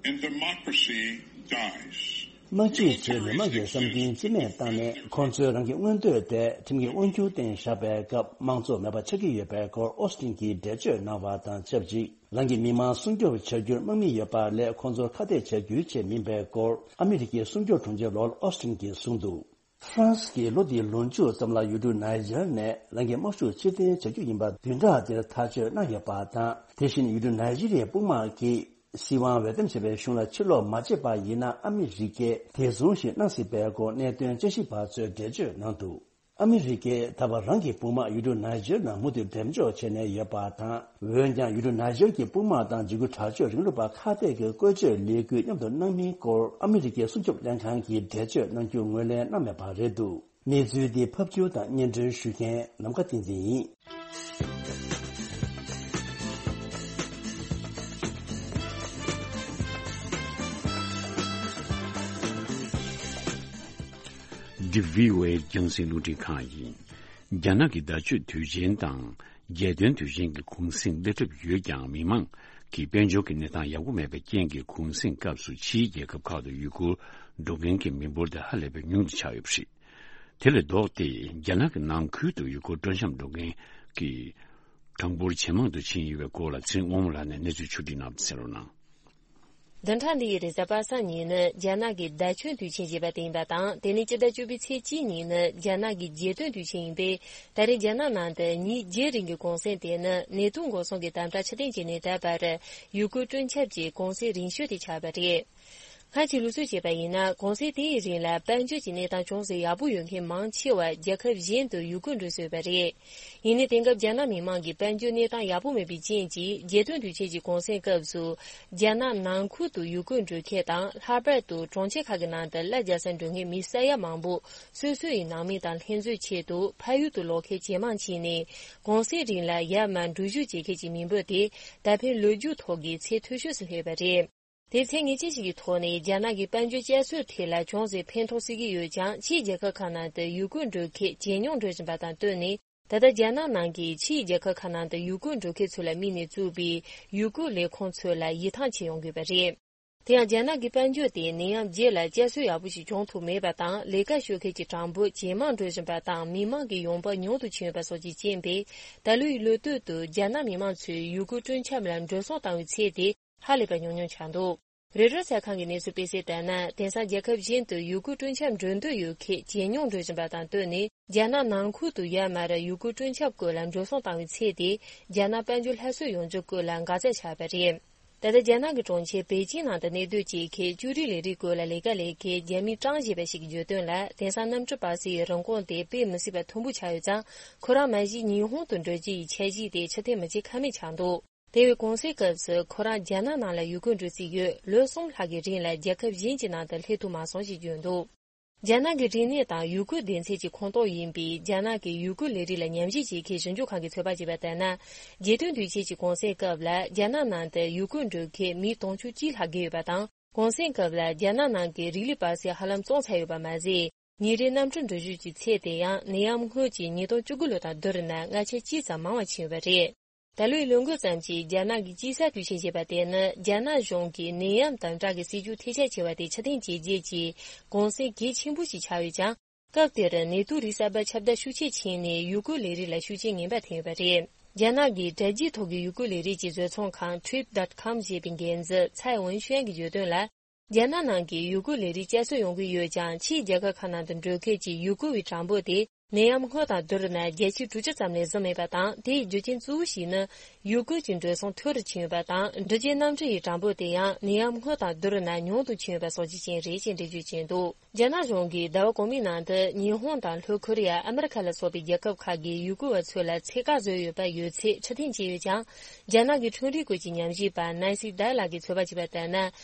and democracy dies. དམག་སྤྱི་ཚོས་མི་དམངས་ཀྱི་བསམ་འདུན་རྩིས་མེད་བཏང་ནས། ཁོང་ཚོས་རང་གི་མངོན་འདོད་དེ་ཁྲིམས་ཀྱི་དབང་སྒྱུར་སྟེང་བཞག་པའི་སྐབས། དམངས་གཙོ་མེད་པ་ཆགས་ཀྱི་ཡོད་པའི་སྐོར་ཨོ་སི་ཊིན་གྱིས་འགྲེལ་བརྗོད་གནང་བ་དང་ཆབས་ཅིག་རང་གི་མི་མང་སྲུང་སྐྱོབ་བྱ་རྒྱུར་དམག་མི་ཡོད་པ་ལས་ཁོང་ཚོར་ཁ་གཏད་བྱ་རྒྱུའི་ཆེད་མིན་པའི་སྐོར་ཨ་མི་རི་ཀའི་སྲུང་སྐྱོབ་དྲུང་ཆེ་ལོར་ཨོ་སི་ཊིན་གྱིས་གསུངས་འདུག་ཧྥ་རན་སི་གིས་ལོ་འདིའི་ལོ་མཇུག་ཙམ་ལ་ཡུལ་གྲུ་ནཱི་ཇར་ནས་རང་གི་དམག་ཤུགས་ཕྱིར་འཐེན་བྱ་རྒྱུ་ཡིན་པ་བདུན་ཕྲག་འདིར་ཐག་གཅོད་གནང་ཡོད་པ་དང་། དེ་བཞིན་ཡུལ་གྲུ་ནཱི་ཇི་རི་ཡའི་དཔུང་དམག་གིས་སྲིད་དབང་འོས་འདེམས་བྱས་པའི་གཞུང་ལ་ཕྱིར་ལོག་མ་བྱས་པ་ཡིན་ན། ཨ་མི་རི་ཀས་བདེ་སྲུང་ཞིག་གནང་སྲིད་པའི་སྐོར་གནད་དོན་དཔྱད་ཞིབ་པ་ཚོས་འགྲེལ་བརྗོད་གནང་འདུག་ཨ་མི་རི་ཀས་ད་བར་རང་གི་དཔུང་དམག་ཡུལ་གྲུ་ནཱི་ཇར་ནང་མུ་མཐུད་འགྲེམས་འཇོག་བྱས་ནས་ཡོད་པ་དང་། འོན་ཀྱང་ཡུལ་གྲུ་ནཱི་ཇར་གྱི་དཔུང་དམག་དང་འཇིགས་སྐུལ་དྲག་སྤྱོད་རིང་ལུགས་པ་ཁ་གཏད་ཀྱི་བཀོལ་སྤྱོད་ལས་འགུལ་མཉམ་དུ་གནང་མིན་སྐོར་ཨ་མི་རི་ཀའི་སྲུང་སྐྱོབ་ལྷན་ཁང་གིས་འགྲེལ་བརྗོད་གནང་རྒྱུ་ངོས་ལེན་གནང་མེད་པ་རེད་འདུག་གནས་ཚུལ་འདི་ཕབ་སྒྱུར་དང་སྙན་སྒྲོན་ཞུ་མཁན་ནམ་མཁའ་བསྟན་འཛིན་ཡིན། འདི་བྷི་ཨོ་ཨེ་རྒྱང་སྲིང་རླུང་འཕྲིན་ཁང་ཡིན། རྒྱ་ནག་གི་ཟླ་མཆོད་དུས་ཆེན་དང་རྒྱལ་སྟོན་དུས་ཆེན་གྱི་གུང་གསེང་སླེབས་གྲབས་ཡོད་ཀྱང་། མི་མང་གི་དཔལ་འབྱོར་གྱི་གནས་སྟངས་ཡག་པོ་མེད་པའི་རྐྱེན་གྱིས། གུང་གསེང་སྐབས་སུ་ཕྱིའི་རྒྱལ་ཁབ་ཁག་ཏུ་ཡུལ་སྐོར་འགྲོ་མཁན་གྱི་མི་འབོར་དེ་ཧ་ལས་པའི་ཉུང་དུ་ཆགས་ཡོད་པ་རེད། དེ་ལས་ལྡོག་སྟེ། རྒྱ་ནག་གི་ནང་ཁུལ་དུ་ཡུལ་སྐོར་སྤྲོ་འཆམ་འགྲོ་མཁན་གྱི་ གྲངས་འབོར་ཇེ་མང་དུ་ཕྱིན་ཡོད་པའི་སྐོར་ལ་ཚེ་དབང་མོ་ལགས་ནས་གནས་ཚུལ་ཕྱོགས་སྒྲིག་གནང་བ་གསན་རོགས་གནང་། བདུན་ཕྲག་འདིའི་རེས་གཟའ་པ་སངས་ཉིན་ནི་རྒྱ་ནག་གི་ཟླ་གཅིག་དུས་ཆེན་ཞེས་པ་དེ་ཡིན་པ་དང་། དེ་ནི་སྤྱི་ཟླ་བཅུ་པའི་ཚེས་གཅིག་ཉིན་ནི་རྒྱ་ནག་གི་རྒྱལ་སྟོན་དུས་ཆེན་ཡིན་པས། ད་རེས་རྒྱ་ནག་ནང་དུ་ཉིན་བརྒྱད་རིང་གི་གུང་སེང་དེ་ནི་ནེ་ཏུ་འགོ་སོང་གི་དམ་དྲག་ཕྱིར་འཐེན་བྱས་ནས་ད་བར་ཡུ་གུར་སྤྲོ་འཆམ་གྱི་གུང་སེང་རིང་ཤོས་དེ་ཆགས་པ་རེད། སྔར་གྱི་ལུགས་སྲོལ་བྱས་པ་ཡིན་ན། གུང་སེང་དེའི་རིང་ལ་དཔལ་འབྱོར་གྱི་གནས་སྟངས་ཅུང་ཟད་ཡག་པོ་ཡོད་མཁན་མང་ཆེ་བ་རྒྱལ་ཁབ་གཞན་དུ་ཡུལ་སྐོར་འགྲོ་སྲོལ་ཡོད་པ་རེད། ཡིན་ནའི་དེང་སྐབས་རྒྱ་ནག་མི་དམངས་ཀྱི་དཔལ་འབྱོར་གནས་སྟངས་ཡག་པོ་མེད་པའི་རྐྱེན་གྱིས། རྒྱལ་སྟོན་དུས་ཆེན་གྱི་གུང་སེང་སྐབས་སུ་རྒྱ་ནག་ནང་ཁུལ་དུ་ཡུལ་སྐོར་འགྲོ་མཁན་དང་། ལྷག་པར་དུ་གྲོང་ཁྱེར་ཁག་གི་ནང་དུ་གླ་རྒྱག་སར་འགྲོ་མཁན་མི་ས་ཡ་མང་པོ་སོ་སོ་ཡི་ནང་མི་དང་ལྷན་འཛོམས་ཆེད་དུ་ཕ་ཡུལ་དུ་ལོག་མཁན་ཇེ་མང་ཕྱིན་ནས། གུང་སེང་རིང་ལ་ཡར་མར་འགྲུལ་བཞུད་བྱེད་མཁན་གྱི་མི་འབོར་དེ་ད་ཕན་ལོ་རྒྱུས་ཐོག་གི་ཚད་མཐོ་ཤོས་སུ་སླེབས་པ་རེད། དེ་ཚེ་ངེས་ཅན་ཞིག་གི་ཐོག་ནས་རྒྱ་ནག་གི་དཔལ་འབྱོར་བསྐྱར་གསོའི་ཐད་ལ་ཅུང་ཟད་ཕན་ཐོགས་སྲིད་ཀྱི་ཡོད་ཀྱང་། ཕྱིའི་རྒྱལ་ཁབ་ཁག་ནང་དུ་ཡུལ་སྐོར་འགྲོ་མཁན་ཇེ་ཉུང་འགྲོ་བཞིན་པ་དང་བསྟུན་ནས། ད་ལྟ་རྒྱ་ནག་ནང་གི་ཕྱིའི་རྒྱལ་ཁབ་ཁག་ནང་དུ་ཡུལ་སྐོར་འགྲོ་མཁན་ཚོ་ལ་དམིགས་ནས་བཙུགས་པའི་ཡུལ་སྐོར་ལས་ཁུངས་ཚོ་ལ་ཡིད་ཐང་ཆད་ཡོང་དགོས་པ་རེད། དེ་ཡང་རྒྱ་ནག་གི་དཔལ་འབྱོར་དེ་ནད་ཡམས་རྗེས་ལ་བསྐྱར་གསོ་ཡག་པོ་ཞིག་བྱུང་ཐུབ་མེད་པ་དང་། ལས་ཀ་ཞུ་མཁན་གྱི་གྲངས་འབོར་ཇེ་མང་འགྲོ་བཞིན་པ་དང་། མི་མང་གི་ཡོང་འབབ་ཉུང་དུ་ཕྱིན་ཡོད་པ་སོགས་ཀྱི་རྐྱེན་པས། ད་ལོའི་ལོ་སྟོད་དུ་རྒྱ་ནག་མི་མང་ཚོས་ཡུལ་སྐོར་སྤྲོ་འཆམ་ལ་འགྲོ་སོང་བཏང་བའི་ཚད་དེ་ཧ་ལས་པ་ཉུང་ཉུང་ཆགས་འདུག་རོའི་ཊར་གསར་ཁང་གི་གནས་ཚུལ་སྤེལ་གསལ་ལྟར་ན། དེང་སང་རྒྱལ་ཁབ་གཞན་དུ་ཡུལ་སྐོར་སྤྲོ་འཆམ་འགྲོ་འདོད་ཡོད་མཁན་ཇེ་ཉུང་འགྲོ་བཞིན་པ་དང་བསྟུན་ནས། རྒྱ་ནག་ནང་ཁུལ་དུ་ཡར་མར་ཡུལ་སྐོར་སྤྲོ་འཆམ་སྐོར་ལ་འགྲོ་སོང་བཏང་བའི་ཚད་དེ་རྒྱ་ནག་དཔལ་འབྱོར་སླར་གསོ་ཡོང་རྒྱུ་སྐོར་ལ་འགག་རྩ་ཆགས་པ་རེད། ད་ལྟ་རྒྱ་ནག་གི་གྲོང་ཁྱེར་པེ་ཅིང་ནང་དུ་གནས་སྡོད་བྱེད་མཁན་ཅོ་རིའི་ལས་རིགས་སྐོར་ལ་ལས་ཀ་ལས་མཁན་རྒྱ་མི་ཀྲང་ཞེས་པ་ཞིག་གིས་བརྗོད་དོན་ལ། དེང་སང་གནམ་གྲུ་སྤར་སའི་རིན་གོང་དེ་དཔེ་མི་སྲིད་པ་མཐོན་པོ་ཆགས་ཡོད་ཙང་། ཁོ་རང་མ་གཞི་ཉི་ཧོང་དུ་འགྲོ་རྒྱུ་ཡི་འཆར་གཞི་དེ་ཕྱིར་འཐེན་མི་བྱེད་ཁ་མེད་ཆགས་འདུག་དེ་བས་གུང་སེང་སྐབས་སུ་ཁོ་རང་རྒྱ་ནག་ནང་ལ་ཡུལ་སྐོར་འགྲོ་རྩིས་ཡོད། ལོ་གསུམ་ལྷག་གི་རིང་ལ་རྒྱལ་ཁབ་གཞན་གྱི་ནང་དུ་སླེབས་ཐུབ་མ་སོང་ཞེས་བརྗོད་འདུག་རྒྱ་ནག་གི་རིག་གནས་དང་ཡུལ་སྐོར་སྡེ་ཚན་གྱི་ཁོངས་གཏོགས་ཡིན་པའི་རྒྱ་ནག་གི་ཡུལ་སྐོར་ལས་རིགས་ལ་ཉམས་ཞིབ་བྱེད་མཁན་ཞིབ་འཇུག་ཁང་གི་ཚོད་དཔག་བྱས་པ་ལྟར་ན། རྒྱལ་སྟོན་དུས་ཆེན་གྱི་གུང་སེང་སྐབས་ལ་རྒྱ་ནག་ནང་དུ་ཡུལ་སྐོར་འགྲོ་མཁན་མི་དུང་ཕྱུར་གཅིག་ལྷག་བརྒལ་ཡོད་པ་དང་། གུང་སེང་སྐབས་ལ་རྒྱ་ནག་ནང་གི་རི་ལི་སྤར་སའི་ཧ་ལམ་རྫོགས་ཚར་ཡོད་པ་མ་ཟད། ཉིན་རེའི་གནམ་གྲུ་འགྲུལ་བཞུད་ཀྱི་ཚད་དེ་ཡང་ནད་ཡམས་སྔོན་གྱི་ཉིས་སྟོང་བཅུ་དགུ་ལོ་དང་བསྡུར་ན་སྔ་ཆད་གཅིག་ཙམ་མང་བ་ཕྱིན་ཡོད་པ་རེད། ད་ལོའི་ལོ་འགོ་ཙམ་གྱི་རྒྱ་ནག་གི་དཔྱིད་གསར་དུས་ཆེན་ཞེས་པ་དེ་ནི་རྒྱ་ནག་གཞུང་གིས་ནད་ཡམས་དམ་དྲག་གི་སྲིད་ཇུས་ཐེ་ཆག་ཆེ་བ་དེ་ཕྱིར་འཐེན་བྱས་རྗེས་ཀྱི་གུང་སེང་གལ་ཆེན་པོ་ཞིག་ཆགས་ཡོད་ཀྱང་། སྐབས་དེར་ནད་དུག་རིགས་གསར་པ་ཁྱབ་གདལ་ཤུགས་ཆེ་ཕྱིན་ནས་ཡུལ་སྐོར་ལས་རིགས་ལ་ཤུགས་རྐྱེན་ངན་པ་ཐེབས་ཡོད་པ་རེད། རྒྱ་ནག་གི་དྲ་རྒྱའི་ཐོག་གི་ཡུལ་སྐོར་ལས་རིགས་ཀྱི་བཟོ་ཚོང་ཁང་ཊིརིབ་ཌོཊ་ཀོམ་ཞེས་པའི་འགན་འཛིན་ཚའེ་ཝུན་ཤུན་གྱིས་བརྗོད་དོན་ལ། རྒྱ་ནག་ནང་གི་ཡུལ་སྐོར་ལས་རིགས་བསྐྱར་གསོ་ཡོང་གི་ཡོད་ཀྱང་། ཕྱིའི་རྒྱལ་ཁབ་ཁག་ནང་དུ་འགྲོ་མཁན་གྱི་ཡུལ་སྐོར་བའི་གྲངས་འབོར་དེ་ནད་ཡམས་སྔོན་དང་བསྡུར་ན་བརྒྱ་ཆ་དྲུག་ཅུ་ཙམ་ལས་བཟང་མེད་པ་དང་། དེའི་རྒྱུ་རྐྱེན་གཙོ་བོ་ཞིག་ནི་ཡུལ་སྐོར་གྱི་འགྲོ་སོང་མཐོ་རུ་ཕྱིན་ཡོད་པ་དང་། འགྲུལ་སྐྱེལ་གནམ་གྲུ་ཡི་གྲངས་འབོར་དེ་ཡང་ནད་ཡམས་སྔོན་དང་བསྡུར་ན་ཉུང་དུ་ཕྱིན་ཡོད་པ་སོགས་ཀྱི་རྐྱེན་རེད་ཅེས་འགྲེལ་བརྗོད་བྱས་འདུག་རྒྱ་ནག་གཞུང་གིས་ཟླ་བ་གོང་མའི་ནང་དུ་ཉི་ཧོང་དང་ལྷོ་ཁོ་རེ་ཡ། ཨ་མི་རི་ཁ་ལ་སོགས་པའི་རྒྱལ་ཁབ་ཁག་གིས་ཡུལ་སྐོར་བ་ཚོ་ལ་ཚད་བཀག་བཟོས་ཡོད་པ་ཡོད་ཚད་ཕྱིར་འཐེན་བྱས་ཡོད་ཀྱང་། རྒྱ་ནག་གི་ཁྲིམས་རིག་སྐོར་གྱི་ཉམས་ཞིབ་པ་ནན་སི་ཌའི་ལགས་ཀྱིས་ཚོད་དཔག་བྱས་པ་ལྟར་ན།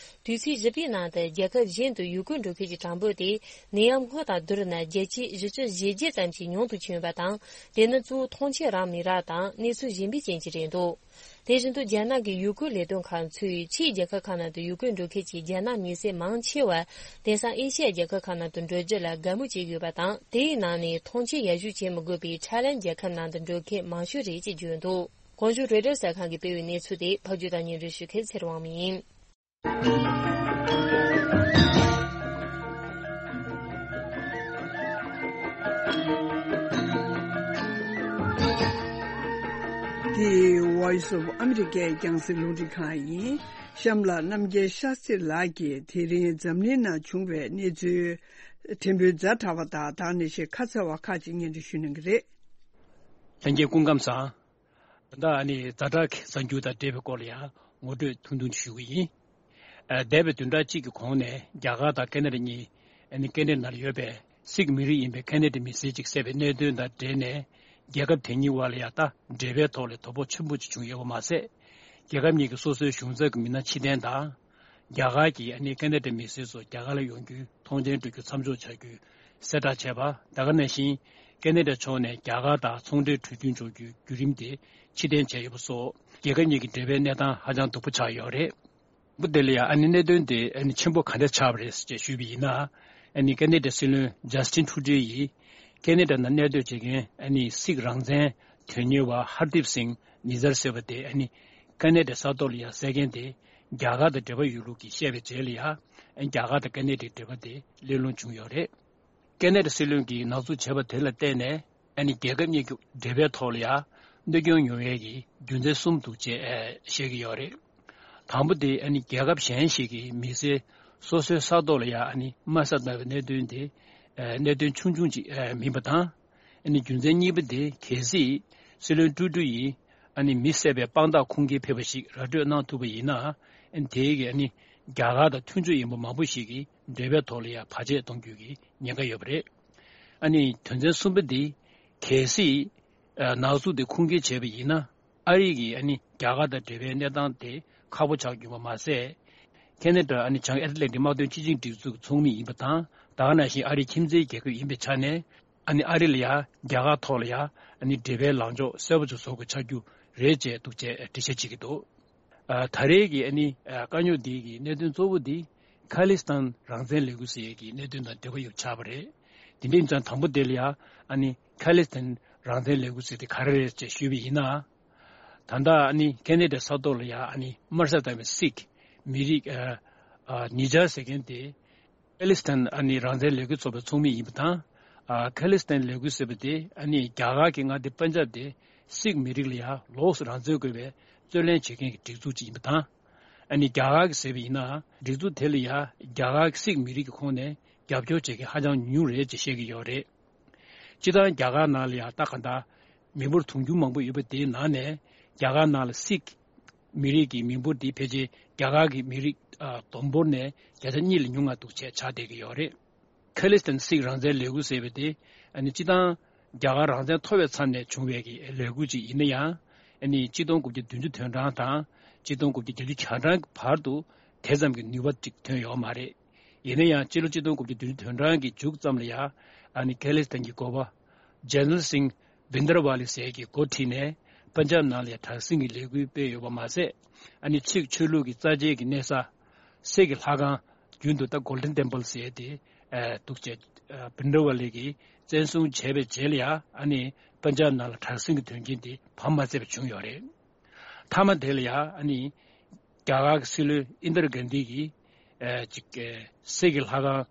དུས་ཚིགས་བཞི་པའི་ནང་དུ་རྒྱལ་ཁབ་གཞན་དུ་ཡུལ་སྐོར་འགྲོ་མཁན་གྱི་གྲངས་འབོར་དེ་ནད་ཡམས་སྔོན་དང་བསྡུར་ན་བརྒྱ་ཆ་བཞི་ཅུ་ཞེ་བརྒྱད་ཙམ་ཞིག་ཉུང་དུ་ཕྱིན་ཡོད་པ་དང་། དེ་ནི་གཙོ་བོ་ཐོངས་མཆན་རག་མི་རག་དང་གནས་ཚུལ་གཞན་པའི་རྐྱེན་གྱིས་རེད་འདུག་དེ་བཞིན་དུ་རྒྱ་ནག་གི་ཡུལ་སྐོར་ལས་དོན་ཁང་ཚོས་ཕྱིའི་རྒྱལ་ཁབ་ཁག་ནང་དུ་ཡུལ་སྐོར་འགྲོ་མཁན་གྱི་རྒྱ་ནག་མི་སེར་མང་ཆེ་བ་དེང་སང་ཨེ་ཤི་ཡ་རྒྱལ་ཁབ་ཁག་ནང་དུ་འགྲོ་རྒྱུ་ལ་དགའ་མོས་བྱེད་ཀྱི་ཡོད་པ་དང་། དེའི་ནང་ནས་ཐོངས་མཆན་ཡར་ཞུ་བྱེད་མི་དགོས་པའི་ཐའི་ལན་རྒྱལ་ཁབ་ནང་དུ་འགྲོ་མཁན་མང་ཤོས་རེད་ཅེས་བརྗོད་འདུག་གོང་ཞུས་རོའི་ཊར་གསར་ཁང་གིས་སྤེལ་བའི་གནས་ཚུལ་དེ་ཕབ་སྒྱུར་དང་སྙན་སྒྲོན་ཞུ་མཁན་ཚེ་རིང་དབང་མོ་ཡིན། འདི་Voice of America་རྒྱང་སྲིང་རླུང་འཕྲིན་ཁང་ཡིན། གཤམ་ལ་རྣམ་རྒྱལ་ཤཱ་སྟྲི་ལགས་ཀྱིས་དེ་རིང་འཛམ་གླིང་ནང་བྱུང་བའི་གནས་ཚུལ་ཕྲན་བུ་ཛ་དྲག་པ་དང་། ད་ནི་ཞེ་ཁ་ཚ་བ་ཁག་ཅིག་སྙན་སྒྲོན་ཞུ་གནང་གི་རེད། ལྷན་རྒྱས་སྐུ་ཁམས་བཟང་། ད་ལྟ་ཨ་ནི་ཛ་དྲག་གི་གསར་འགྱུར་དང་འབྲེལ་བའི་སྐོར་ལ་ཡང་ངོ་སྤྲོད་ཐུང་ཐུང་ཞུ་གི་ཡིན། ཨ། འདས་པའི་བདུན་ཕྲག་གཅིག་གི་གོང་ནས་རྒྱ་གར་དང་ཁེ་ན་ཌ་གཉིས་ཨ་ནི་སྐད་འཕྲིན་ནང་ལ་ཡོད་པའི་སིག་མི་རིགས་ཡིན་པའི་ཁེ་ན་ཌའི་མི་སེར་གཅིག་བསད་པའི་གནད་དོན་དང་འབྲེལ་ནས། རྒྱལ་ཁབ་དེ་གཉིས་དབར་ལ་ཡང་ད་འབྲེལ་བའི་ཐོག་ལ་དོ་ཕོག་ཆེན་པོ་ཅིག་བྱུང་ཡོད་པ་མ་ཟད། རྒྱལ་ཁབ་གཉིས་ཀྱི་སོ་སོའི་གཞུང་ཚབ་ཀྱི་མི་སྣ་ཕྱིར་འཐེན་དང་། རྒྱ་གར་གྱིས་ཨ་ནི་ཁེ་ན་ཌའི་མི་སེར་ཚོ་རྒྱ་གར་ལ་ཡོང་རྒྱུའི་ཐོངས་མཆན་སྤྲོད་རྒྱུ་མཚམས་འཇོག་བྱ་རྒྱུའི་གསལ་བསྒྲགས་བྱས་པ། ད་ག་ནང་བཞིན་ཁེ་ན་ཌ་ཕྱོགས་ནས་རྒྱ་གར་དང་ཚོང་འབྲེལ་གྲོས་མཐུན་འཇོག་རྒྱུའི་བརྒྱུད་རིམ་དེ་ཕྱིར་འཐེན་བྱས་ཡོད་པ་སོགས། རྒྱལ་ཁབ་གཉིས་ཀྱི་འབྲེལ་བའི་གནས་སྟངས་ཧ་ཅང་སྡུག་པོ་ཆགས་ཡོད་རེད། འོ། དེ་ལ་ཡང་ཨ་ནི་གནད་དོན་དེ་ཨ་ནི་ཆེན་པོ་ག་འདྲ་ཆགས་པ་རེད་ཅེས་ཞུས་པ་ཡིན་ན། ཨ་ནི་ཁེ་ན་ཌའི་སྲིད་བློན་ཇ་སི་ཊིན་ཁྲུ་ཌོ་ཡིས་ཁེ་ན་ཌ་ནང་གནས་སྡོད་བྱེད་མཁན་ཨ་ནི་སིག་རང་བཙན་དོན་གཉེར་བ་ཧར་དིབ་སིང་ནི་ཛར་ཟེར་བ་དེ་ཨ་ནི་ཁེ་ན་ཌའི་ས་ཐོག་ལ་ཡང་བསད་མཁན་དེ་རྒྱ་གར་དང་འབྲེལ་བ་ཡོད་ལུགས་ཀྱིས་བཤད་པའི་རྗེས་ལ་ཡང་། ཨ་ནི་རྒྱ་གར་དང་ཁེ་ན་ཌའི་འབྲེལ་བ་དེ་གླེང་སློང་བྱུང་ཡོད་རེད། ཁེ་ན་ཌ་སྲིད་བློན་གྱིས་ནག་འཛུགས་བྱས་པ་དེ་ལ་བརྟེན་ནས། ཨ་ནི་རྒྱལ་ཁབ་གཉིས་ཀྱི་འབྲེལ་བའི་ཐོག་ལ་ཡང་ གནོད་སྐྱོན་ཡོང་ཡས་ཀྱི་རྒྱུ་མཚན་གསུམ་འདུག་ཅེས་བཤད་ཀྱི་ཡོད་རེད། དང་པོ་དེ་ཨ་ནི་རྒྱལ་ཁབ་གཞན་ཞིག་གིས་མི་སེར་སོ་སོའི་ས་ཐོག་ལ་ཡ་ཨ་ནི་དམའ་ས་བཏང་བའི་གནད་དོན་དེ་གནད་དོན་ཆུང་ཆུང་ཅིག་མིན་པ་དང་། ཨ་ནི་རྒྱུ་མཚན་གཉིས་པ་དེ་གལ་སྲིད་སྲིད་བློན་ཀྲུའུ་ཀྲུའུ་ཡིས་ཨ་ནི་མི་བསད་པའི་དཔང་རྟགས་ཁུངས་སྐྱེལ་ཕེབས་པ་ཞིག་ར་སྤྲོད་གནང་ཐུབ་པ་ཡིན་ན། ཨ་ནི་དེའི་གི་ཨ་ནི་རྒྱ་གར་དང་མཐུན་ཕྱོགས་ཡིན་པ་མང་པོ་ཞིག་གིས་འབྲེལ་བའི་ཐོག་ལ་ཡ་བར་ཆད་གཏོང་རྒྱུ་གི་ཉེན་ཁ་ཡོད་པ་རེད། ཨ་ནི་དོན་ཚན་གསུམ་པ་འདི་གལ་སྲིད་ནག་འཛུགས་དེ་ཁུངས་སྐྱེལ་བྱས་པ་ཡིན་ན། ཨ་རི་གིས་ཨ་ནི་རྒྱ་གར་དང་འབྲེལ་བའི་གནས་སྟངས་དེ་ཁག་པོ་ཆགས་རྒྱུ་མ་ཟད། ཁེ་ན་ཌ་ཨ་ནི་བྱང་ཨེཊ་ལན་ཊིག་དམག་དོན་སྤྱི་ཆིངས་སྒྲིག་འཛུགས་ཀྱི་ཚོགས་མི་ཡིན་པ་དང་། ད་ག་ནང་བཞིན་ཨ་རིའི་ཁྱིམ་མཚེས་རྒྱལ་ཁབ་ཡིན་པའི་ཆ་ནས། ཨ་ནི་ཨ་རི་ལ་ཡ་རྒྱ་གར་ཐོག་ལ་ཡ་ཨ་ནི་འབྲེལ་བའི་ལངས་ཕྱོགས་གསལ་པོ་ཅིག་བཟོ་དགོས་ཆགས་རྒྱུ་རེད་ཅེས་འདུག་ཅེས་འགྲེལ་བཤད་བྱེད་ཀྱི་འདུག་ཨ། ད་རེས་ཀྱི་ཨ་ནི་ཨ་དཀའ་རྙོག་འདི་གི་གནད་དོན་གཙོ་བོ་འདི་ཁ་ལི་སི་ཐན་རང་བཙན་ལས་འགུལ་ཟེར་ཡས་ཀྱི་གནད་དོན་དང་འབྲེལ་བ་ཡོད་ཆགས་པ་རེད། དེ་འདྲ་ཡིན་ཙང་དང་པོ་དེ་ལ་ཡ་ཨ་ནི་ཁ་ལི་སི་ཐན་རང་བཙན་ལས་འགུལ་ཟེར་དེ་ག་རེ་རེད་ཅེས་ཞུས་པ་ཡིན་ན། ད་ལྟ་ཨ་ནི་ཁེ་ན་ཌའི་ས་ཐོག་ལ་ཡ་ཨ་ནི་དམར་ཤ་དང་བའི་སིག་མི་རིགས་ཨ་ཨ་ཉེ་ཆར་ཟེར་མཁན་དེ། ཁ་ལི་སི་ཐན་ཨ་ནི་རང་བཙན་ལས་འགུལ་ཚོགས་པའི་ཚོགས་མི་ཡིན་པ་དང་། ཨ་ཁ་ལི་སི་ཐན་ལས་འགུལ་ཟེར་བ་དེ་ཨ་ནི་རྒྱ་གར་གྱི་མངའ་སྡེ་པན་ཇབ་དེ་སིག་མི་རིགས་ལ་ཡང་ལོགས་སུ་རང་བཙན་དགོས་པའི་རྩོད་ལེན་བྱེད་མཁན་གྱི་སྒྲིག་འཛུགས་ཅིག་ཡིན་པ་དང་། ཨ་ནི་རྒྱ་གར་གྱིས་ཟེར་བ་ཡིན་ན་སྒྲིག་འཛུགས་དེ་ལ་ཡང་རྒྱ་གར་གྱི་སིག་མི་རིགས་ཀྱི་ཁོངས་ནས་རྒྱབ་སྐྱོར་བྱེད་མཁན་ཧ་ཅང་ཉུང་ཉུང་རེད་ཅེས་བཤད་ཀྱི་ཡོད་རེད། སྤྱིར་བཏང་རྒྱ་གར་ནང་ལ་ཡང་ད་ག་འདྲ་མི་འབོར་དུང་ཕྱུར་མང་པོ་ཡོད་པ་དེའི་ནང་ནས་རྒྱ་གར་ནང་ལ་སིག་མི་རིགས་ཀྱི་མི་འབོར་དེ་ཕལ་ཆེར་རྒྱ་གར་གྱི་མི་རིགས་ཨ་བསྡོམས་འབོར་ནས་བརྒྱ་ཆ་གཉིས་ལས་ཉུང་བ་འདུག་ཅེས་ཆགས་བསྡད་ཀྱི་ཡོད་རེད། ཁ་ལི་སི་ཐན་སིག་རང་བཙན་ལས་འགུལ་ཟེར་བ་དེ་ཨ་ནི་སྤྱིར་བཏང་རྒྱ་གར་རང་བཙན་ཐོབ་པའི་མཚམས་ནས་བྱུང་བའི་གི་ལས་འགུལ་ཅིག་ཡིན་ན་ཡང་། ཨ་ནི་གཅིག་སྟོང་དགུ་བརྒྱ་བདུན་ཅུ་དོན་གྲངས་དང་གཅིག་སྟོང་དགུ་བརྒྱ་བརྒྱད་ཅུ་གྱ་གྲངས་ཀྱི་བར་དུ་དེ་ཙམ་གྱི་ནུས་པ་ཅིག་ཐོན་ཡོད་མ་རེད། ཡིན་ན་ཡང་སྤྱི་ལོ་གཅིག་སྟོང་དགུ་བརྒྱ་བདུན་ཅུ་དོན་གྲངས་ཀྱི་མཇུག་ཙམ་ལ་ཡང་ཨ་ནི་ཁ་ལི་སི་ཐན་གྱི་འགོ་པ་ཇེ་ནེ་རལ་སིང་བྷིན་དར་ཝ་ལི་ཟེར་གྱིས་འགོ་ཁྲིད་ནས་པན་ཇབ་ནང་ལ་ཡང་དྲག་ཟིང་གི་ལས་འགུལ་སྤེལ་ཡོད་པ་མ་ཟད། ཨ་ནི་ཆིག་ཆོས་ལུགས་ཀྱི་རྩ་ཆེའི་གི་གནས་ས་གསེར་གྱི་ལྷ་ཁང་། རྒྱུན་དུ་ད་Golden Temple་ཟེར་ཏེ་འདུག་ཅེས་བྷིན་དར་ཝ་ལི་གིས་བཙན་བཟུང་བྱས་པའི་རྗེས་ལ་ཡང་ཨ་ནི་པན་ཇབ་ནང་ལ་དྲག་ཟིང་གི་དོན་རྐྱེན་དེ་བམ་མ་བརྩེགས་པ་བྱུང་ཡོད་རེད། མཐའ་མ་དེ་ལ་ཡང་ཨ་ནི་རྒྱ་གར་གྱི་སྲིད་བློན་ཨིན་དར་གྷན་དྷི་གིས་ཨ་ཅིག་གསེར་གྱི་ལྷ་ཁང་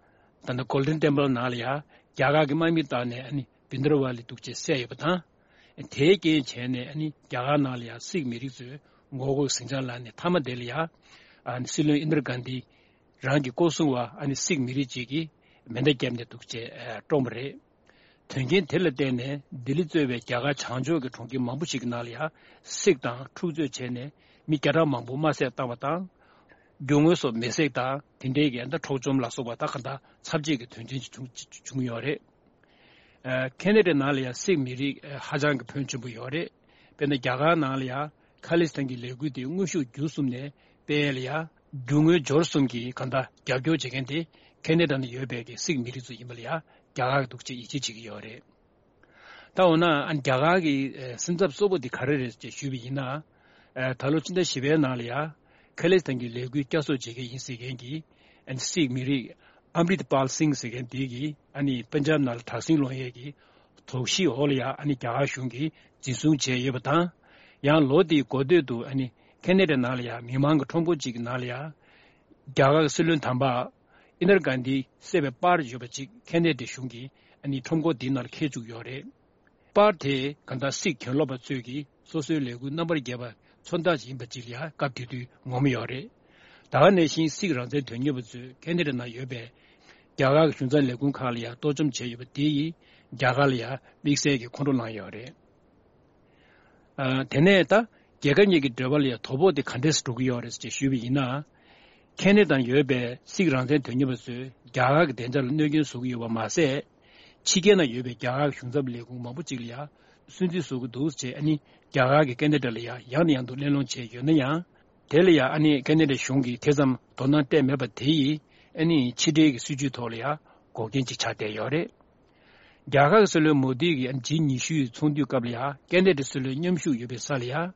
ད་ནི་Golden Temple་ནང་ལ་ཡང་རྒྱ་གར་གྱི་དམག་མི་བཏང་ནས་ཨ་ནི་བྷིན་དར་ཝ་ལི་འདུག་ཅེས་བསད་ཡོད་པ་དང་། དེའི་རྐྱེན་བྱས་ནས་ཨ་ནི་རྒྱ་གར་ནང་ལ་ཡང་སིག་མི་རིགས་ཚོས་ངོ་རྒོལ་ཟིང་ཆ་ལངས་ནས་མཐའ་མ་དེ་ལ་ཡང་ཨ་ནི་སྲིད་བློན་ཨིན་དར་གྷན་དྷི་རང་གི་སྐོར་སྲུང་བ་ཨ་ནི་སིག་མི་རིགས་ཅིག་གིས་མེ་མདའ་བརྒྱབ་ནས་འདུག་ཅེས་བཀྲོངས་པ་རེད། དོན་རྐྱེན་དེ་ལ་བརྟེན་ནས་ལྡི་ལི་གཙོས་པའི་རྒྱ་གར་བྱང་ཕྱོགས་ཀྱི་གྲོང་ཁྱེར་མང་པོ་ཞིག་གི་ནང་ལ་ཡང་སིག་དང་འཁྲུག་རྩོད་བྱས་ནས་མི་བརྒྱ་ཕྲག་མང་པོ་དམར་བསད་བཏང་བ་དང་། རྒྱུ་དངོས་སོགས་མེ་བསྲེགས་དང་དེ་འབྲེལ་གྱི་ད་འཕྲོག་བཅོམ་ལ་སོགས་པ་ད་ག་འདྲ་ཚབས་ཆེ་གི་དོན་རྐྱེན་ཞིག་བྱུང་བྱུང་ཡོད་རེད། ཨ་ཁེ་ན་ཌའི་ནང་ལ་ཡང་སིག་མི་རིགས་ཨ་ཧ་ཅང་གི་ཕོན་ཆེན་པོ་ཡོད་རེད། དཔེར་ན་རྒྱ་གར་ནང་ལ་ཡང་ཁ་ལི་སི་ཐན་གྱི་ལས་འགུལ་དེ་དངོས་ཤུགས་བརྒྱུད་གསུམ་ནས་སྤེལ་ཡ་ལ་ཡང་རྒྱུ་དངོས་འབྱོར་གསུམ་གྱིས་གང་ལྟར་རྒྱབ་སྐྱོར་བྱེད་མཁན་དེ་ཁེ་ན་ཌ་ནང་ཡོད་པའི་གི་སིག་མི་རིགས་ཚོ་ཡིན་པ་ལ་ཡང་རྒྱ་གར་གྱི་འདུག་ཅེས་ཡིད་ཆེས་བྱེད་ཀྱི་ཡོད་རེད། ད་འོ་ན་ཨ་རྒྱ་གར་གྱི་ཨ་སེམས་འཚབ་གཙོ་བོ་དེ་ག་རེ་རེད་ཅེས་ཞུས་པ་ཡིན་ན། ཨ་ད་ལོ་ཕྱི་ཟླ་བཞི་པའི་ནང་ལ་ཡང་ཁ་ལི་སི་ཐན་གྱི་ལས་འགུལ་བསྐྱར་གསོ་བྱེད་མཁན་ཡིན་ཟེར་མཁན་གྱི་ཨ་ནི་སིག་མི་རིགས་ཨམ་རིད་པཱལ་སིང་ཟེར་མཁན་དེ་གིས་ཨ་ནི་པན་ཇབ་ནང་ལ་དྲག་ཟིང་སློང་ཡས་ཀྱི་དོགས་གཞི་འོག་ལ་ཡང་ཨ་ནི་རྒྱ་གར་གཞུང་གིས་འཛིན་བཟུང་བྱས་ཡོད་པ་དང་། ཡང་ལོ་དེའི་འགོ་སྟོད་དུ་ཨ་ནི་ཁེ་ན་ཌ་ནང་ལ་ཡང་མི་མང་གི་ཁྲོམ་སྐོར་ཅིག་གི་ནང་ལ་ཡང་རྒྱ་གར་གྱི་སྲིད་བློན་དམ་པ་ཨིན་དར་གྷན་དྷི་བསད་པའི་པར་ཡོད་པ་ཅིག་ཁེ་ན་ཌའི་གཞུང་གིས་ཨ་ནི་ཁྲོམ་སྐོར་དེའི་ནང་ལ་འཁྱེར་བཅུག་ཡོད་རེད། པར་དེ་གང་ལྟར་སིག་གྱེན་ལོག་པ་ཚོས་ཀྱིས་སོ་སོའི་ལས་འགུལ་རྣམ་པར་རྒྱས་པ་མཚོན་རྟགས་ཡིན་པ་ཅིག་ལ་ཡང་སྐབས་དེ་དུས་ངོམ་ཡོད་རེད། ད་ག་ནང་བཞིན་སིག་རང་བཙན་དོན་གཉེར་བ་ཚོས་ཁེ་ན་ཌ་ནང་ཡོད་པའི་རྒྱ་གར་གྱི་གཞུང་ཚབ་ལས་ཁུངས་ཁག་ལ་ཡང་གཏོར་བཅོམ་བྱས་ཡོད་པ་དེ་ཡིས་རྒྱ་གར་ལ་ཡང་དམིགས་བསལ་གྱི་ཁོང་ཁྲོ་ལངས་ཡོད་རེད། ཨ་དེ་ནས་ད་རྒྱལ་ཁབ་གཉིས་ཀྱི་འབྲེལ་བ་ལ་ཡང་དོ་ཕོག་དེ་ག་འདྲས་སུ་འགྲོ་གི་ཡོད་རེད་ཅེས་ཞུས་པ་ཡིན་ན། ཁེ་ན་ཌ་ནང་ཡོད་པའི་སིག་རང་བཙན་དོན་གཉེར་བ་ཚོས་རྒྱ་གར་གྱི་བདེ་འཇགས་ལ་གནོད་སྐྱོན་བཟོ་གི་ཡོད་པ་མ་ཟད། ཕྱི་རྒྱལ་ནང་ཡོད་པའི་རྒྱ་གར་གྱི་གཞུང་ཚབ་ལས་ཁུངས་མང་པོ་ཅིག་ལ་ཡང་སུན་གཙེར་བཟོ་གི་འདུག་ཅེས་ཨ་ནི་རྒྱ་གར་གྱིས་ཁེ་ན་ཌ་ལ་ཡང་ཡང་ནས་ཡང་དུ་གླེང་སློང་བྱས་ཡོད་ན་ཡང་། དེ་ལ་ཡང་ཨ་ནི་ཁེ་ན་ཌ་གཞུང་གིས་དེ་ཙམ་དོ་སྣང་སྤྲད་མེད་པ་དེ་ཡིས་ཨ་ནི་ཕྱི་འབྲེལ་གྱི་སྲིད་ཇུས་ཐོག་ལ་ཡང་འགོག་རྐྱེན་ཅིག་ཆགས་བསྡད་ཡོད་རེད། རྒྱ་གར་གྱི་སྲིད་བློན་མོ་དི་གིས་ཨ་ནི་ཇི་ཉི་ཤུའི་ཚོགས་འདུའི་སྐབས་ལ་ཡང་ཁེ་ན་ཌའི་སྲིད་བློན་མཉམ་ཞུགས་ཡོད་པའི་ས་ལ་ཡང་།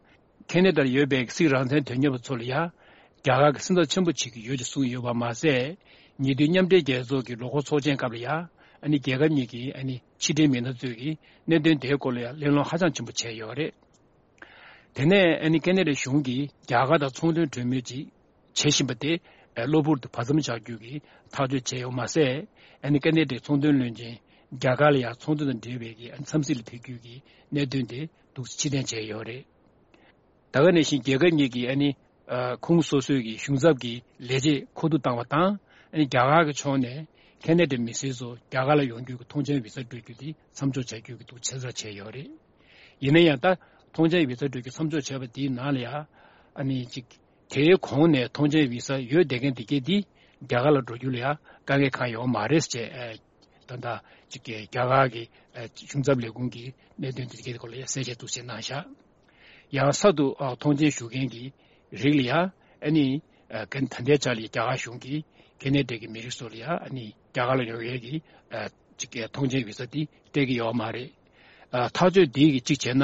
ཁེ་ན་ཌར་ཡོད་པའི་སིག་རང་བཙན་དོན་གཉེར་བ་ཚོ་ལ་ཡང་རྒྱ་གར་གྱིས་སེམས་འཚབ་ཆེན་པོ་བྱེད་ཀྱི་ཡོད་ཅེས་གསུངས་ཡོད་པ་མ་ཟད། ཉེ་དུས་མཉམ་འབྲེལ་རྒྱལ་ཚོགས་ཀྱི་ལོ་འཁོར་ཚོགས་ཆེན་སྐབས་ལ་ཡང་ཨ་ནི་རྒྱལ་ཁབ་གཉིས་ཀྱི་ཨ་ནི་ཕྱི་འབྲེལ་མི་སྣ་ཚོས་ཀྱིས་གནད་དོན་དེའི་སྐོར་ལ་ཡང་གླེང་སློང་ཧ་ཅང་ཆེན་པོ་བྱས་ཡོད་རེད། དེ་ནས་ཨ་ནི་ཁེ་ན་ཌའི་གཞུང་གིས་རྒྱ་གར་དང་ཚོང་དོན་གྲོས་མོལ་ཅིག་བྱེད་བཞིན་པ་དེ་གློ་བུར་དུ་བར་མཚམས་བཞག་རྒྱུ་གི་ཐག་གཅོད་བྱས་ཡོད་མ་ཟད། ཨ་ནི་ཁེ་ན་ཌའི་ཚོང་དོན་བློན་ཆེན་རྒྱ་གར་ལ་ཡང་ཚོང་དོན་དང་འབྲེལ་བའི་གི་ཨ་ནི་འཚམས་གཟིགས་ལ་ཕེབས་རྒྱུ་གི་གནད་དོན་དེ་ འདུག་ཕྱིར་འཐེན་བྱས་ཡོད་རེད། ད་ག་ནང་བཞིན་རྒྱལ་ཁབ་གཉིས་ཀྱིས་ཨ་ནི་ཨ་ཁོངས་སོ་སོའི་གི་གཞུང་ཚབ་ཀྱི་ལས་བྱེད་མཁོ་བསྡུ་བཏང་བ་དང་། ཨ་ནི་རྒྱ་གར་གྱི་ཕྱོགས་ནས་ཁེ་ན་ཌའི་མི་སེར་ཚོ་རྒྱ་གར་ལ་ཡོང་རྒྱུ་གི་ཐོངས་མཆན་བི་ཟ་སྤྲོད་རྒྱུ་དེ་མཚམས་འཇོག་བྱ་རྒྱུ་གི་འདུག་ཆ་ཚང་བྱས་ཡོད་རེད། ཡིན་ན་ཡང་ད་ཐོངས་མཆན་བི་ཟ་སྤྲོད་རྒྱུ་མཚམས་འཇོག་བྱས་པ་དེའི་ནང་ལ་ཡང་ཨ་ནི་ཅིག་དེའི་གོང་ནས་ཐོངས་མཆན་བི་ཟ་ཡོད་བསྡད་མཁན་དེ་གས་དེ་རྒྱ་གར་ལ་འགྲོ་རྒྱུ་ལ་ཡང་དཀའ་ངལ་གང་ཡོད་མ་རེད་ཅེས། ཨ་ད་ལྟ་ཅིག་གི་རྒྱ་གར་གྱི་ཨ་གཞུང་ཚབ་ལས་ཁུངས་ཀྱི་གནད་དོན་དེ་གས་སྐོར་ལ་ཡང་གསལ་བཤད་འདུག་སེ་གནང་བཞག་ཡང་གསར་དུ་ཨ་ཐོངས་མཆན་ཞུ་མཁན་གྱི་རིགས་ལ་ཡང་ཨ་ནི་ཨ་ག་ད་ལྟའི་ཆར་ལ་རྒྱ་གར་གཞུང་གིས་ཁེ་ན་ཌ་གི་མི་རིགས་ཚོ་ལ་ཡང་ཨ་ནི་རྒྱ་གར་ལ་ཡོང་ཡས་ཀྱི་ཨ་ཅིག་གི་ཐོངས་མཆན་བི་ཟ་དེ་སྤྲད་ཀྱི་ཡོད་མ་རེད། ཨ་ཐག་གཅོད་འདི་གི་གཅིག་བྱས་ན།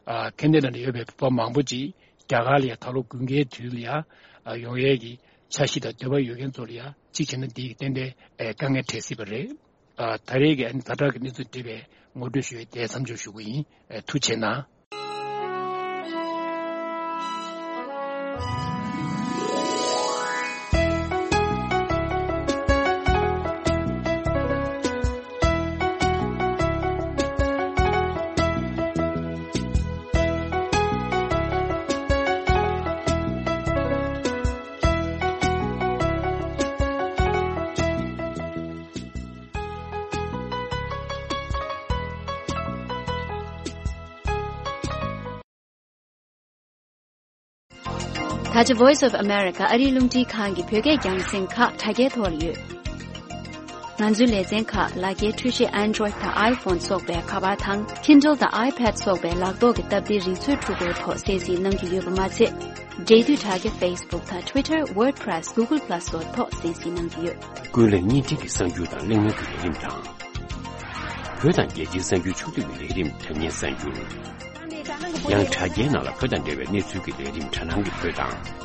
ཨ་ཁེ་ན་ཌ་ནང་ཡོད་པའི་བོད་པ་མང་པོ་ཅིག་རྒྱ་གར་ལ་ཡང་ད་ལོ་དགུན་ཁའི་དུས་ལ་ཡང་ཨ་ཡོང་ཡས་ཀྱི་འཆར་གཞི་དང་འདོད་པ་ཡོད་མཁན་ཚོ་ལ་ཡང་གཅིག་བྱས་ན་འདི་གི་ཏན་ཏན་ཨ་དཀའ་ངལ་འཕྲད་སྲིད་པ་རེད། ཨ་ད་རེས་ཀྱི་ཨ་ནི་ཛ་དྲག་གི་གནས་ཚུལ་འདི་བས་ངོ་སྤྲོད་ཞུ་ཡས་དེ་མཚམས་འཇོག་ཞུ་གི་ཡིན། ཨ་ཐུགས་རྗེ་གནང་། ད་ཆ་Voice of America ཨ་རིའི་རླུང་འཕྲིན་ཁང་གི་བོད་སྐད་རྒྱང་སྲིང་ཁག་དྲ་རྒྱའི་ཐོག་ལ་ཡོད། ང་ཚོའི་ལེ་ཚན་ཁག་ལག་འཁྱེར་འཕྲུལ་ཆས་Android་དང་iPhone་སོགས་པའི་ཁ་པར་དང་Kindle་དང་iPad་སོགས་པའི་ལག་ཐོག་གི་སྟབས་བདེའི་རིག་མཛོད་འཕྲུལ་འཁོར་ཐོག་གསན་གཟིགས་གནང་རྒྱུ་ཡོད་པ་མ་ཚད། འབྲེལ་མཐུད་དྲ་རྒྱ་Facebook་དང་Twitter། WordPress། Google Plus་སོགས་ཐོག་གསན་གཟིགས་གནང་རྒྱུ་ཡོད། ཀུན་གླེང་བརྙན་འཕྲིན་གྱི་གསར་འགྱུར་དང་གླེང་མོལ་གྱི་ལས་རིམ་དང་། བོད་དང་རྒྱལ་སྤྱིའི་གསར་འགྱུར་ཕྱོགས་བསྡུས་ཀྱི་ལས་རིམ་དྲ་བརྙན་གསར་འགྱུར། ཡང་དྲ་རྒྱའི་ནང་ལ་བོད་དང་འབྲེལ་བའི་གནས་ཚུལ་གྱི་ལས་རིམ་དྲ་སྣང་གི་བོད་དང་།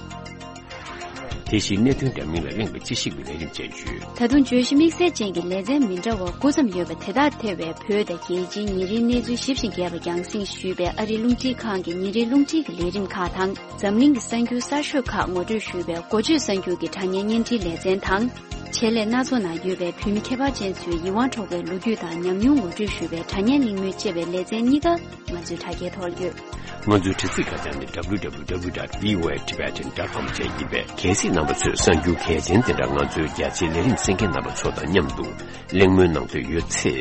དེ་བཞིན་གནད་དོན་འདྲ་མིན་ལ་གླེང་བའི་དཔྱད་ཞིབ་ཀྱི་ལས་རིམ་བཅས་ཡོད། ད་དུང་བརྗོད་གཞི་དམིགས་བསལ་ཅན་གྱི་ལེ་ཚན་མི་འདྲ་བ་དགུ་ཙམ་ཡོད་པ་དེ་དག་ཐེ་བའི་བོད་དང་རྒྱལ་སྤྱིའི་ཉིན་རེའི་གནས་ཚུལ་ཞིབ་ཅིང་རྒྱས་པ་རྒྱང་སྲིང་ཞུས་པའི་ཨ་རིའི་རླུང་འཕྲིན་ཁང་གི་ཉིན་རེའི་རླུང་འཕྲིན་གྱི་ལས་རིམ་ཁག་དང་། འཛམ་གླིང་གི་གསར་འགྱུར་གསར་ཤོས་ཁག་ངོ་སྤྲོད་ཞུས་པའི་འགོ་བརྗོད་གསར་འགྱུར་གྱི་དྲ་བརྙན་བརྙན་འཕྲིན་ལེ་ཚན་དང་། ཆེད་ལས་སྣ་ཚོགས་ནང་ཡོད་པའི་བོད་མི་ཁྱད་པར་ཅན་ཚོའི་ཡིད་དབང་འཕྲོག་པའི་ལོ་རྒྱུས་དང་ཉམས་མྱོང་ངོ་སྤྲོད་ཞུས་པའི་དྲ་བརྙན་གླེང་མོལ་བཅས་པའི་ལེ་ཚན་གཉིས་ཀ་ང་ཚོའི་དྲ་རྒྱའི་ཐོག་ལ་ཡོད། ང་ཚོའི་དྲ་ཚིགས་ཁ་བྱང་ནི་W W W dot V O A Tibetan dot com བཅས་ཡིན་པས། གལ་སྲིད་རྣམ་པ་ཚོས་གསར་འགྱུར་གལ་ཆེན་དེ་འདྲ་ང་ཚོའི་རྒྱ་ཆེའི་ལས་རིམ་གསན་མཁན་རྣམ་པ་ཚོ་དང་མཉམ་དུ་གླེང་མོལ་གནང་འདོད་ཡོད་ཚེ།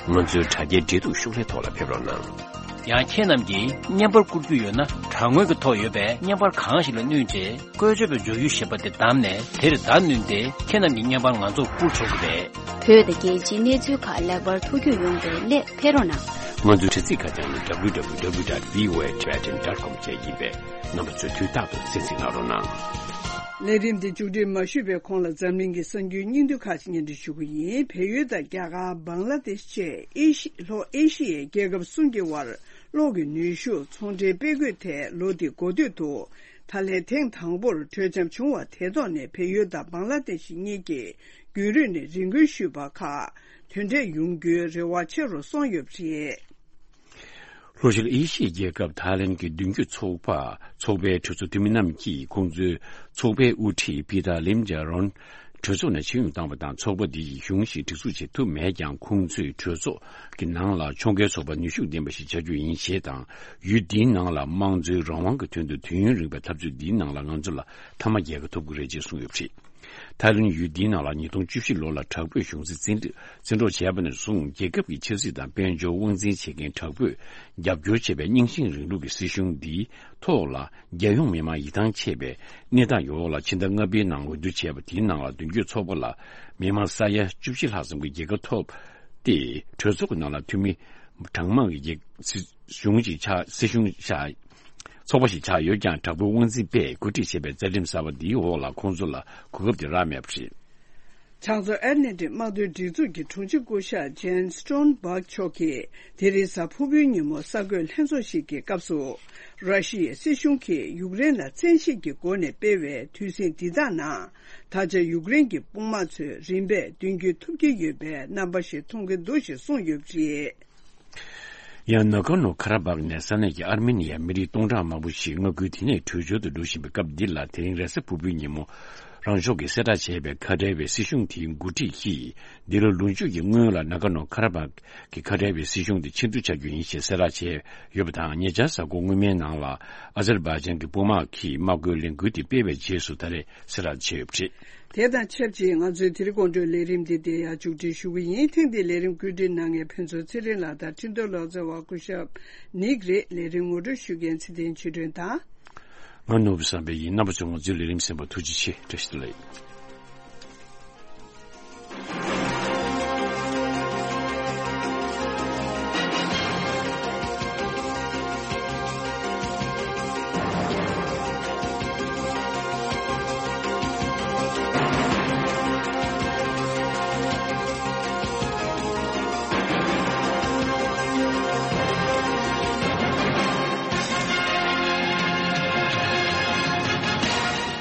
ང་ཚོའི་དྲ་རྒྱའི་འབྲེལ་གཏུག་ཤོག་ལྷེ་ཐོག་ལ་ཕེབས་རོགས་གནང་། ཡང་ཁྱེད་རྣམས་ཀྱིས་བརྙན་པར་བསྐུར་རྒྱུ་ཡོད་ན། དྲ་ངོས་ཀྱི་ཐོག་ཡོད་པའི་བརྙན་པར་གང་ཞིག་ལ་བསྣུན་རྗེས། བཀོལ་སྤྱོད་པའི་མཛུབ་གུ་ཞེས་པ་དེ་བདམས་ནས། དེར་བརྡ་བསྣུན་ཏེ། ཁྱེད་རྣམས་ཀྱི་བརྙན་པར་ང་ཚོར་བསྐུར་ཆོག་གི་རེད། བོད་དང་རྒྱལ་སྤྱིའི་གནས་ཚུལ་ཁག་ལེགས་པར་ཐུགས་རྒྱུས་ཡོང་བའི་སླད་ཕེབས་རོགས་གནང་། ང་ཚོའི་དྲ་ཚིགས་ཁ་བྱང་ནི་W W W dot V O A Tibetan dot com བཅས་ཡིན་པས། རྣམ་པ་ཚོས་དུས་རྟག་ཏུ་གསན་གཟིགས་གནང་རོགས་གནང་། ལས་རིམ་འདི་མཇུག་སྒྲིལ་མ་ཞུས་པའི་གོང་ལ། འཛམ་གླིང་གི་གསར་འགྱུར་སྙིང་བསྡུས་ཁག་ཅིག་སྙན་སྒྲོན་ཞུ་གི་ཡིན། བལ་ཡུལ་དང་རྒྱ་གར། བང་ལ་དེཤ་བཅས་ཨེ་ཤི་ལྷོ་ཨེ་ཤི་ཡའི་རྒྱལ་ཁབ་གསུམ་གྱི་དབར་གློག་གི་ནུས་ཤུགས་ཚོང་འབྲེལ་སྤེལ་དགོས་ཐད། ལོ་འདིའི་འགོ་སྟོད་དུ། ད་ལན་ཐེངས་དང་པོར་གྲོས་འཆམ་བྱུང་བ་དེ་ཐོག་ནས། བལ་ཡུལ་དང་བང་ལ་དེཤ་གཉིས་ཀྱིས་རྒྱུན་རིང་ནས་རེ་སྐུལ་ཞུས་པ་ཁག་དོན་འབྲས་ཡོང་རྒྱུའི་རེ་བ་ཆེ་རུ་སོང་ཡོད་པ་རེད། ལྷོ་ཤར་ཨེ་ཤི་ཡའི་རྒྱལ་ཁབ་ཐའི་ལན་གྱི་མདུན་སྐྱོད་ཚོགས་པ། ཚོགས་པའི་གྲོས་ཚོགས་འཐུས་མི་རྣམས་ཀྱིས་ཁོང་ཚོའི་ཚོགས་པའི་དབུ་ཁྲིད་པི་ཏཱ་ལིམ་ཇཱ་རོན་གྲོས་ཚོགས་ནས་ཕྱིར་འབུད་བཏང་བ་དང་། ཚོགས་པ་འདི་ཡིས་གཞུང་ཞིག་སྒྲིག་འཛུགས་བྱེད་ཐུབ་མེད་ཀྱང་། ཁོང་ཚོས་གྲོས་ཚོགས་ཀྱི་ནང་ལ་ཕྱོགས་འགལ་ཚོགས་པ་ནུས་ཤུགས་ལྡན་པ་ཞིག་བྱ་རྒྱུ་ཡིན་ཞེས་དང་། ཡུལ་འདིའི་ནང་ལ་དམངས་གཙོའི་རང་དབང་གི་དོན་དུ་དུས་ཡུན་རིང་བའི་འཐབ་རྩོད་འདིའི་ནང་ལ་ང་ཚོ་ལ་མཐའ་མ་རྒྱལ་ཁ་ཐོབ་ཀྱི་རེད་ཅེས་གསུངས་ཡོད་པ་རེད། ཐའི་ལན་ཡུལ་འདིའི་ནང་ལ་ཉིས་སྟོང་བཅུ་བཞི་ལོ་ལ་དྲག་པོའི་གཞུང་འཛིན་བཙན་བཙན་འཕྲོག་བྱས་པ་ནས་བཟུང་། རྒྱལ་ཁབ་ཀྱི་ཆབ་སྲིད་དང་དཔལ་འབྱོར་དབང་འཛིན་བྱེད་མཁན་དྲག་པོས་རྒྱབ་སྐྱོར་བྱས་པའི་རྙིང་ཞེན་རིང་ལུགས་ཀྱི་སྲིད་གཞུང་འདིའི་ཐོག་ལ། རྒྱལ་ཡོངས་མི་མང་ཡིད་ཐང་ཆད་པའི་གནས་སྟངས་ཡོད་འོག་ལ། ཕྱི་ཟླ་ལྔ་པའི་ནང་འོས་བསྡུ་བྱས་པ་དེའི་ནང་ལ། མདུན་སྐྱོད་ཚོགས་པ་ལ་མི་མང་ས་ཡ་བཅུ་བཞི་ལྷག་ཙམ་གྱིས་རྒྱལ་ཁ་ཐོབ་སྟེ། གྲོས་ཚོགས་ཀྱི་ནང་ལ་འཐུས་མི་གྲངས་མང་གི་སྲིད་གཞུང་ཞིག་ཆགས། སྲིད་གཞུང་ཤག་ཚོགས་པ་ཞིག་ཆགས་ཡོད་ཀྱང་། དྲག་པོའི་དབང་འཛིན་པས་གོ་སྒྲིག་བྱས་པའི་རྩ་ཁྲིམས་གསར་པ་འདིའི་འོག་ལ་ཁོང་ཚོ་ལ་གོ་སྐབས་དེ་རག་མེད་པ་རེད། བྱང་མཚོ་ཨེཊ་ལན་ཊིག་དམག་དོན་སྒྲིག་འཛུགས་ཀྱི་དྲུང་ཆེ་སྐུ་ཞབས་ཇན་སི་ཊོན་སྦག་མཆོག་གིས་དེ་རིང་གཟའ་ཕུར་བུའི་ཉིན་མོ་གསར་འགོད་ལྷན་ཚོགས་ཤིག་གི་སྐབས་སུ། ར་ཤི་ཡའི་སྲིད་གཞུང་གིས་ཡུཀ་རེན་ལ་བཙན་ཤེད་ཀྱི་སྒོ་ནས་སྤེལ་བའི་དུས་ཟིང་འདི་དག་ནང་། ད་ཆ་ཡུཀ་རེན་གྱི་དཔུང་དམག་ཚོས་རིམ་པས་མདུན་སྐྱོད་ཐུབ་ཀྱི་ཡོད་པའི་རྣམ་པ་ཞིག་མཐོང་གི་འདུག་ཅེས་གསུངས་ཡོད་པ་རེད། ཡང་ནཱ་གོར་ནོ་ཁ་ར་བྷག་ནས་ས་གནས་ཀྱི་ཨར་མེ་ནི་ཡའི་མི་རིགས་སྟོང་ཕྲག་མང་པོ་ཞིག་མངའ་ཁུལ་དེ་ནས་བྲོས་བྱོལ་དུ་འགྲོ་བཞིན་པའི་སྐབས་འདི་ལ། དེ་རིང་རེས་གཟའ་ཕུར་བུའི་ཉིན་མོ། རང་ཕྱོགས་ཀྱིས་གསལ་བསྒྲགས་བྱས་པའི་ཁ་བྲལ་བའི་སྲིད་གཞུང་དེའི་འགོ་ཁྲིད་ཀྱིས། འདི་ལོ་ལོ་མཇུག་གི་སྔོན་ལ་ནཱ་ག་ནོ་ཁ་ར་བྷག་གི་ཁ་བྲལ་བའི་སྲིད་གཞུང་དེ་ཕྱིར་བསྡུ་བྱ་རྒྱུ་ཡིན་ཞེས་གསལ་བསྒྲགས་བྱས་ཡོད་པ་དང་། ཉེ་ཆར་གཟའ་འཁོར་སྔོན་མའི་ནང་ལ་ཨ་ཛར་བྷ་ཇན་གྱི་དཔུང་དམག་གིས་དམག་སྒོའི་ལས་འགུལ་དེ་སྤེལ་བའི་རྗེས་སུ་ད་རེས་གསལ་བསྒྲགས་བྱས་ཡོད་པ་རེད། དེ་དང་ཆབས་ཅིག་ང་ཚོའི་དེ་རིང་དགོང་དྲོའི་ལས་རིམ་འདི་འདིར་ཡང་མཇུག་སྒྲིལ་ཞུ་གི་ཡིན། ཐེངས་འདིའི་ལས་རིམ་བཀོད་སྒྲིག་གནང་མཁན་ཕུན་ཚོགས་ཚེ་རིང་ལགས་དང་འཕྲིན་གཏོང་ལག་རྩལ་བ་སྐུ་ཞབས་ནིག་རེད། ལས་རིམ་ངོ་སྤྲོད་ཞུ་མཁན་ཚེ་བརྟན་ཆོས་སྒྲོན་དང་། ང་ནོར་བུ་བསམ་འཕེལ་ཡིན། རྣམ་པ་ཚོས་ང་ཚོའི་ལས་རིམ་གསན་པར་ཐུགས་རྗེ་ཆེ། བཀྲ་ཤིས་བདེ་ལེགས།